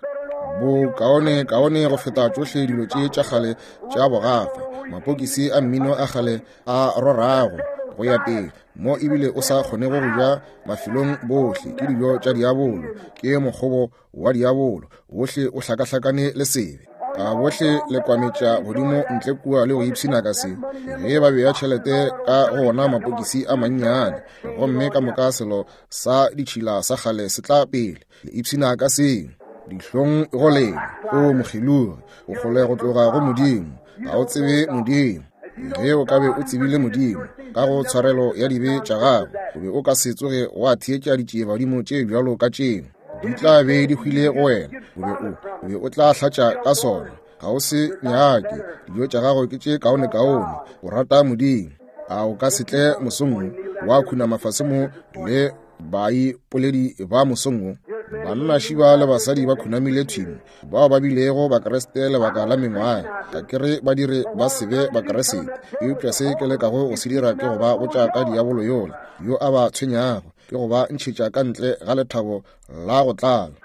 Bokaone kaone go feta tšohle dilo tše tša kgale tša bogafa, mapokisi a mmino a kgale a rorago go ya pele, mo ebile o sa kgonego go ja mafelong bohle, ke dijo tša diabolo, ke mokgobo wa diabolo, wohle o hlakahlakane le sebe. A bohle le kwametša godimo ntle kua le go ipshina ka se, ge ba bea tšhelete ka go ona mapokisi a mannyane, gomme ka moka selo sa ditšhila sa kgale se tla pele, le ipshina ka seo. Dihlong go lena, o mokgelogi, o kgole go tloga go Modimo, ga o tsebe Modimo. Ge o ka be o tsebile Modimo ka go tshwarelo ya dibe tša gago, o be o ka se tsoge wa theetša ditšiebadimo tše bjalo ka tšeo. Di tla be di hwile go wena. O be o, o be o tla hlatša ka sona. Ga o se nyake. Dijo tša gago ke tše kaonekaone. O rata Modimo. A o ka se tle mosong wo wa khunama fase mo le baipoledi ba mosong wo? Banna šiba le basadi ba khunamile thwi bao ba bilego Bakriste lebaka la mengwaga. Ga ke re ba dire ba se be Bakriste, eupša se ke lekago go se dira ke go ba botša ka diabolo yola yo a ba tshwenyago, ke go ba ntšhetša ka ntle ga lethabo la go tlala,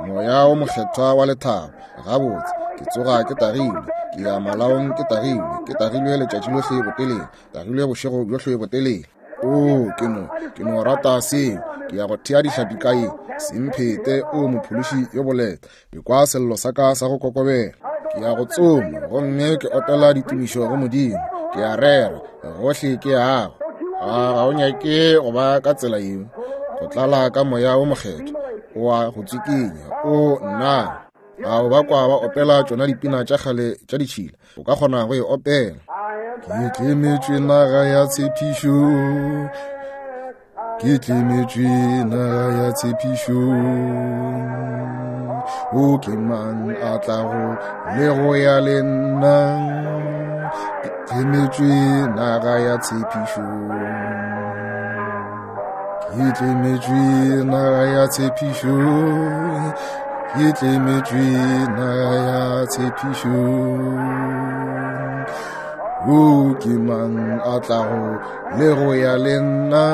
moya wo mokgethwa wa lethabo. Gabotse, ke tsoga ke tagilwe, ke ya malaong ke tagilwe, ke tagilwe letšatši lohle botelele, tagilwe bošego bjohle botelele. Oo, ke no, ke no rata seo. Ke ya go thea dihlapi ka ye. Se mphete, o Mophološi yo boleta. Ke kwa sello sa ka sa go kokobela. Ke ya go tsoma, gomme ke opela ditumišo go Modimo. Ke a rera, gohle ke yago. A ga o nyake go ba ka tsela yeo? Go tlala ka Moya wo Mokgethwa, o a go tswikinya. O, nna! A o ba kwa ba opela tšona dipina tša kgale tša ditšhila? O ka kgona go e opela. Ke tlemetšwe naga ya tshepišo, ke tlemetšwe naga ya tshepišo. O ke mang a tlago le go ya le nna? Ke tlemetšwe naga ya tshepišo. Ke tlemetšwe naga ya tshepišo, ke tlemetšwe naga ya tshepišo. O ke mang a tlago le go ya le nna?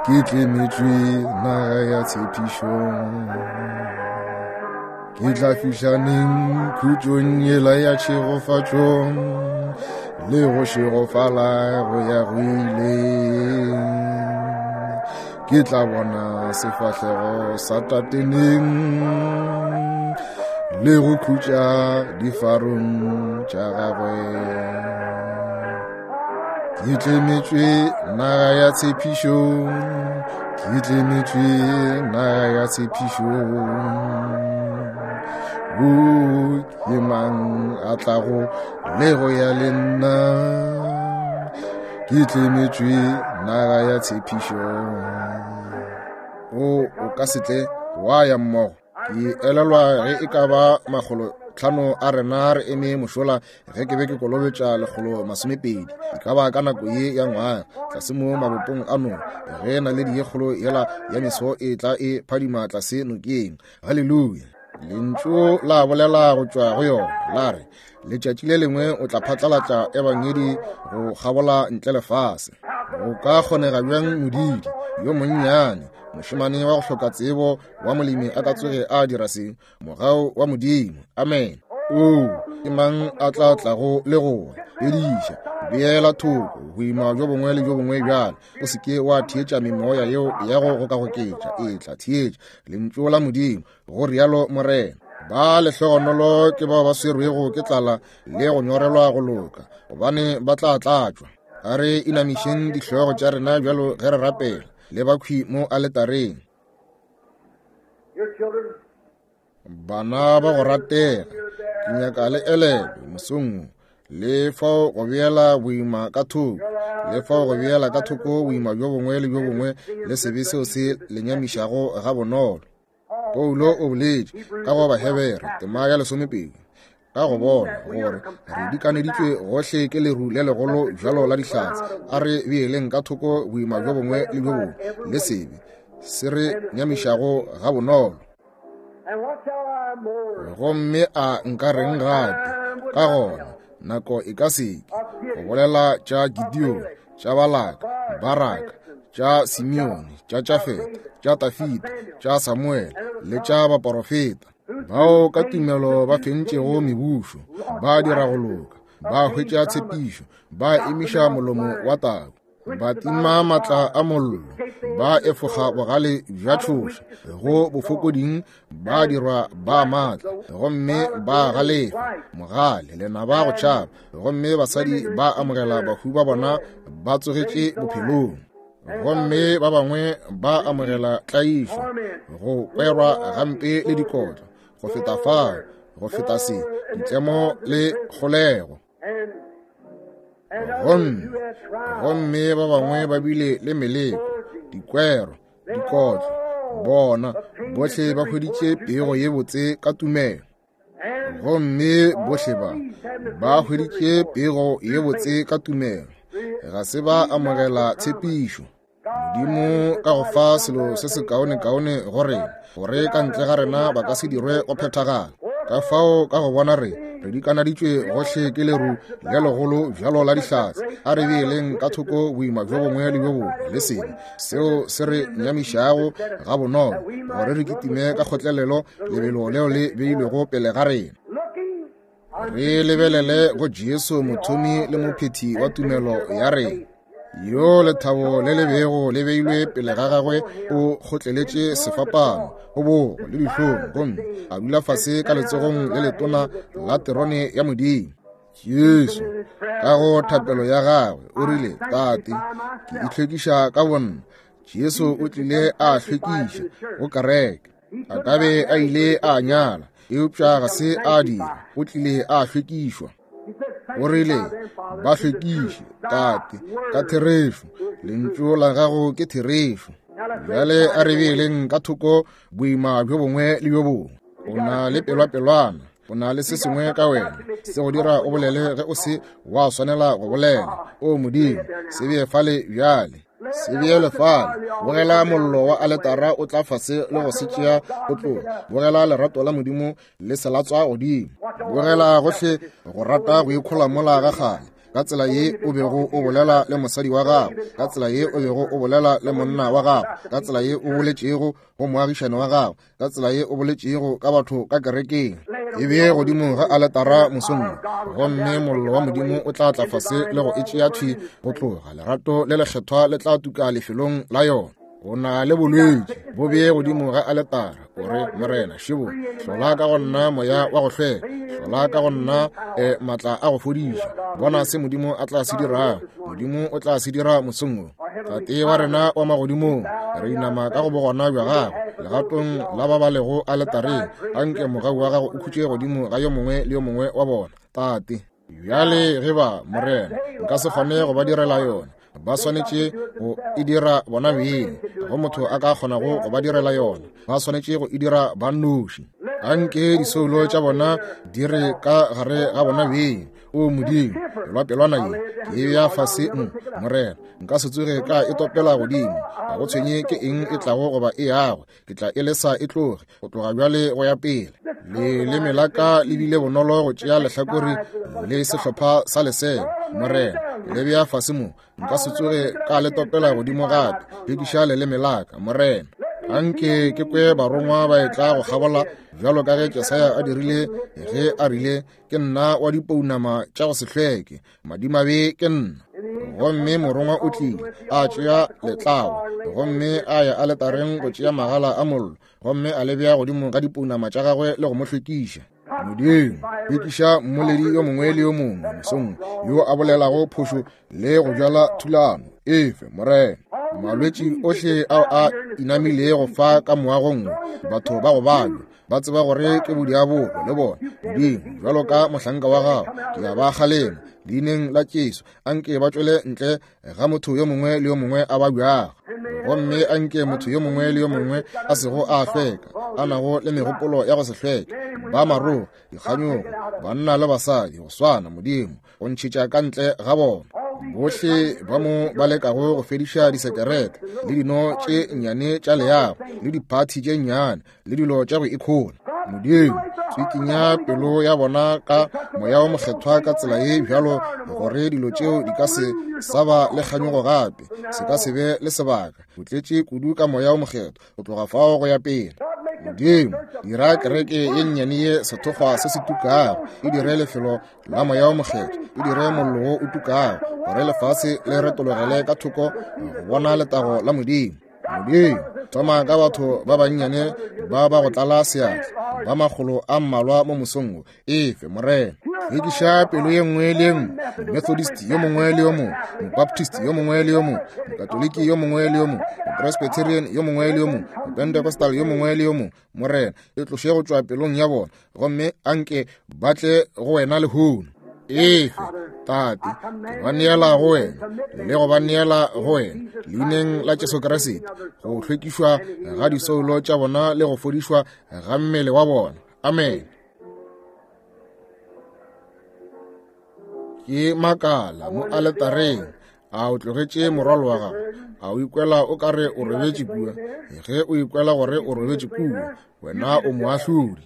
Ke tlemetšwe naga ya tshepišo. Ke tla fihla neng khutšong yela ya tšhegofatšo le go šegofala go ya go ile? Ke tla bona sefahlego sa tate neng le go khutša difarong tša gagwe? Ke tlemetšwe naga ya tshepišo, ke tlemetšwe naga ya tshepišo. O ke mang a tlago le go ya le nna? Ke tlemetšwe naga ya tshepišo. O o ka se tle wa ya mmogo. Ke elelwa ge e ka ba 500 a rena re eme mošola ge ke be ke kolobetša 120, e ka ba ka nako ye ya ngwaga, tlase mo mabopong a noka, ge naledi ye kgolo yela ya meso e tla e phadima tlase nokeng. Haleluya! Lentšu la bolela go tšwa go yona, la re, Letšatši le lengwe o tla phatlalatša ebangedi go kgabola ntle lefase. Go ka kgonega bjang modidi yo monnyane, mošemane wa go hloka tsebo wa molemi a ka tsoge a dira se? Mogau wa Modimo. Amen. Oo, ke mang a tla tlago le go fediša? Beela thoko boima bjo bongwe le bjo bongwe bjale. O se ke wa theetša memoya yeo ya go gokagoketša. Etla, theetša Lentšu la Modimo, go rialo Morena. Ba lehlogonolo ke bao ba swerwego ke tlala le go nyorelwa go loka, gobane ba tla tlatšwa. A re inamišeng dihlogo tša rena bjalo ge re rapela le bakhwi mo aletareng. Bana ba go ratega, ke nyaka le elelwe mosong wo, le fao go beela boima ka thoko, le fao go beela ka thoko boima bjo bongwe le bjo bongwe le sebe seo se le nyamišago gabonolo. Paulo o boletše ka go Bahebere tema ya 12, ka go bona gore re dikaneditšwe gohle ke leru le legolo bjalo la dihlatse, a re beeleng ka thoko boima bjo bongwe le bjo bongwe le sebe se re nyamišago gabonolo. Gomme a nka reng gape? Ka gona nako e ka se ke go bolela tša Gideon, tša Balaka, Baraka, tša Simeone, tša Jafeta, tša Tafita, tša Samuele le tša baporofeta, bao ka tumelo ba fentšego mebušo, ba dira go loka, ba hwetša tshepišo, ba emiša molomo wa tau, ba tima matla a mollo, ba efoga bogale bja tšhoša, go bofokoding ba dirwa ba matla, gomme ba galefa mogale lenaba go tšhaba, gomme basadi ba amogela bahu ba bona ba tsogetše bophelong, gomme ba bangwe ba amogela tlaišo, go kwerwa gampe le dikotlo, go feta fao, go feta se, ditlemo le kgolego. Gomme, gomme ba bangwe ba bile le meleko, dikwero, dikotlo. Bona bohle ba hweditše pego ye botse ka tumelo. Gomme bohle ba ba hweditše pego ye botse ka tumelo. Ga se ba amogela tshepišo. Modimo ka go fa selo se sekaonekaone go rena, gore ka ntle ga rena ba ka se dirwe go phethagala. Ka fao ka go bona re re dikanaditšwe gohle ke leru le legolo bjalo la dihlatse, a re beeleng ka thoko boima bjo bongwe le bjo bongwe le sebe seo se re nyamišago gabonolo, gore re kitime ka kgotlelelo lebelo leo le beilwego pele ga rena. Re lebelele go Jesu, mothomi le mophethi wa tumelo ya rena, yo lethabo le le bego le beilwe pele ga gagwe o kgotleletše sefapano, go bogo le dihlong, gomme a dula fase ka letsogong le letona la terone ya Modimo. Jesu ka go thapelo ya gagwe o rile, Tate, ke itlhwekiša ka bonna. Jesu o tlile a hlwekiša go kereke. A ka be a ile a nyala, eupša ga se a dira. O tlile a hlwekišwa. O rile, Ba hlwekiše, Tate, ka therešo. Lentšu la gago ke therešo. Bjale a re beeleng ka thoko boima bjo bongwe le bjo bongwe. O na le pelwapelwana, o na le se sengwe ka wena se go dira o bolele ge o se wa swanela go bolela. O Modimo, se bee fale bjale, se beele fale. Bogela mollo wa aletara o tla fase le go se tšea go tloga. Bogela lerato la Modimo le se latswa godimo. Bogela gohle go rata go ikhola mola ga kgale, ka tsela ye o bego o bolela le mosadi wa gago, ka tsela ye o bego o bolela le monna wa gago, ka tsela ye o boletšego go moagišane wa gago, ka tsela ye o boletšego ka batho ka kerekeng. E bee godimo ga aletara mosong wo, gomme mollo wa Modimo o tla tla fase le go e tšea thwi go tloga. Lerato le lekgethwa le tla tuka lefelong la yona. O na le bolwetši, bo bee godimo ga aletara, o re, Morena, šebo, hlola ka go nna moya wa go hlweka, hlola ka go nna maatla a go fodiša. Bona se Modimo a tla se dirago. Modimo o tla se dira mosong wo. Tate wa rena wa magodimong, re inama ka go bogona bja gago legatong la ba ba lego aletareng. Anke mogau wa gago o khutše godimo ga yo mongwe le yo mongwe wa bona, Tate. Bjale ge ba, Morena, nka se kgone go ba direla yona, ba swanetše go e dira bona beng. Go motho a ka kgonago go ba direla yona, ba swanetše go e dira ba nnoši. Anke disoulo tša bona di re ka gare ga bona beng, O Modimo, pelwapelwana ye ke e bea fase mo, Morena, nka se tsoge ka e topela godimo. Ga go tshwenye ke eng e tlago goba e yago, ke tla e lesa e tloge go tloga bjale go ya pele. Leleme la ka le bile bonolo go tšea lehlakore le sehlopha sa leselo, Morena, le bea fase mo, nka se tsoge ka le topela godimo gape. Hlwekiša leleme la ka, Morena. Anke ke kwe barongwa ba etla go kgabola bjalo ka ge Jesaya a dirile ge a rile, Ke nna wa dipounama tša go se hlweke, madimabe ke nna. Gomme morongwa o tlile a tšea letlao, gomme a ya aletareng go tšea magala a mollo, gomme a le bea godimo ga dipounama tša gagwe le go mo hlwekiša. Modimo, hlwekiša mmoledi yo mongwe le yo mongwe mosong yo a bolelago phošo le go bjala thulano. Efe, Morena, malwetši ohle ao a inamilego fa ka moagong wo, batho ba go babja, ba tseba gore ke bodiabolo le bona. Modimo, bjalo ka mohlanka wa gago, ke a ba kgalema leineng la Jesu. Anke ba tšwele ntle ga motho yo mongwe le yo mongwe a ba bjago, gomme anke motho yo mongwe le yo mongwe a sego a hlweka, a nago le megopolo ya go se hlweke, ba marogo, dikganyogo, banna le basadi go swana, Modimo, go ntšhetša ka ntle ga bona bohle ba mo ba lekago go fediša disekerete le dino tše nnyane tša leago le diphathi tše nnyane le dilo tša go ikhola. Modimo, tswikinya pelo ya bona ka moya wo mokgethwa ka tsela ye bjalo gore dilo tšeo di ka se sa ba le kganyogo gape, se ka se be le sebaka. O tletše kudu ka moya wo mokgethwa go tloga fao go ya pele. Modimo, dira kereke ye nnyane ye sethokgwa se se tukago, e dire lefelo la moya wo mokgethwa, e dire mollo wo o tukago, gore lefase le retologele ka thoko go bona letago la Modimo. Modimo, thoma ka batho ba bannyane ba ba go tlala seatla, ba makgolo a mmalwa mo mosong wo. Efe, Morena. Hlwekiša pelo ye nngwe le ye nngwe, Methodist yo mongwe le yo mongwe, Mobaptist yo mongwe le yo mongwe, Mokatoliki yo mongwe le yo mongwe, Mopresbyterian yo mongwe le yo mongwe, Mopentecostal yo mongwe le yo mongwe. Morena, e tloše go tšwa pelong ya bona, gomme anke ba tle go wena lehono. Efe, Tate, ke ba neela go wena le go ba neela go wena leineng la Jesu Kriste, go hlwekišwa ga disoulo tša bona le go fodišwa ga mmele wa bona. Amen. Ke makala mo aletareng, a o tlogetše morwalo wa gago? A o ikwela o ka re o robetše kua? Ge o ikwela gore o robetše kua, wena o moahlodi.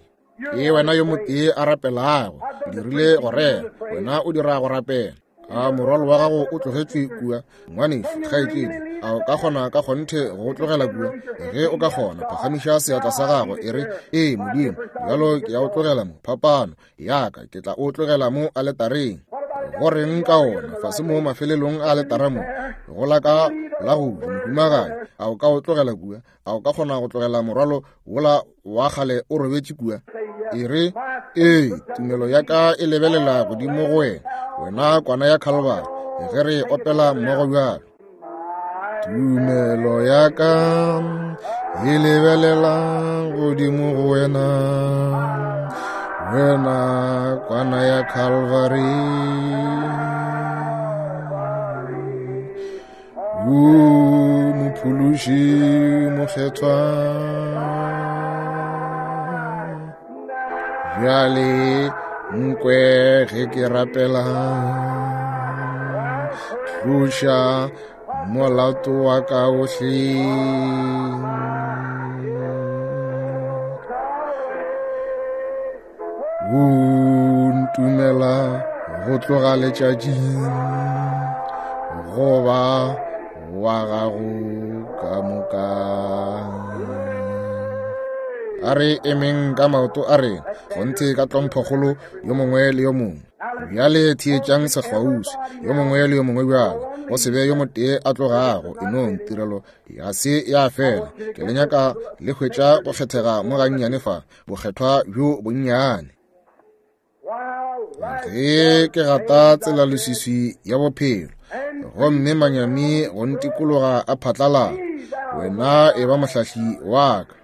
Ke wena yo motee a rapelago. Ke dirile go rera, wena o dira go rapela. A morwalo wa gago o tlogetšwe kua, ngwanešu, kgaetšedi? A o ka kgona ka kgonthe go tlogela kua? Ge o ka kgona, phagamiša seatla sa gago, e re, Ee, Modimo, bjalo ke ya o tlogela mo, phapano ya ka, ke tla o tlogela mo aletareng. Go reng ka ona fase mo mafelelong a aletara mo, go la ka la go ja, mohumagadi? A o ka o tlogela kua? A o ka kgona go tlogela morwalo wola wa kgale o robetše kua? E re, Ee, tumelo ya ka e lebelela godimo go wena, wena kwana ya Calvary, ge re opela mmogo bjalo. Tumelo ya ka e lebelela godimo go wena, wena kwana ya Calvary. O mophološi mokgethwa, bjale nkwe ge ke rapela, tloša molato wa ka ohle. O ntumela go tloga letšatšing go ba wa gago ka moka. A re emeng ka maoto a rena, kgonthe ka tlhomphokgolo yo mongwe le yo mongwe. Bjale theetšang sekgauswi, yo mongwe le yo mongwe bjalo, go se be yo motee a tlogago. Enong tirelo ya se ya fela. Ke le nyaka le hwetša go kgethega mo gannyane fa, bokgethwa bjo bonnyane. Ge ke gata tsela leswiswi ya bophelo, gomme manyami go ntikologa a phatlalala, wena e ba mohlahli wa ka.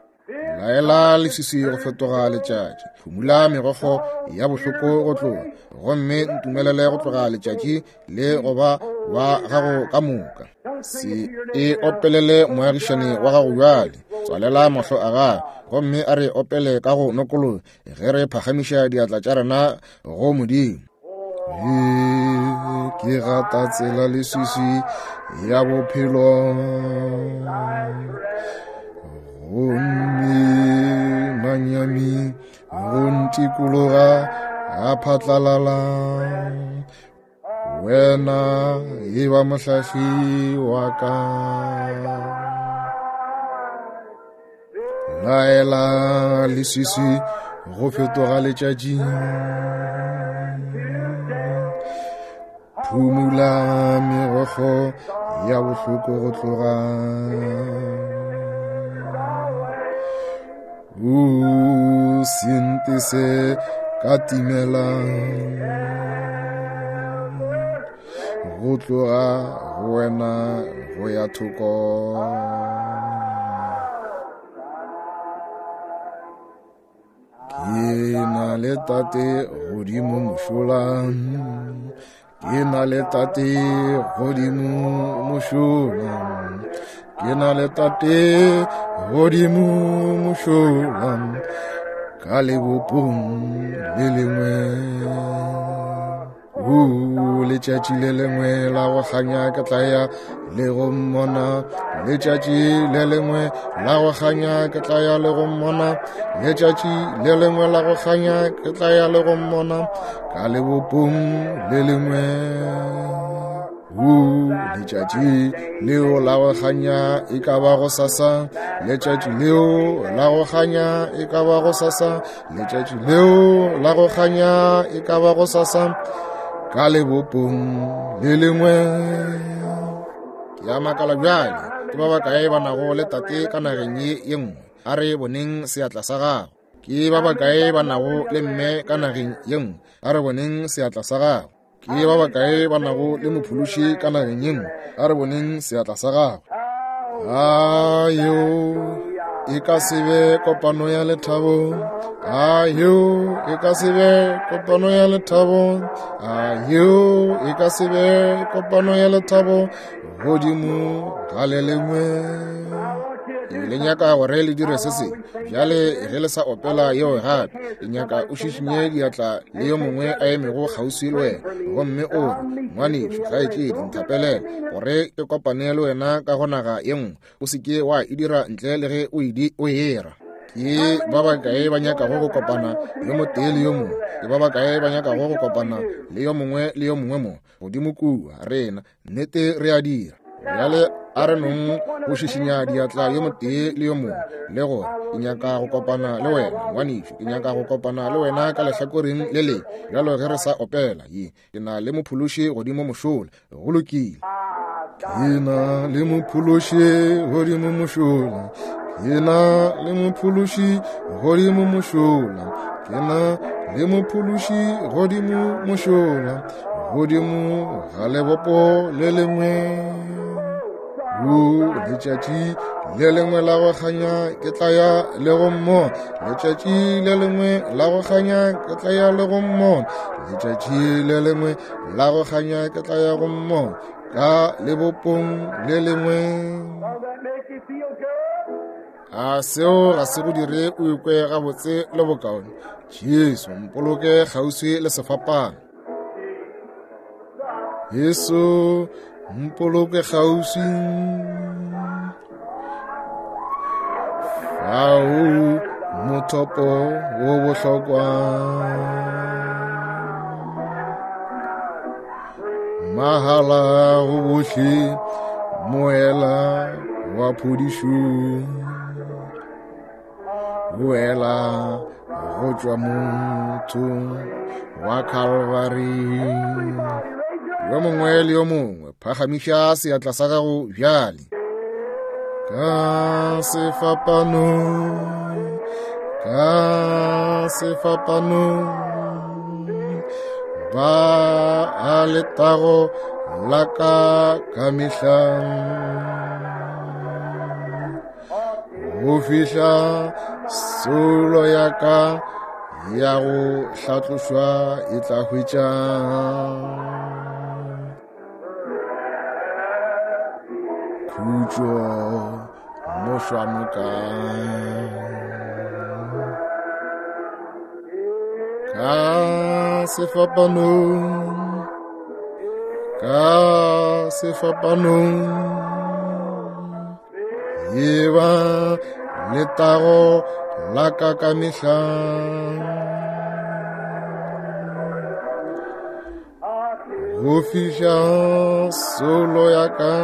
Laela leswiswi go fetoga letšatši, phumula megokgo ya bohloko go tloga, gomme ntumelele go tloga letšatši le go ba wa gago ka moka. Se e opelele moagišani wa gago bjale. Tswalela mahlo a gago gomme a re opele ka go nokologa ge re phagamiša diatla tša rena go Modimo. Ke gata tsela leswiswi ya bophelo, gomme manyami go ntikologa a phatlalala. Wena e ba mohlahli wa ka. Laela leswiswi go fetoga letšatši, phumula megokgo ya bohloko go tloga. O sente se ka timela go tloga go wena go ya thoko. Ke na le tate godimo mošola, ke na le tate godimo mošola, ke na le tate godimo mošola, ka lebopong le lengwe. O letšatši le lengwe la go kganya ke tla ya le go mmona, letšatši le lengwe la go kganya ke tla ya le go mmona, letšatši le lengwe la go kganya ke tla ya le go mmona, ka lebopong le lengwe. O letšatši leo la go kganya e ka ba go sasa, letšatši leo la go kganya e ka ba go sasa, letšatši leo la go kganya e ka ba go sasa, ka lebopong le lengwe. Ke a makala bjale, ke ba bakae ba nago le tate ka nageng ye ye nngwe? A re boneng seatla sa gago. Ke ba bakae ba nago le mme ka nageng ye nngwe? A re boneng seatla sa gago. Ke ba bakae ba nago le mophološi ka nageng ye nngwe? A re boneng seatla sa gago. A yeo e ka se be kopano ya lethabo. A yeo e ka se be kopano ya lethabo. A yeo e ka se be kopano ya lethabo godimo ga le lengwe. Le nyaka gore le dire se se bjale ge le sa opela yeo gape. Ke nyaka o šišinye diatla le yo mongwe a emego kgauswi le wena, gomme o re, ngwanešu, kgaetšedi, nthapelele gore ke kopane le wena ka go naga ye nngwe. O se ke wa e dira ntle le ge o e era. Ke ba bakae ba nyakago go kopana yo motee le yo mongwe? Ke ba bakae ba nyakago go kopana le yo mongwe le yo mongwe mo godimo kua? Rena nnete re a dira. Bjale a re nong go šišinya diatla yo motee le yo mongwe le gore ke nyaka go kopana le wena, ngwanešu, ke nyaka go kopana le wena ka lehlakoreng le le bjalo ge re sa opela ye. Ke na le mophološi godimo mošola. Go lokile. Ke na le mophološi godimo mošola. Ke na le mophološi godimo mošola. Ke na le mophološi godimo mošola. Godimo ga lebopo le lengwe. O letšatši le lengwe la go kganya ke tla ya le go mmona. Letšatši le lengwe la go kganya ke tla ya le go mmona. Letšatši le lengwe la go kganya ke tla ya go mmona ka lebopong le lengwe. A seo ga se go dire o ikwe gabotse le bokaone? Jesu, mpoloke kgauswi le sefapano. Jesu, mpoloke kgauswi. Fao mothopo wo bohlokwa. Mahala go bohle moela wa phodišo. Boela go tšwa mothong wa Calvary. Yo mongwe le yo mongwe phagamiša seatla sa gago bjale. Ka sefapano, ka sefapano, ba a letago la ka ka mehla. Go fihla soulo ya ka ya go hlatlošwa e tla hwetša. Khutšo mošwanoka. Ka sefapanong, ka sefapanong, e ba letago la ka ka mehla. Go fihla soulo ya ka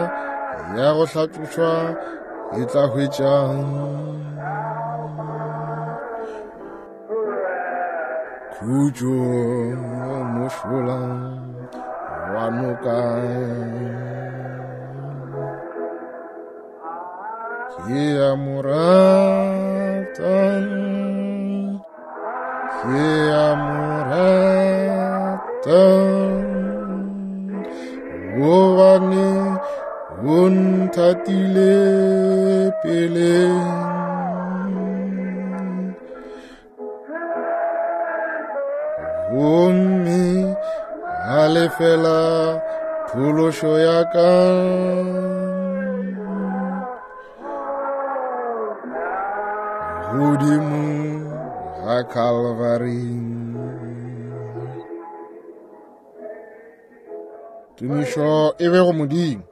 ya go hlatlošwa e tla hwetša. Khutšo mošola wa noka. Ke a mo rata, ke a mo rata, gobane o nthatile pele. Gomme a lefela phološo ya ka. Godimo ga Calvary. Tumišo e be go Modimo.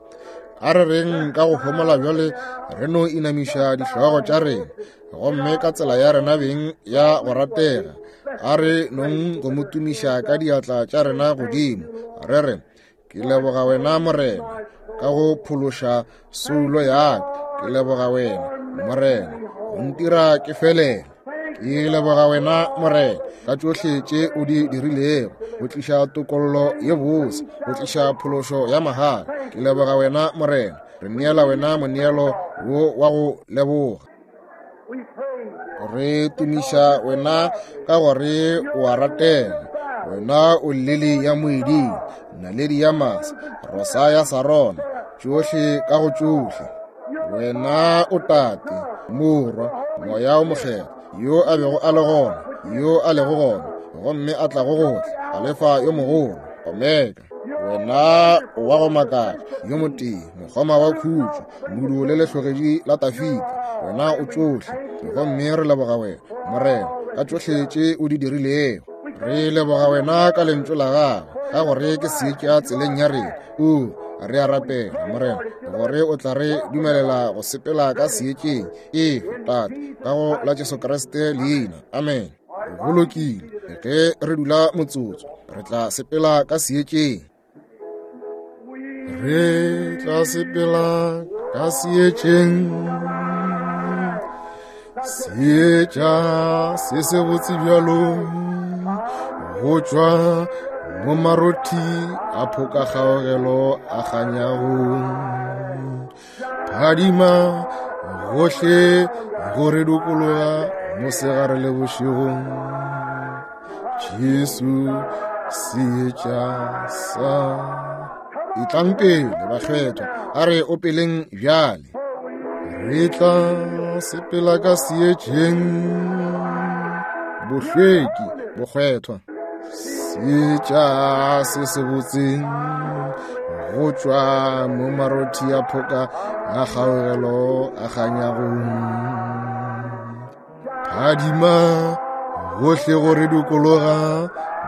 A re reng ka go homola bjale re no inamiša dihlogo tša rena, gomme ka tsela ya rena beng ya go ratega a re nong go mo tumiša ka diatla tša rena godimo. Re re, ke leboga wena Morena ka go phološa soulo ya ka. Ke leboga wena Morena go ntira ke felele. Ke leboga wena Morena ka tšohle tše o di dirilego go tliša tokollo ye bose, go tliša phološo ya mahala. Ke leboga wena Morena. Re neela wena moneelo wo wa go leboga. Re tumiša wena ka gore o a ratega. Wena o lili ya moeding, naledi ya masa, rosa ya Sarona, tšohle ka go tšohle. Wena o Tate, Morwa Moya wo Mokgethwa, yo a bego a le gona, yo a lego gona, gomme a tlago go tla, Alefa yo mogolo, Omega. Wena wa go makatša, yo motee, mokgoma wa khutšo, modu le lehlogedi la Tafita, wena o tšohle, gomme re leboga wena, Morena, ka tšohle tše o di dirilego. Re leboga wena ka lentšu la gago, ka gore ke seetša tseleng ya rena. O, re a rapela, Morena, gore o tla re dumelela go sepela ka seetšeng. Ee, Tate, ka go la Jesu Kriste leina. Amen. Go lokile, ge re dula motsotso, re tla sepela ka seetšeng. Re tla sepela ka seetšeng. Seetša se se botse bjalo go tšwa mo marothi a phokakgaogelo a kganyago. Phadima gohle go re dukologa mosegare le bošego. Jesu seetša sa. Etlang pele bakgethwa, a re opeleng bjale. Re tla sepela ka seetšeng, bohlweki bokgethwa. Seetša se se botse go tšwa mo marothi a phoka a kgaogelo a kganyago. Phadima gohle go re dukologa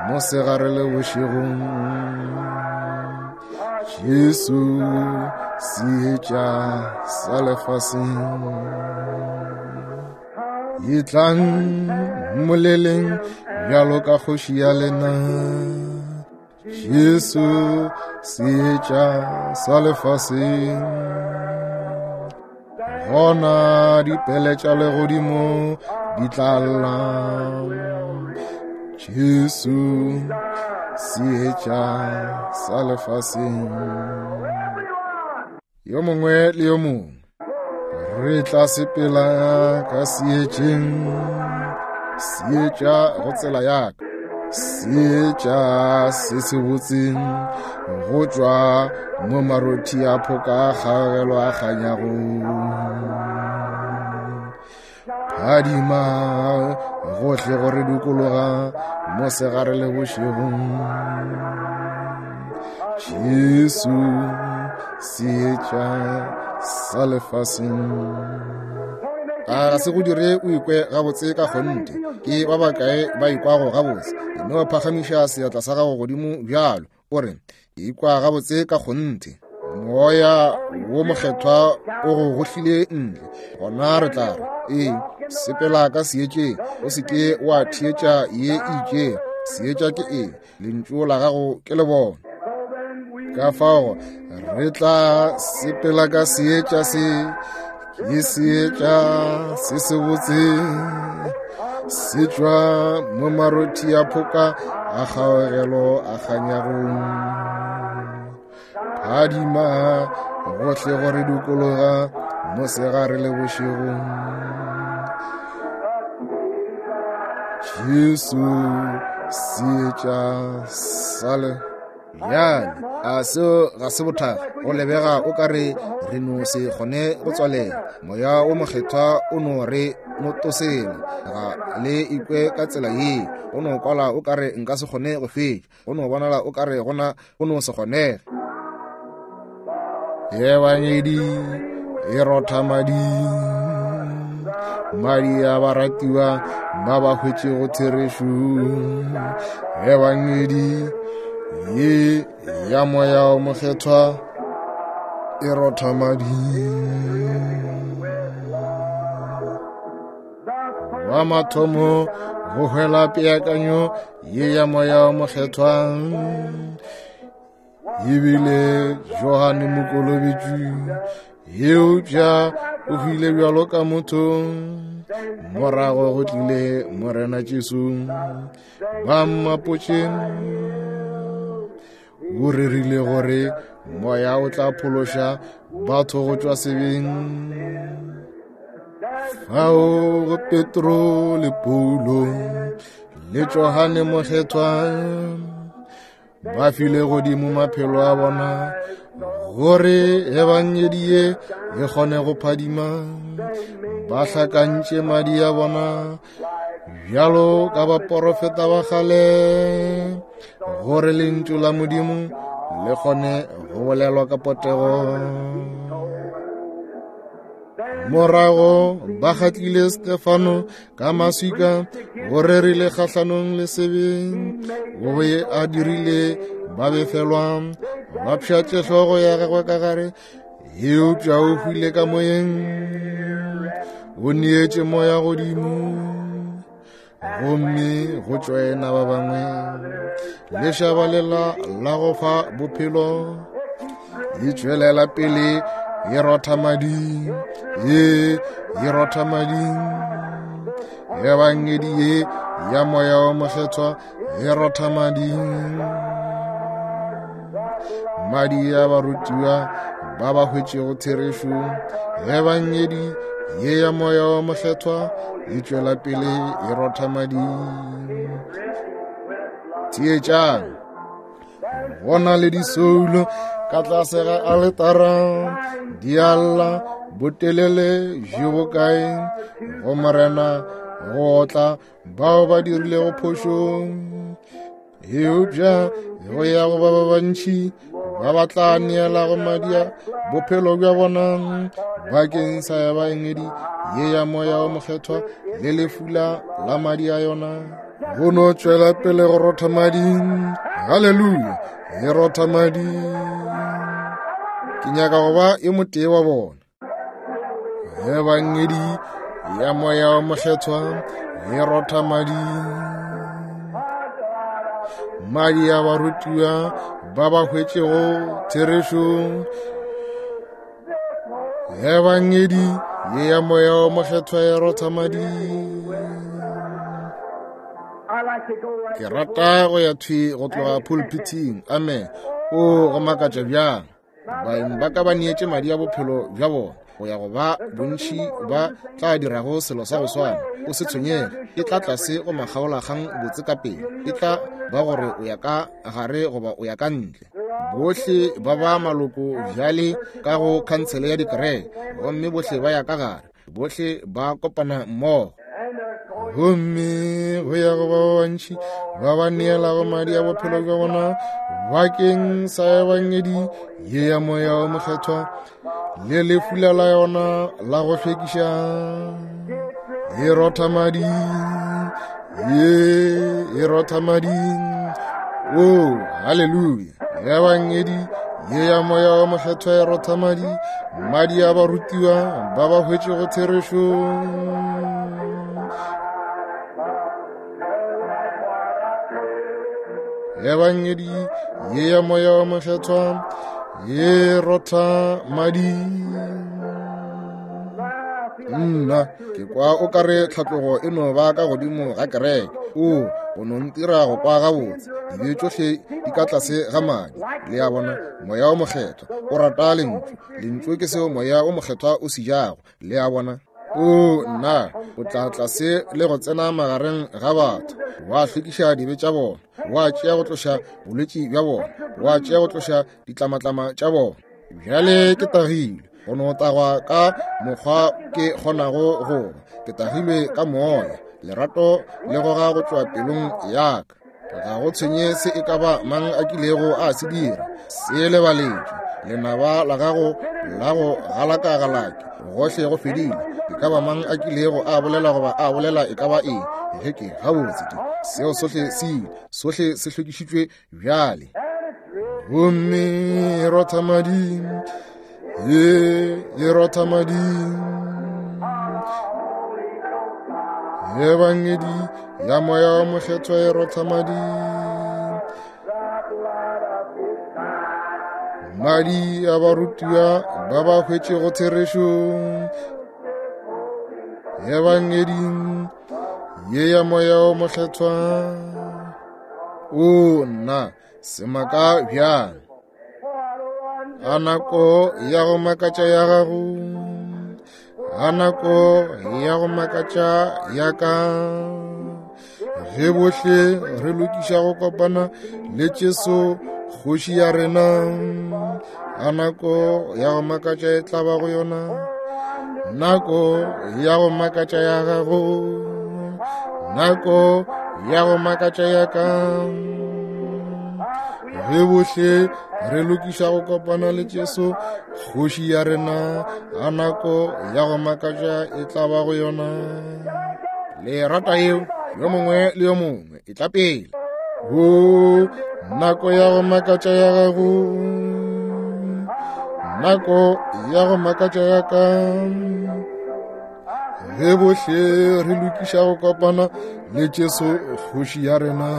mosegare le bošego. Jesu seetša sa lefaseng. Etlang mmoleleng bjalo ka kgoši ya lena. Jesu seetša sa lefaseng. Gona dipele tša legodimo di tla lla. Jesu seetša sa lefaseng. Yo mongwe le yo mongwe re tla sepela ka seetšeng. Seetša go tsela ya ka, seetša se se botse go tšwa mo marothi a phoka kgaogelo a kganyago. Phadima gohle go re dukologa mosegare le bošego. Jesu seetša sa lefaseng. A ga se go dire o ikwe gabotse ka kgonthe? Ke ba bakae ba ikwago gabotse? E no phagamiša seatla sa gago godimo bjalo, o re, ke ikwa gabotse ka kgonthe. Moya wo Mokgethwa o go gohlile ntle. Gona re tla re, ee, sepela ka seetšeng, o se ke wa theetša ye e itšeng. Seetša ke eng? Lentšu la gago ke lebone. Ka fao re tla sepela ka seetša se, ke seetša se se botse, se tšwa mo marothi a phoka a kgaogelo a kganyago. Phadima gohle go re dukologa mosegare le bošego. Jesu seetša sa le. Bjale, a seo ga se bothata? Go lebega o ka re re no se kgone go tswalela. Moya wo Mokgethwa o no re notosela. Ga le ikwe ka tsela ye. O no kwala o ka re nka se kgone go fetša. Go no bonala o ka re gona go no se kgonege. Ebangedi e rotha madi, madi a baratiwa ba ba hwetšego therešo. Ebangedi ye ya Moya wo Mokgethwa e rotha madi. Wa mathomo go hwela peakanyo ye ya Moya wo Mokgethwa ebile Johane Mokolobetši, eupša o hwile bjalo ka motho. Morago go tlile Morena Jesu, ba mmapotše. O rerile gore Moya o tla phološa batho go tšwa sebeng. Fao go Petro le Paulo le Johane Mokgethwa ba file godimo maphelo a bona gore ebangedi ye e kgone go phadima. Ba hlakantše madi a bona bjalo ka baporofeta ba kgale, gore lentšu la Modimo le kgone go bolelwa ka potego. Morago ba kgatlile Stefano ka maswika, go rerile kgahlanong le sebe, o be a dirile ba befelwa, ba pšhatše hlogo ya gagwe ka gare, eupša o hwile ka moyeng, o neetše moya godimo, gomme go tšoena ba bangwe. Lešaba lela la go fa bophelo e tšwelela pele e rotha madi, ye e rotha madi. Ebangedi ye ya moya wa mokgethwa e rotha madi, madi ya barutiwa ba ba hwetšego therešo. Ebangedi ye ya moya wa mokgethwa e tšwela pele e rotha madi. Theetšang, go na le disoulo ka tlase ga aletara, di alla botelele bjo bokae go Morena go otla bao ba dirilego phošo. Eupša go ya go ba ba bantši ba ba tla neelago madi a bophelo bja bona bakeng sa ebangedi ye ya moya wa mokgethwa le lefula la madi a yona. Go no tšwela pele go rotha madi. Haleluya, e rotha madi. Ke nyaka go ba yo motee wa bona. Ebangedi ya moya wa mokgethwa e rotha madi, madi a barutiwa ba ba hwetšego therešo. Ebangedi ye ya moya wa mokgethwa e rotha madi. Ke rata go ya thwi go tloga pulpiting. Amen. O go makatša bjang. Baeng ba ka ba neetše madi a bophelo bja bona go ya go ba bontši ba tla dirago selo sa go swana. O se tshwenyege, e tla tlase go makgaolakgang botse ka pele. E tla ba gore o ya ka gare goba o ya ka ntle. Bohle ba ba maloko bjale ka go khansele ya dikereke, gomme bohle ba ya ka gare, bohle ba kopana mmogo. Gomme go ya go ba bantši ba ba neelago madi a bophelo bja bona bakeng sa ebangedi ye ya moya wa mokgethwa le lefula la yona la go hlwekiša. E rotha madi, ye e rotha madi. O haleluya. Ebangedi ye ya moya wa mokgethwa e rotha madi, madi a barutiwa ba ba hwetšego therešo. Ebangedi ye ya moya wa mokgethwa ye rotha madi. Nna ke kwa o ka re tlhatlogo e no ba ka godimo ga kereke. O go no ntira go kwa gabotse. Dibe tšohle di ka tlase ga madi. Le a bona, moya wa mokgethwa o rata lentšu. Lentšu ke seo moya wa mokgethwa o se jago. Le a bona? O nna o tla tlase le go tsena magareng ga batho, wa hlwekiša dibe tša bona, wa tšea go tloša bolwetši bja bona, wa tšea go tloša ditlamatlama tša bona. Bjale ke tagilwe, go no tagwa ka mokgwa ke kgonago go ba. Ke tagilwe ka moya, lerato le goga go tšwa pelong ya ka. Ga go tshwenye se e ka ba mang a kilego a se dira, se lebaletšwe. Lenaba la gago la go galaka-galake gohle go fedile. E ka ba mang a kilego a bolela goba a bolela e ka ba eng, ge ke gabotse ke seo sohle se ile, sohle se hlwekišitšwe bjale. Gomme e rotha madi, ye e rotha madi. Ebangedi ya moya wa mokgethwa e rotha madi, madi a barutiwa ba ba hwetšego therešo. Ebangedi ye ya moya wa mokgethwa. O nna semaka bjang. A nako ya go makatša ya gago, a nako ya go makatša ya ka. Ge bohle re lokiša go kopana le Jesu kgoši ya rena, a nako ya go makatša e tla ba go yona. Nako ya go makatša ya gago, nako ya go makatša ya ka. Ge bohle re lokiša go kopana le Jesu kgoši ya rena, a nako ya go makatša e tla ba go yona. Le rata yeo, yo mongwe le yo mongwe e tla pele. O nako ya go makatša ya gago, nako ya go makatša ya ka. Ge bohle re lokiša go kopana le Jesu kgoši ya rena,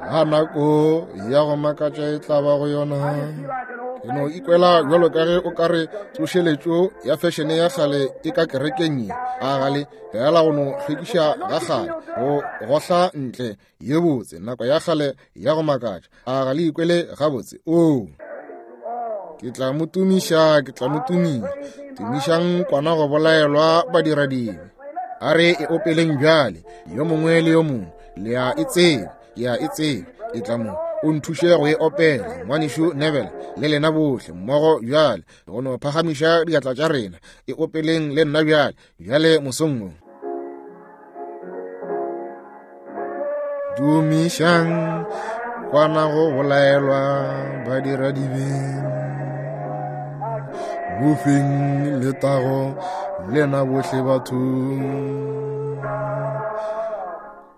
a nako ya go makatša e tla ba go yona. Ke no ikwela bjalo ka ge o ka re tsošeletšo ya fešene ya kgale e ka kerekeng ye, a gale fela go no hlwekiša ga kgale, go gohla ntle ye botse, nako ya kgale ya go makatša. A ga le ikwele gabotse? Oo, ke tla mo tumiša, ke tla mo tumiša. Tumišang kwana go bolaelwa badiradibe. A re e opeleng bjale, yo mongwe le yo mongwe. Le a e tseba, ke a e tseba. E tla mo o nthuše go e opela, ngwanešu Neville, le lena bohle mmogo bjale, go no phagamiša diatla tša rena. E opeleng le nna bjale, bjale mosong wo. Tumišang kwana go bolaelwa badiradibe, bofeng letago lena bohle batho,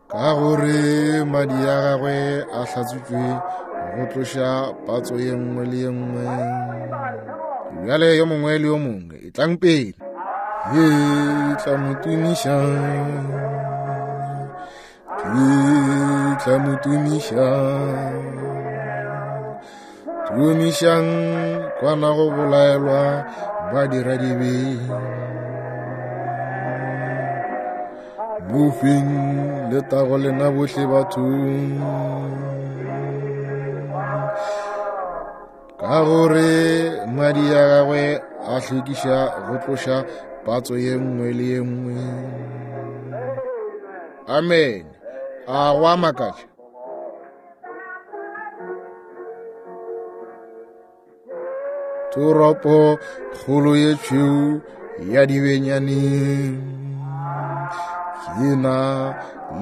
ka gore madi a gagwe a hlatswitšwe go tloša patso ye nngwe le ye nngwe. Bjale yo mongwe le yo mongwe e tlang pele. Ke tla mo tumiša, ke tla mo tumiša. Tumišang kwana go bolaelwa badiradibe, bofeng letago lena bohle batho, ka gore madi a gagwe a hlwekiša go tloša patso ye nngwe le ye nngwe. Amen. A go a makatša? Toropo kgolo ye tšhweu ya dibenyane, ke na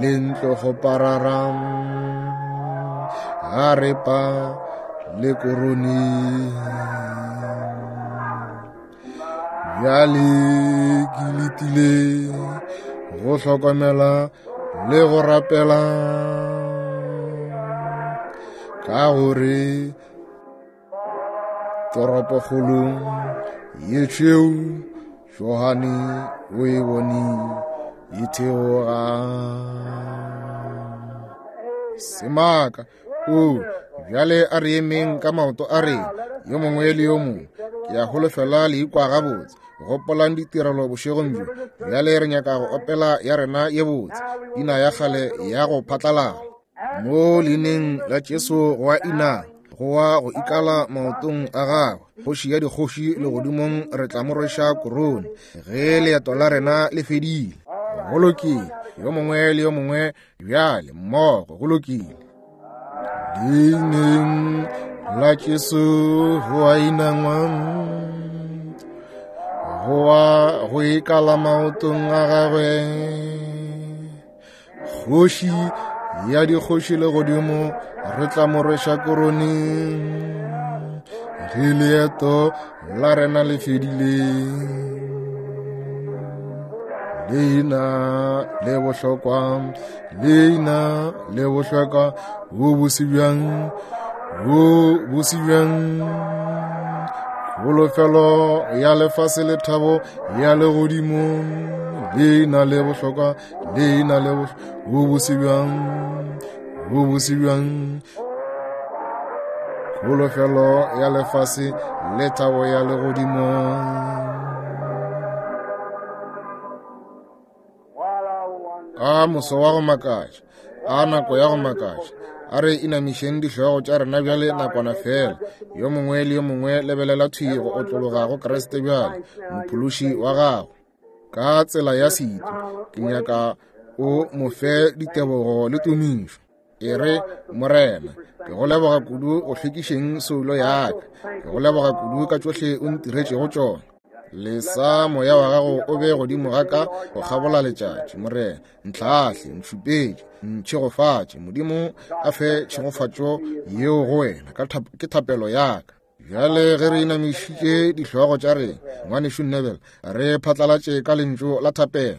le ntlo go parara, arepa le korone. Bjale ke letile go hlokomela le go rapela, ka gore toropokgolo ye tšhweu Johane o e bone e theoga. Semaka. O bjale a re emeng ka maoto a rena, yo mongwe le yo mongwe. Ke a holofela le ikwa gabotse. Gopolang ditirelo bošegong bjo. Bjale re nyaka go opela ya rena ye botse, pina ya kgale ya go phatlalala. Mo leineng la Jesu go a ina, go wa go ikala maotong a gagwe, kgoši ya dikgoši legodimong, re tla mo rweša korone ge leeto la rena le fedile. Go lokile, yo mongwe le yo mongwe bjale mmogo. Go lokile. Leineng la Jesu go a inangwa, go wa go ikala maotong a gagwe, kgoši ya dikgoši legodimo, re tla mo rweša korone ge leeto la rena le fedile. Leina le bohlokwa, leina le bohlokwa, bo bose bjang, bo bose bjang. Kholofelo ya lefase le thabo ya legodimo, leina le bohlokwa, leina le bohlokwa, bo bose bjang, bo bose bjang. Kholofelo ya lefase le thabo ya legodimo. A moso wa go makatša, a nako ya go makatša. A re inamišeng dihlogo tša rena bjale nakwana fela. Yo mongwe le yo mongwe lebelela thwi go otlologa go Kriste bjale, mophološi wa gago. Ka tsela ya setu, ke nyaka o mo fe ditebogo le tumišo. E re, Morena, ke go leboga kudu go hlwekišeng soulo ya ka. Ke go leboga kudu ka tšohle o ntiretšego tšona. Lesa moya wa gago o be godimo ga ka go kgabola letšatši, Morena. Ntlhahle, ntšhupetše, ntšhegofatše. Modimo a fe tšhegofatšo yeo go wena, ka ke thapelo ya ka. Bjale ge re inamišitše dihlogo tša rena, Ngwanešu Neville, re phatlalatše ka lentšu la thapelo.